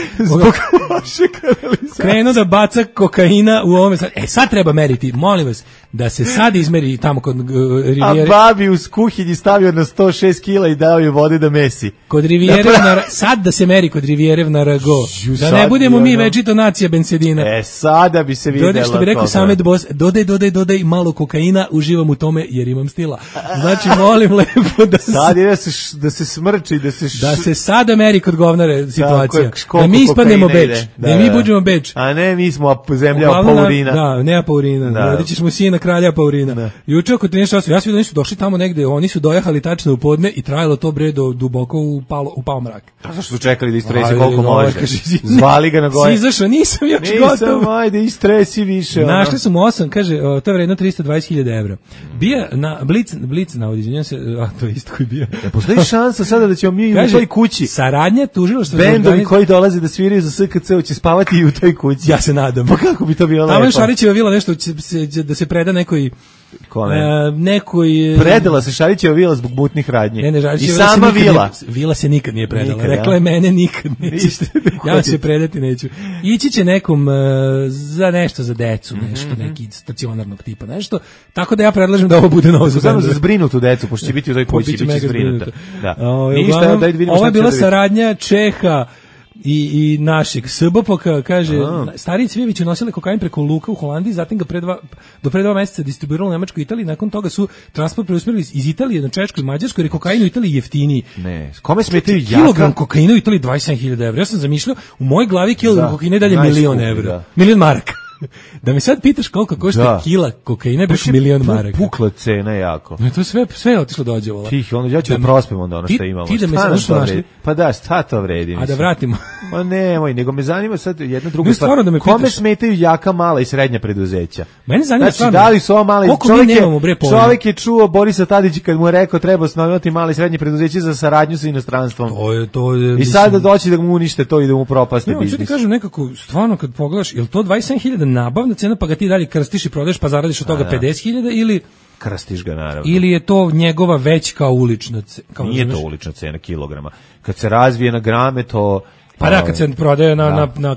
Krenuo da baca kokaina u ovome. Sad treba meriti, molim vas, da se sad izmeri tamo kod Rivijere. A babi uz kuhinji stavio na 106 kila i dao je vode da mesi. Kod Rivijere, sad da se meri kod Rivijerev na Rago. Da ne budemo mi večito nacija bensedina. Sada bi se vidjela. Što bi rekao Samet Bos, dodaj malo kokaina, uživam u tome jer imam stila. Znači, molim lepo da se... Sad je da se smrči, da se sada meri kod govnare situacija. Da mi ispadnemo Beč. Da mi budemo Beč. A ne, mi smo zemlja Apaurina. Da, ne Apaurina. Rodići smo sina kralja Apaurina. Juče oko 13 časova, ja sam vidio da nisu došli tamo negde, oni su dojahali tačno u podne i trajalo to bre do duboko u pao mrak. A zašto su čekali da istresi koliko može? Zvali ga na gore. Si izašao, nisam još gotov. Nisam, ajde, istresi više. Našli su mu 8, kaže, to je vredno 320.000 evra. Bija na Blic navodi, izvinjam se, to je isto koji bija. Postoji šansa sada da ćemo mi u toj kući. Saradnja tužilaštva. Bendovi koji dolaze da sviraju za SKC će spavati i u toj kući. Ja se nadam. Pa kako bi to bilo lepo? Tamo je Šarićeva vila nešto da se preda nekoj... Predala se Šarićeva vila zbog mutnih radnji. I sama vila. Vila se nikad nije predala. Rekla je mene nikad nećete. Ja se predati neću. Ići će nekom za nešto za decu, nešto neki stacionarnog tipa, nešto. Tako da ja predlažem da ovo bude novo za Samo za zbrinutu decu, pošto će biti u toj kući, biće zbrinuta. Da. Ništa, daj vidimo. Ovo je bila saradnja Čeha i našeg SBPOK-a, kaže, stariji Cvijević nosili kokain preko luka u Holandiji, zatim ga do pre 2 meseca distribuirali u Nemačkoj i Italiji, nakon toga su transport preusmerili iz Italije na Češku i Mađarsku, jer je kokain u Italiji jeftiniji. Ne, kome smetaju jaka? Kilogram kokaina u Italiji 27.000 evra. Ja sam zamišljao, u mojoj glavi kilogram kokaina je dalje 1.000.000 evra. 1.000.000 maraka. Da mi sad pitaš koliko košta kila kokaina, baš 1.000.000 maraka. Pukla cena jako. To sve je otišlo dođevola. Tih, onda ja ću da prospem onda ono što imamo. Ti da me sad našli. Pa da, šta to vredi? A da vratimo. Pa nemoj, nego me zanima sad jedna druga stvar. Kome smetaju jaka, mala i srednja preduzeća? Mene zanima stvarno. Znači, da li su ova mala i čovjek je čuo Borisa Tadića kad mu je rekao treba osnovati mala i srednje preduzeće za saradnju sa inostranstvom. To je, i sad da doći da mu unište to i da mu propaste biznis. Ja ti kažem nekako, stvarno kad pogledaš, je li to 27.000 nabavna cena pa ga ti dalje krstiš i prodaješ pa zaradiš od toga 50.000 ili... Krstiš ga, naravno. Ili je to njegova već kao ulična cena? Nije to ulična cena kilograma. Kad se razvije na grame, to... Pa da, kad se prodaje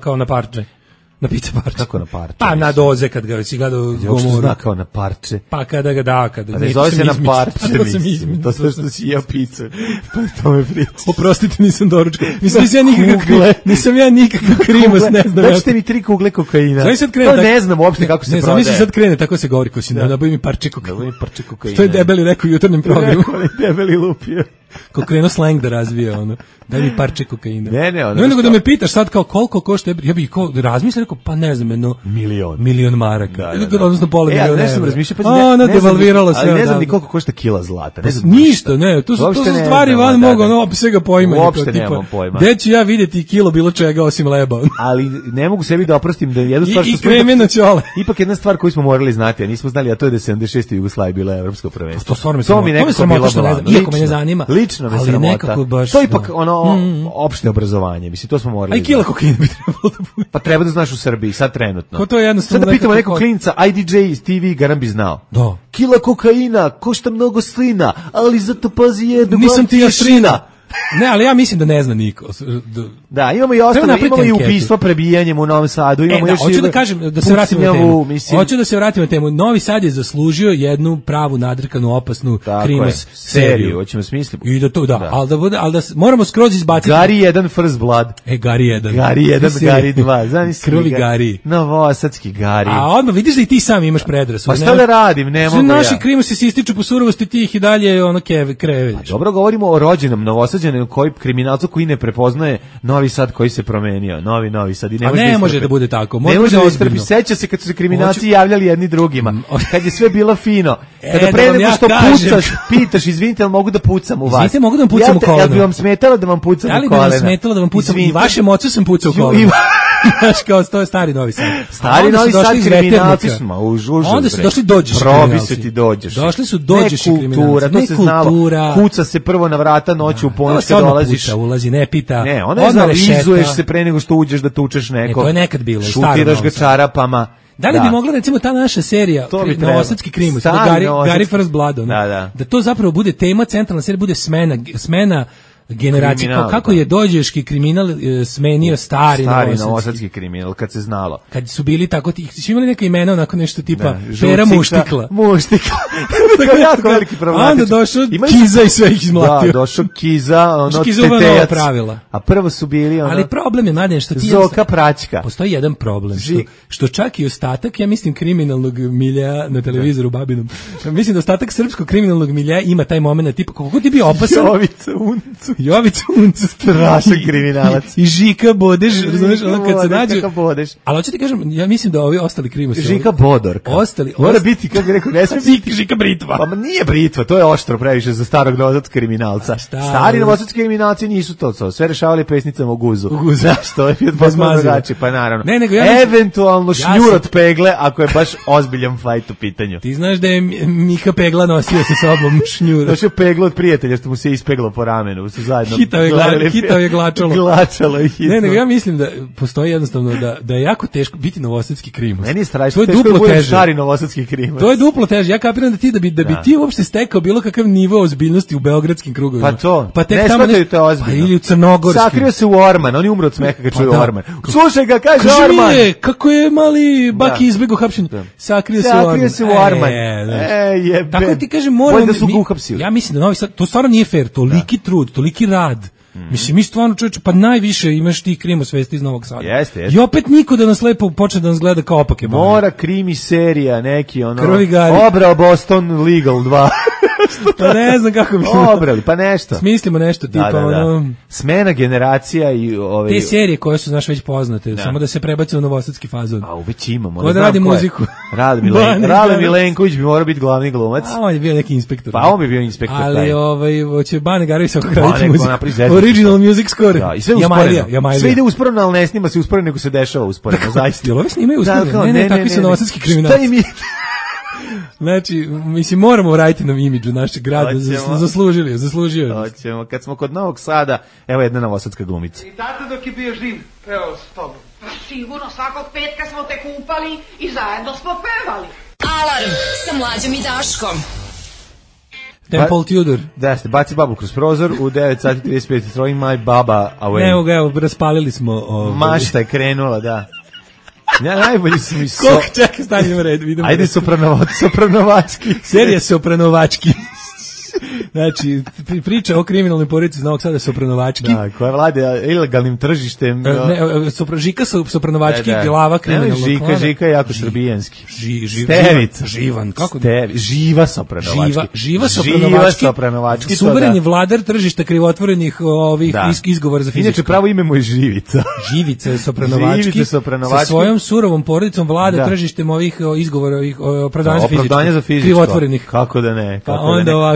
kao na parče. Na pizza parče. Kako na parče? Pa na doze kad ga si gledao Gomoru. Zna kao na parče. Pa kada ga da, kada... Ne zove se na parče, mislim. To sve što si jeo pizza. Pa to me priča. Oprostite, nisam doručkao. Nisam ja nikakav krimos, ne znam. Daćete mi 3 kugle kokaina. To ne znam uopšte kako se prodaje. Ne, znam, sad krene, tako se govori ko si nabavi mi parče kokaina. To je debeli rekao u jutarnjem programu. Debeli lupio. krenuo slang da razvija, ono. Daj mi parče kokaina. Ne, ono. Ne nego da me pitaš sad kao koliko košta, ja bih razmislio, rekao, pa ne znam, jedno milion maraka. Odnosno pola miliona. Ja nešto razmišljam, pa ono devalviralo sve. Ali ne znam ni koliko košta kila zlata. Ne znam ništa, ne, to su stvari van mogu, ono, svega poimanja. Uopšte nemam pojma. Gde ću ja vidjeti kilo bilo čega osim leba? Ali ne mogu sebi da oprostim da jednu stvar što smo ipak jedna stvar koju smo morali znati, a nismo znali, a to je da 76. Jugoslavija bila evropsko prvenstvo. To stvarno mi nekako bilo blagano. Iako me ne zanima. Lično me sramota. To je ipak opšte obrazovanje, mislim, to smo morali. A kila kokaina bi trebalo da bude. Pa treba da znaš u Srbiji, sad trenutno. Ko to je jednostavno. Sad da pitamo nekog klinca, IDJ iz TV, garam bi znao. Da. Kila kokaina, košta mnogo slina, ali zato pazi jednu. Nisam ti jašina. Ne, ali ja mislim da ne zna niko. Da, imamo i ostalo, imamo i ubistva prebijanjem u Novom Sadu, imamo još hoću da kažem, da se vratimo na temu. Hoću da se vratimo na temu. Novi Sad je zaslužio jednu pravu, nadrkanu, opasnu krimos seriju. Hoćemo smisliti. I da to, da, ali da moramo skroz izbaciti. Gari 1 First Blood. Gari 1. Gari 1, Gari 2. Znaš, krvi Gari. Novosadski Gari. A odmah vidiš da i ti sam imaš predrasude. Pa šta da radim, ne mogu ja. Naši krimosi se ističu po surovosti, ti ih i dalje ono kreve. Dobro, govorimo o rođenom Novosađaninu koji kriminalcu koji ne prepoznaje Novi Sad koji se promenio, Novi Sad i ne može da bude tako. Ne može da istrpi. Seća se kad su se kriminalci javljali jedni drugima, kad je sve bilo fino. Kada pre nego što pucaš, pitaš, izvinite, ali mogu da pucam u vas? Izvinite, mogu da vam pucam u koleno? Jel bi vam smetalo da vam pucam u koleno? Da li bi vam smetalo da vam pucam? I vašem ocu sam pucao u koleno. Znaš, kao to je stari Novi Sad. Stari Novi Sad kriminalci smo u žužu. Onda su došli dođeš kriminalci. Probi se ti dođeš. Došli su dođeš kriminalci. To se znalo. Kuca se prvo na vrata noću u ponoć kad dolaziš. Ulazi, ne pita. Ne, onda analizuješ se pre nego što uđeš da tučeš nekog. To je nekad bilo. Šutiraš ga čarapama. Da li bi mogla recimo ta naša serija Novosadski krimus, Gari First Blood, da to zapravo bude tema, centralna serija bude smena generacija, kako je dođeški kriminal smenio stari novosadski kriminal, kad se znalo. Kad su bili tako, su imali neka imena, onako nešto tipa Pera Muštikla. Tako jako veliki problematičan. Onda došao Kiza i sve ih izmlatio. Da, došao Kiza, tetejac. A prvo su bili ali problem je, Mladen, što ti Zoka Praćka. Postoji jedan problem, što čak i ostatak, ja mislim, kriminalnog milja na televizoru Babinom, mislim da ostatak srpskog kriminalnog milja ima taj moment, tipa, kako ti bio opasan? Jovica Uncu, strašan kriminalac. I Žika Bodeš, razumeš, ono kad se nađu. Ali hoću ti kažem, ja mislim da ovi ostali krimosi. Žika Bodorka. Mora biti, kako bih rekao, ne smije biti Žika Britva. Pa nije Britva, to je oštro previše za starog novosadskog kriminalca. Stari novosadski kriminalci nisu to, sve rešavali pesnicama u guzu. Znaš, to je potpuno drugačije, pa naravno. Eventualno šnjur od pegle, ako je baš ozbiljan fajt u pitanju. Ti znaš da je Mika Pegla nosio sa sobom šnjur. Došao peglo od prijatelja, što mu se ispeglo po ramenu. Hitao je glačalo. Glačalo je hitno. Ne, nego ja mislim da postoji jednostavno da je jako teško biti novosadski krimus. Meni je strašno teško da budem stari novosadski krimus. To je duplo teže. Ja kapiram da bi ti uopšte stekao bilo kakav nivo ozbiljnosti u beogradskim krugovima. Pa to. Pa tek ne tamo shvataju to ozbiljno. Pa ili u crnogorskim. Sakrio se u Orman. On je umro od smeha kad čuje Orman. Slušaj ga, kaže Orman. Kako je mali Baki izbegao hapšenje. Sakrio se u Orman. Tako ti kažem, moram. Ja mislim da Novi Sad, to stvarno nije fair. Toliki trud, toliki rad. Mislim, mi stvarno, čovječe, pa najviše imaš ti krimo svesti iz Novog Sada. Jeste. I opet niko da nas lepo počne da nas gleda kao opake. Mora krimi serija, neki ono. Krvigari. Obrao Boston Legal 2. Pa ne znam kako bi obrali, pa nešto. Smislimo nešto tipa ono. Smena generacija i te serije koje su znaš već poznate, samo da se prebace u novosadski fazon. A već imamo. Ko da radi muziku? Rade Milenković bi morao biti glavni glumac. A on je bio neki inspektor. Pa on bi bio inspektor. Ali hoće Bane Garović sa raditi muziku. Original music score. Da, i sve usporeno. Sve ide usporeno, ali ne snima se usporeno, nego se dešava usporeno, zaista. Jel ovi snimaju usporeno? Ne, takvi su novosadski kriminalci. Šta im je? Znači, mislim, moramo vratiti nam imidžu našeg grada, zaslužio. Hoćemo, kad smo kod Novog Sada, evo jedna novosadska glumica. I tata dok je bio živ, pevao s tobom. Pa sigurno, svakog petka smo te kupali i zajedno smo pevali. Alarm sa Mlađom i Daškom. Temple Tudor. Da, ste baci babu kroz prozor u 9:35, throwing my baba away. Evo, raspalili smo. Mašta je krenula, da. Ja, najbolji su mi čekaj, stanimo red, vidimo. Ajde, sopranovački. Serija sopranovački. Znači, priča o kriminalnoj porodici iz Novog Sada Sopranovački. Da, koja vlade ilegalnim tržištem. Žika Sopranovački, glava kriminalnog klana. Žika je jako srbijanski. Stevica. Živan. Kako? Živa Sopranovački. Živa Sopranovački. Suvereni vladar tržišta krivotvorenih ovih izgovora za fizičko. Inače, pravo ime mu je Živica. Živica Sopranovački. Sa svojom surovom porodicom vlada tržištem ovih izgovora, ovih opravdanja za fizičko. Krivotvorenih. Kako da ne?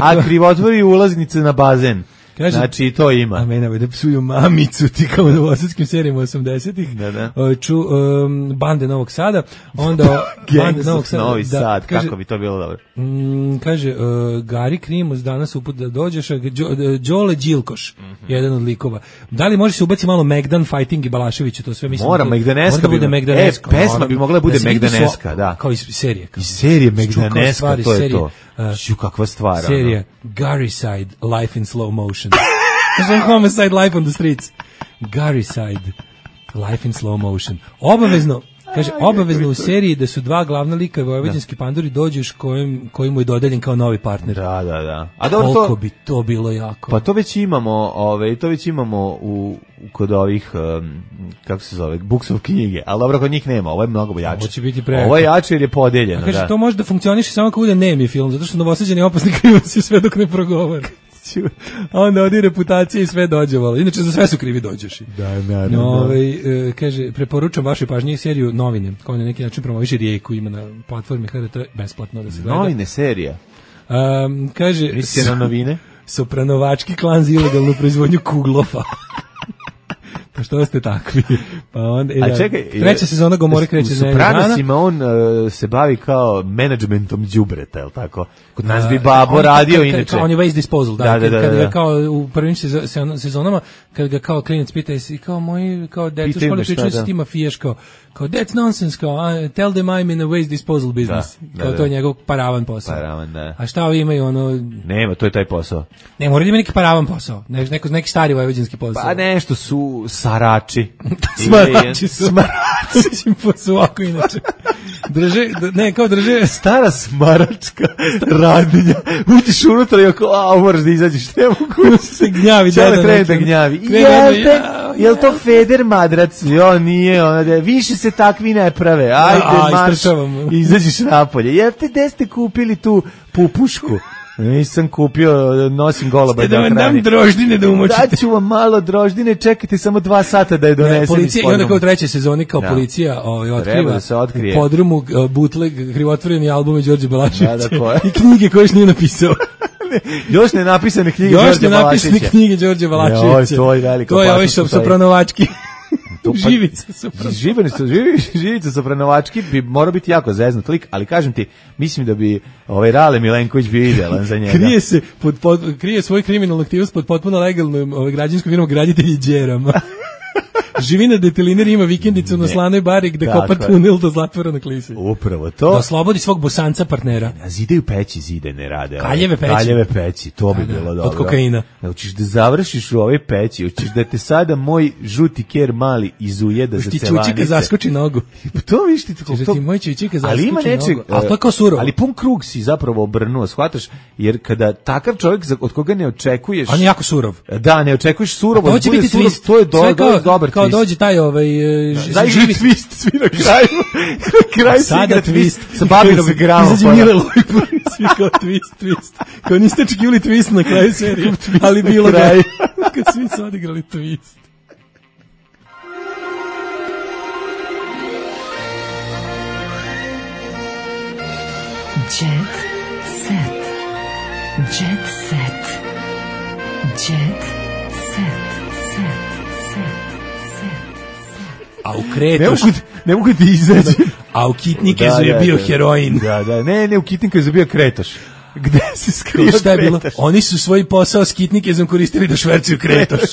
A krivotvori ulaznice na bazen. Kaže, znači to ima. A mene da psuju mamicu ti kao u novosadskim serijama 80-ih. Bande Novog Sada. Onda Bande Novog Sada. Novi Sad, kaže, kako bi to bilo dobro. Kaže, Gari Krimos danas uput da dođeš, Đole Đilkoš, jedan od likova. Da li može se ubaciti malo Megdan, Fighting i Balašević, to sve mislim. Mora, Megdaneska bi Megdaneska. Pesma bi mogla da bude Megdaneska, da. Kao iz serije. Iz serije Megdaneska, to je to. Kakva stvar. Serija Garryside, Life in Slow Motion. Homicide, Life on the Streets. Garryside, Life in Slow Motion. Obavezno, kaže, obavezno u seriji da su dva glavna lika vojvođanski panduri dođeš koji mu je dodeljen kao novi partner. Da. A dobro, koliko bi to bilo jako. Pa to već imamo, kod ovih, kako se zove, Buksov knjige, ali dobro, kod njih nema, ovo je mnogo jače. Ovo će biti preko. Ovo je jače jer je podeljeno. A kaže, to može da funkcioniše samo ako bude nemi film, zato što Novosađani opasni krivaci sve dok ne progovore. A onda odi reputacija i sve dođevalo. Inače, za sve su krivi dođeši. Da. Kaže, preporučam vašoj pažnji seriju Novine, koja na neki način promoviše Rijeku, ima na platformi HRT, besplatno da se gleda. Novine serija? Kaže, mislite na novine? Sopranovački klan za ilegalnu proizvodnju kuglofa. Pa što ste takvi? Pa onda, čekaj, treća sezona Gomore kreće za jednog dana. U Sopranosima on se bavi kao menadžmentom đubreta, je li tako? Kod nas bi Babo radio inače. On je waste disposal, da. Kad ga kao u prvim sezonama, kad ga kao klinac pita, jesi kao moji, kao deca u školi pričali se ti mafijaš, kao that's nonsense, kao tell them I'm in a waste disposal business. Kao to je njegov paravan posao. Paravan, da. A šta ovi imaju ono... Nema, to je taj posao. Ne, mora da ima neki paravan posao. Neki stari vojvođanski posao. Pa nešto su sarači. Smarači su. Smarači su ovako inače. Drže stara smaračka radnja. Utiš unutra i oko, moraš da izađeš, ne mogu. Se gnjavi. Da gnjavi. Jel to Feder madrac? Jo, nije. Više se takvi ne prave. Ajde, marš. Izađeš napolje. Jel te gde ste kupili tu pupušku? Nisam kupio, nosim goloba da vam dam droždine da umočite. Daću vam malo droždine, čekajte samo 2 sata da je donesem. Policija, i onda kao u trećoj sezoni kao policija otkriva u podrumu bootleg krivotvoreni albume Đorđe Balaševića i knjige koje još nije napisao. Još ne napisane knjige Đorđe Balaševića. To je ovaj Sopranovački. Živica Sopranovački bi morao biti jako zeznut lik, ali kažem ti, mislim da bi Rale Milenković bio idealan za njega. Krije svoj kriminalnu aktivnost pod potpuno legalnom građanskom firmom Graditelji Đerama. Živi na detelineri, ima vikendicu na Slanoj bari gde kopa tunel do zatvora na Klisi. Upravo to. Da oslobodi svog bosanca partnera. A zidaju peći, zide ne rade. Kaljeve peći, to bi bilo dobro. Od kokaina. Hoćeš da završiš u ovoj peći, hoćeš da te sada moj žuti ker mali izujeda za celanice. Ti čučika zaskoči nogu. To viš ti to. Ti moj čučika zaskoči nogu. Ali to je kao surovo. Ali pun krug si zapravo obrnuo, shvataš? Jer kada takav čovjek od koga ne očekuješ... On je jako surov. Da, ne očekuješ surovo. To će biti twist. To je dobar twist. Dođe taj živi twist svi na kraju sada twist sa babinom gramom izađe Mile Lojpur svi kao twist kao niste očekivali twist na kraju serije ali bilo da kad svi su odigrali twist. Jet set. Jet set. Jet set. A u Kretoš... Ne mogu da izađe. A u Kitnikezu je bio heroin. Da. Ne, u Kitnikezu je bio Kretoš. Gde se skrio šta je bilo? Oni su svoj posao s Kitnikezom koristili da švercuju Kretoš.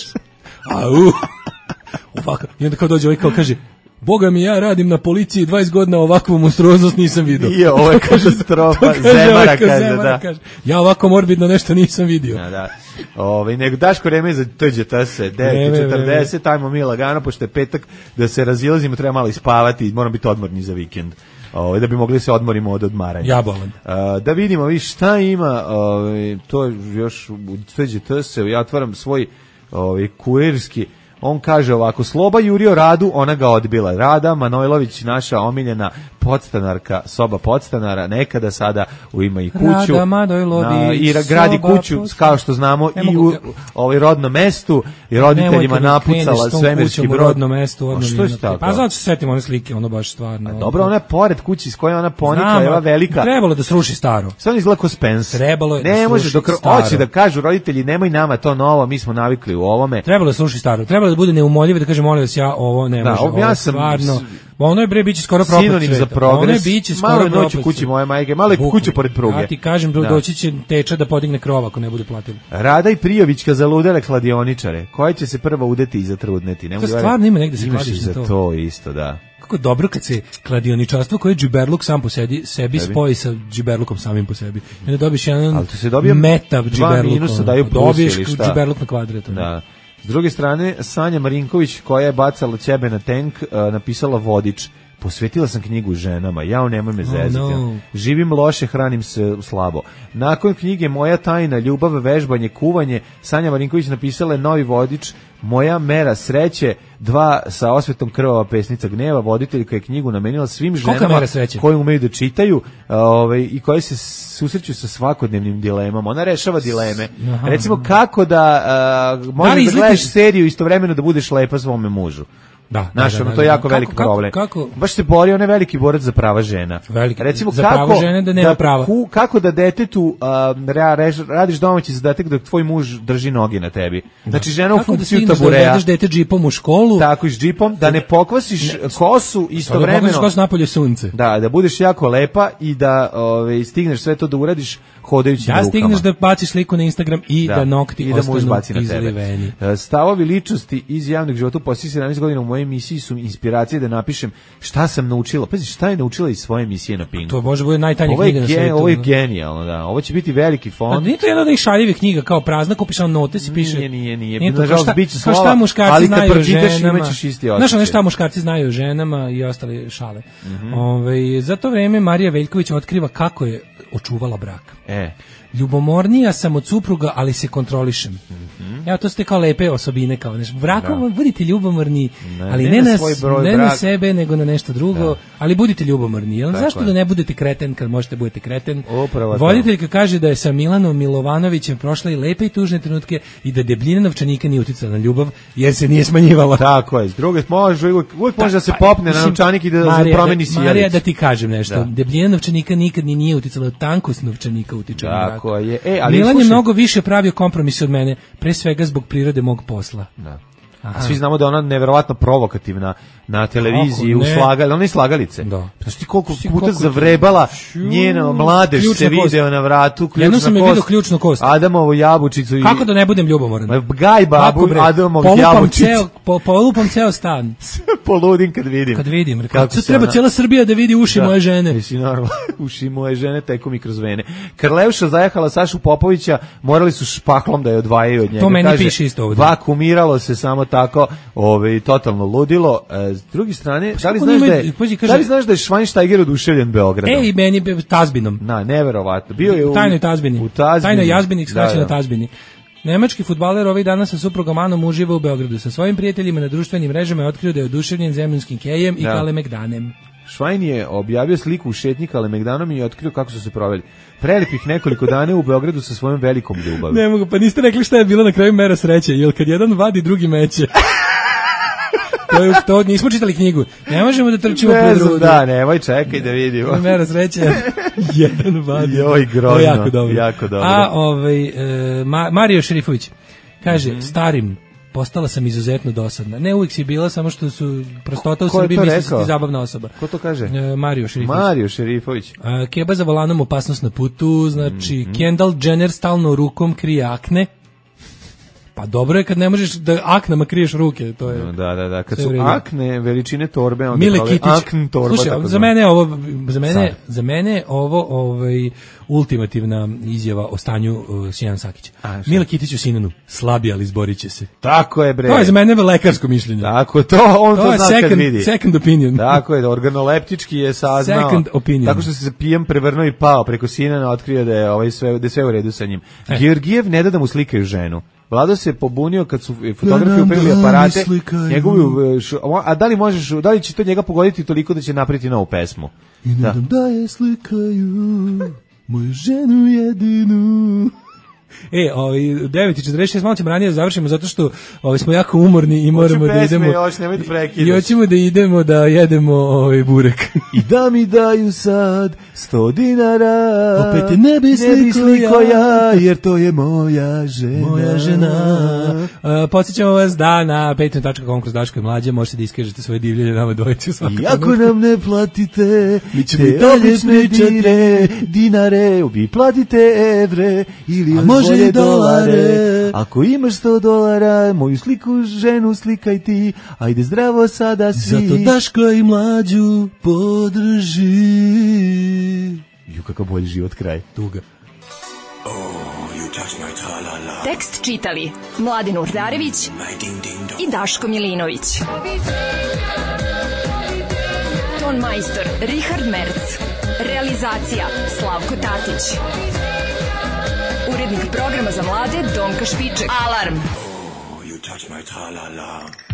Ovako. I onda kao dođe ovaj kao kaže... Boga mi, ja radim na policiji 20 godina, ovakvu monstruoznost nisam vidio. I ovo je katastrofa. Zemara kaže. Ja ovako morbidno nešto nisam vidio. Da. Nego Daško vreme za TGT se 9:40, ajmo mi lagano, pošto je petak, da se razilazimo, treba malo ispavati, moram biti odmorni za vikend. da bi mogli se odmorimo od odmaranja. Ja bolan. Da vidimo vi šta ima, to još u TGTS, ja otvaram svoj kurirski. On kaže ovako, Sloba jurio Radu, ona ga odbila. Rada Manojlović, naša omiljena podstanarka, soba podstanara, nekada sada ima i kuću. Rada Manojlović, i gradi kuću, kao što znamo, i u rodnom mestu, i roditeljima napucala svemirski brod. Rodnom mestu, što je tako? Pa zato se setimo one slike, ono baš stvarno. Dobro, ona je pored kući s kojom ona ponikla, je ova velika. Trebalo da sruši staro. Sve izgleda ko Spence. Trebalo je da ne može staro. hoće da kažu roditelji, nemoj nama to novo, mi smo navikli u ovome. Trebalo da sruši staro. Trebalo da bude neumoljivo, da kaže molim vas, ja ovo ne može. Da, ja sam stvarno. Ono je biće skoro propast sinonim sveta. Za progres. Ono je biće skoro propast. Malo noć u kući moje majke, malo je kuća pored pruge. Ja ti kažem, doći će teča da podigne krov ako ne bude platila. Rada i Prijovićka zaludele kladioničare. Koja će se prva udeti i zatrudneti? To stvarno ima negde se kladiš za to isto, da. Kako dobro kad se kladioničarstvo koje je džiberluk sam po sebi spoji sa džiberlukom samim po sebi. I onda dobiš jedan meta džiberluk. Dobiješ džiberluk na kvadrat. Da. S druge strane, Sanja Marinković, koja je bacala ćebe na tank, napisala Vodič. Posvetila sam knjigu ženama, jao nemoj me zeziti. No. Živim loše, hranim se slabo. Nakon knjige Moja tajna, ljubav, vežbanje, kuvanje, Sanja Marinković napisala je novi vodič Moja mera sreće, 2 sa osvetom krvava pesnica gneva. Voditeljka je knjigu namenila svim ženama koje umeju da čitaju i koje se susreću sa svakodnevnim dilemama. Ona rešava dileme. Aha. Recimo kako da možeš da gledaš seriju istovremeno da budeš lepa svome mužu. Da, to je jako veliki problem. Baš se bori, on je veliki borac za prava žena. Recimo, za prava žene da nema prava. Kako da detetu radiš domaći zadatak dok tvoj muž drži noge na tebi. Znači, žena u funkciju tabureja. Kako da vedeš dete džipom u školu. Tako, s džipom, da ne pokvasiš kosu istovremeno. Da pokvasiš kosu napolje sunce. Da budeš jako lepa i da stigneš sve to da uradiš hodajući rukama. Da stigneš da baciš sliku na Instagram i da nokti ostanu izliveni. Stavovi ličnosti iz javnog života u posljednjih 17 godina u mojoj emisiji su inspiracije da napišem šta sam naučila. Pazi, šta je naučila iz svoje emisije na Pinku. To može bude najtanja knjiga na svijetu. Ovo je genijalno, da. Ovo će biti veliki fond. Nije to jedna od šaljivih knjiga kao prazna, kupiš on note, si piše. Nije. Nažalost, bit će slova, šta muškarci znaju o ženama. Imaćeš isti osjećaj. Znaš šta muškarci znaju o ženama i ostale šale. Za to vreme Marija Veljković otkriva kako je očuvala brak. Ljubomornija sam od supruga, ali se kontrolišem. Ja to ste kao lepe osobine, kao brakom budite ljubomorni, ali ne na sebe, nego na nešto drugo, ali budite ljubomorni. Zašto da ne budete kreten kad možete budete kreten? Voditeljka kaže da je sa Milanom Milovanovićem prošla i lepe i tužne trenutke i da debljina novčanika nije uticala na ljubav, jer se nije smanjivala. Tako je. S druge uvijek može da se popne na novčanik i da promeni sjelicu. Marija, da ti kažem nešto. Debljina novčanika nikad nije uticala, tankost novčanika utiče na brak. Milan je mnogo više pravio kompromise od mene, pre svega zbog prirode mog posla. Da. A svi znamo da ona neverovatno provokativna na televiziji, ona je slagalice. Da. Znaš ti koliko puta zavrebala njena mladež se video na vratu, jednom sam je vidio ključnu kost. Adamovu jabučicu. Kako da ne budem ljubomoran? Gaj babu Adamovu jabučicu. Polupam ceo stan. Poludim kad vidim. Kad vidim. Treba cijela Srbija da vidi uši moje žene. Mislim, normalno, uši moje žene teku mi kroz vene. Karleuša zajahala Sašu Popovića, morali su špaklom da je odvajaju od njega. To meni piše isto ovdje. Vakumiralo se samo tako, totalno ludilo. S druge strane, da li znaš da je Schweinsteiger oduševljen Beogradom? I meni je Tazbinom. Neverovatno. Bio je u tajnoj Tazbini. Tajnoj Jazbini, skraćeno Tazbini. Nemački fudbaler ovih dana sa suprugom Anom uživa u Beogradu. Sa svojim prijateljima na društvenim mrežama je otkrio da je oduševljen zemljanskim kejem i Kalemegdanem. Schwein je objavio sliku u šetnji Kalemegdanom i otkrio kako su se proveli. Prelepih nekoliko dana u Beogradu sa svojom velikom ljubavi. Ne mogu, pa niste rekli šta je bilo na kraju mera sreće, jer kad jedan vadi, drugi meće. To nismo čitali knjigu. Ne možemo da trčimo pred drugu. Da, nemoj, čekaj da vidimo. Mera sreće. Jedan vadi. Joj, grozno. Jako dobro. Jako dobro. A Mario Šerifović kaže, starim, postala sam izuzetno dosadna. Ne uvijek si bila, samo što su prostota u Srbiji misli si ti zabavna osoba. Ko to kaže? Mario Šerifović. Keba za volanom, opasnost na putu, znači Kendall Jenner stalno rukom krije akne. Pa dobro je kad ne možeš da aknama kriješ ruke, to je. Da, kad su akne veličine torbe, onda Mile Kitić. Akn torba. Slušaj, za mene ovo ultimativna izjava o stanju Sijana Sakića. Mile Kitić u Sinanu, slabi, ali izborit će se. Tako je, bre. To je za mene lekarsko mišljenje. Tako, on to zna kad vidi. Second opinion. Tako je, organoleptički je saznao. Second opinion. Tako što se pijem prevrnuo i pao preko Sinana, otkrio da je sve u redu sa njim. Georgijev ne da mu slikaju ženu. Vlado se pobunio kad su fotografi upegli aparate, a da li će to njega pogoditi toliko da će napraviti novu pesmu? I ne dam da je slikaju moju ženu jedinu. 9:46, malo ćemo ranije da završimo zato što smo jako umorni i moramo da idemo. I hoćemo da idemo da jedemo burek. I da mi daju sad 100 dinara. Opet te ne bi sliko ja, jer to je moja žena. Podsjećamo vas da na patreon.com kroz Daško i Mlađe možete da iskažete svoje divljenje nama dvojici. I ako nam ne platite, mi ćemo i dalje pričati dinare, vi platite evre ili može i dolare. Ako imaš $100, moju ženu slikaj ti. Ajde zdravo sada svi. Zato Daško i Mlađu podrži. Kakav bolji život kraj. Tuga. Tekst čitali Mladen Urdarević i Daško Milinović. Ton majstor Richard Merc. Realizacija Slavko Tatić. Urednik programa za mlade Donka Špiček. Alarm! You touch my tra-la-la.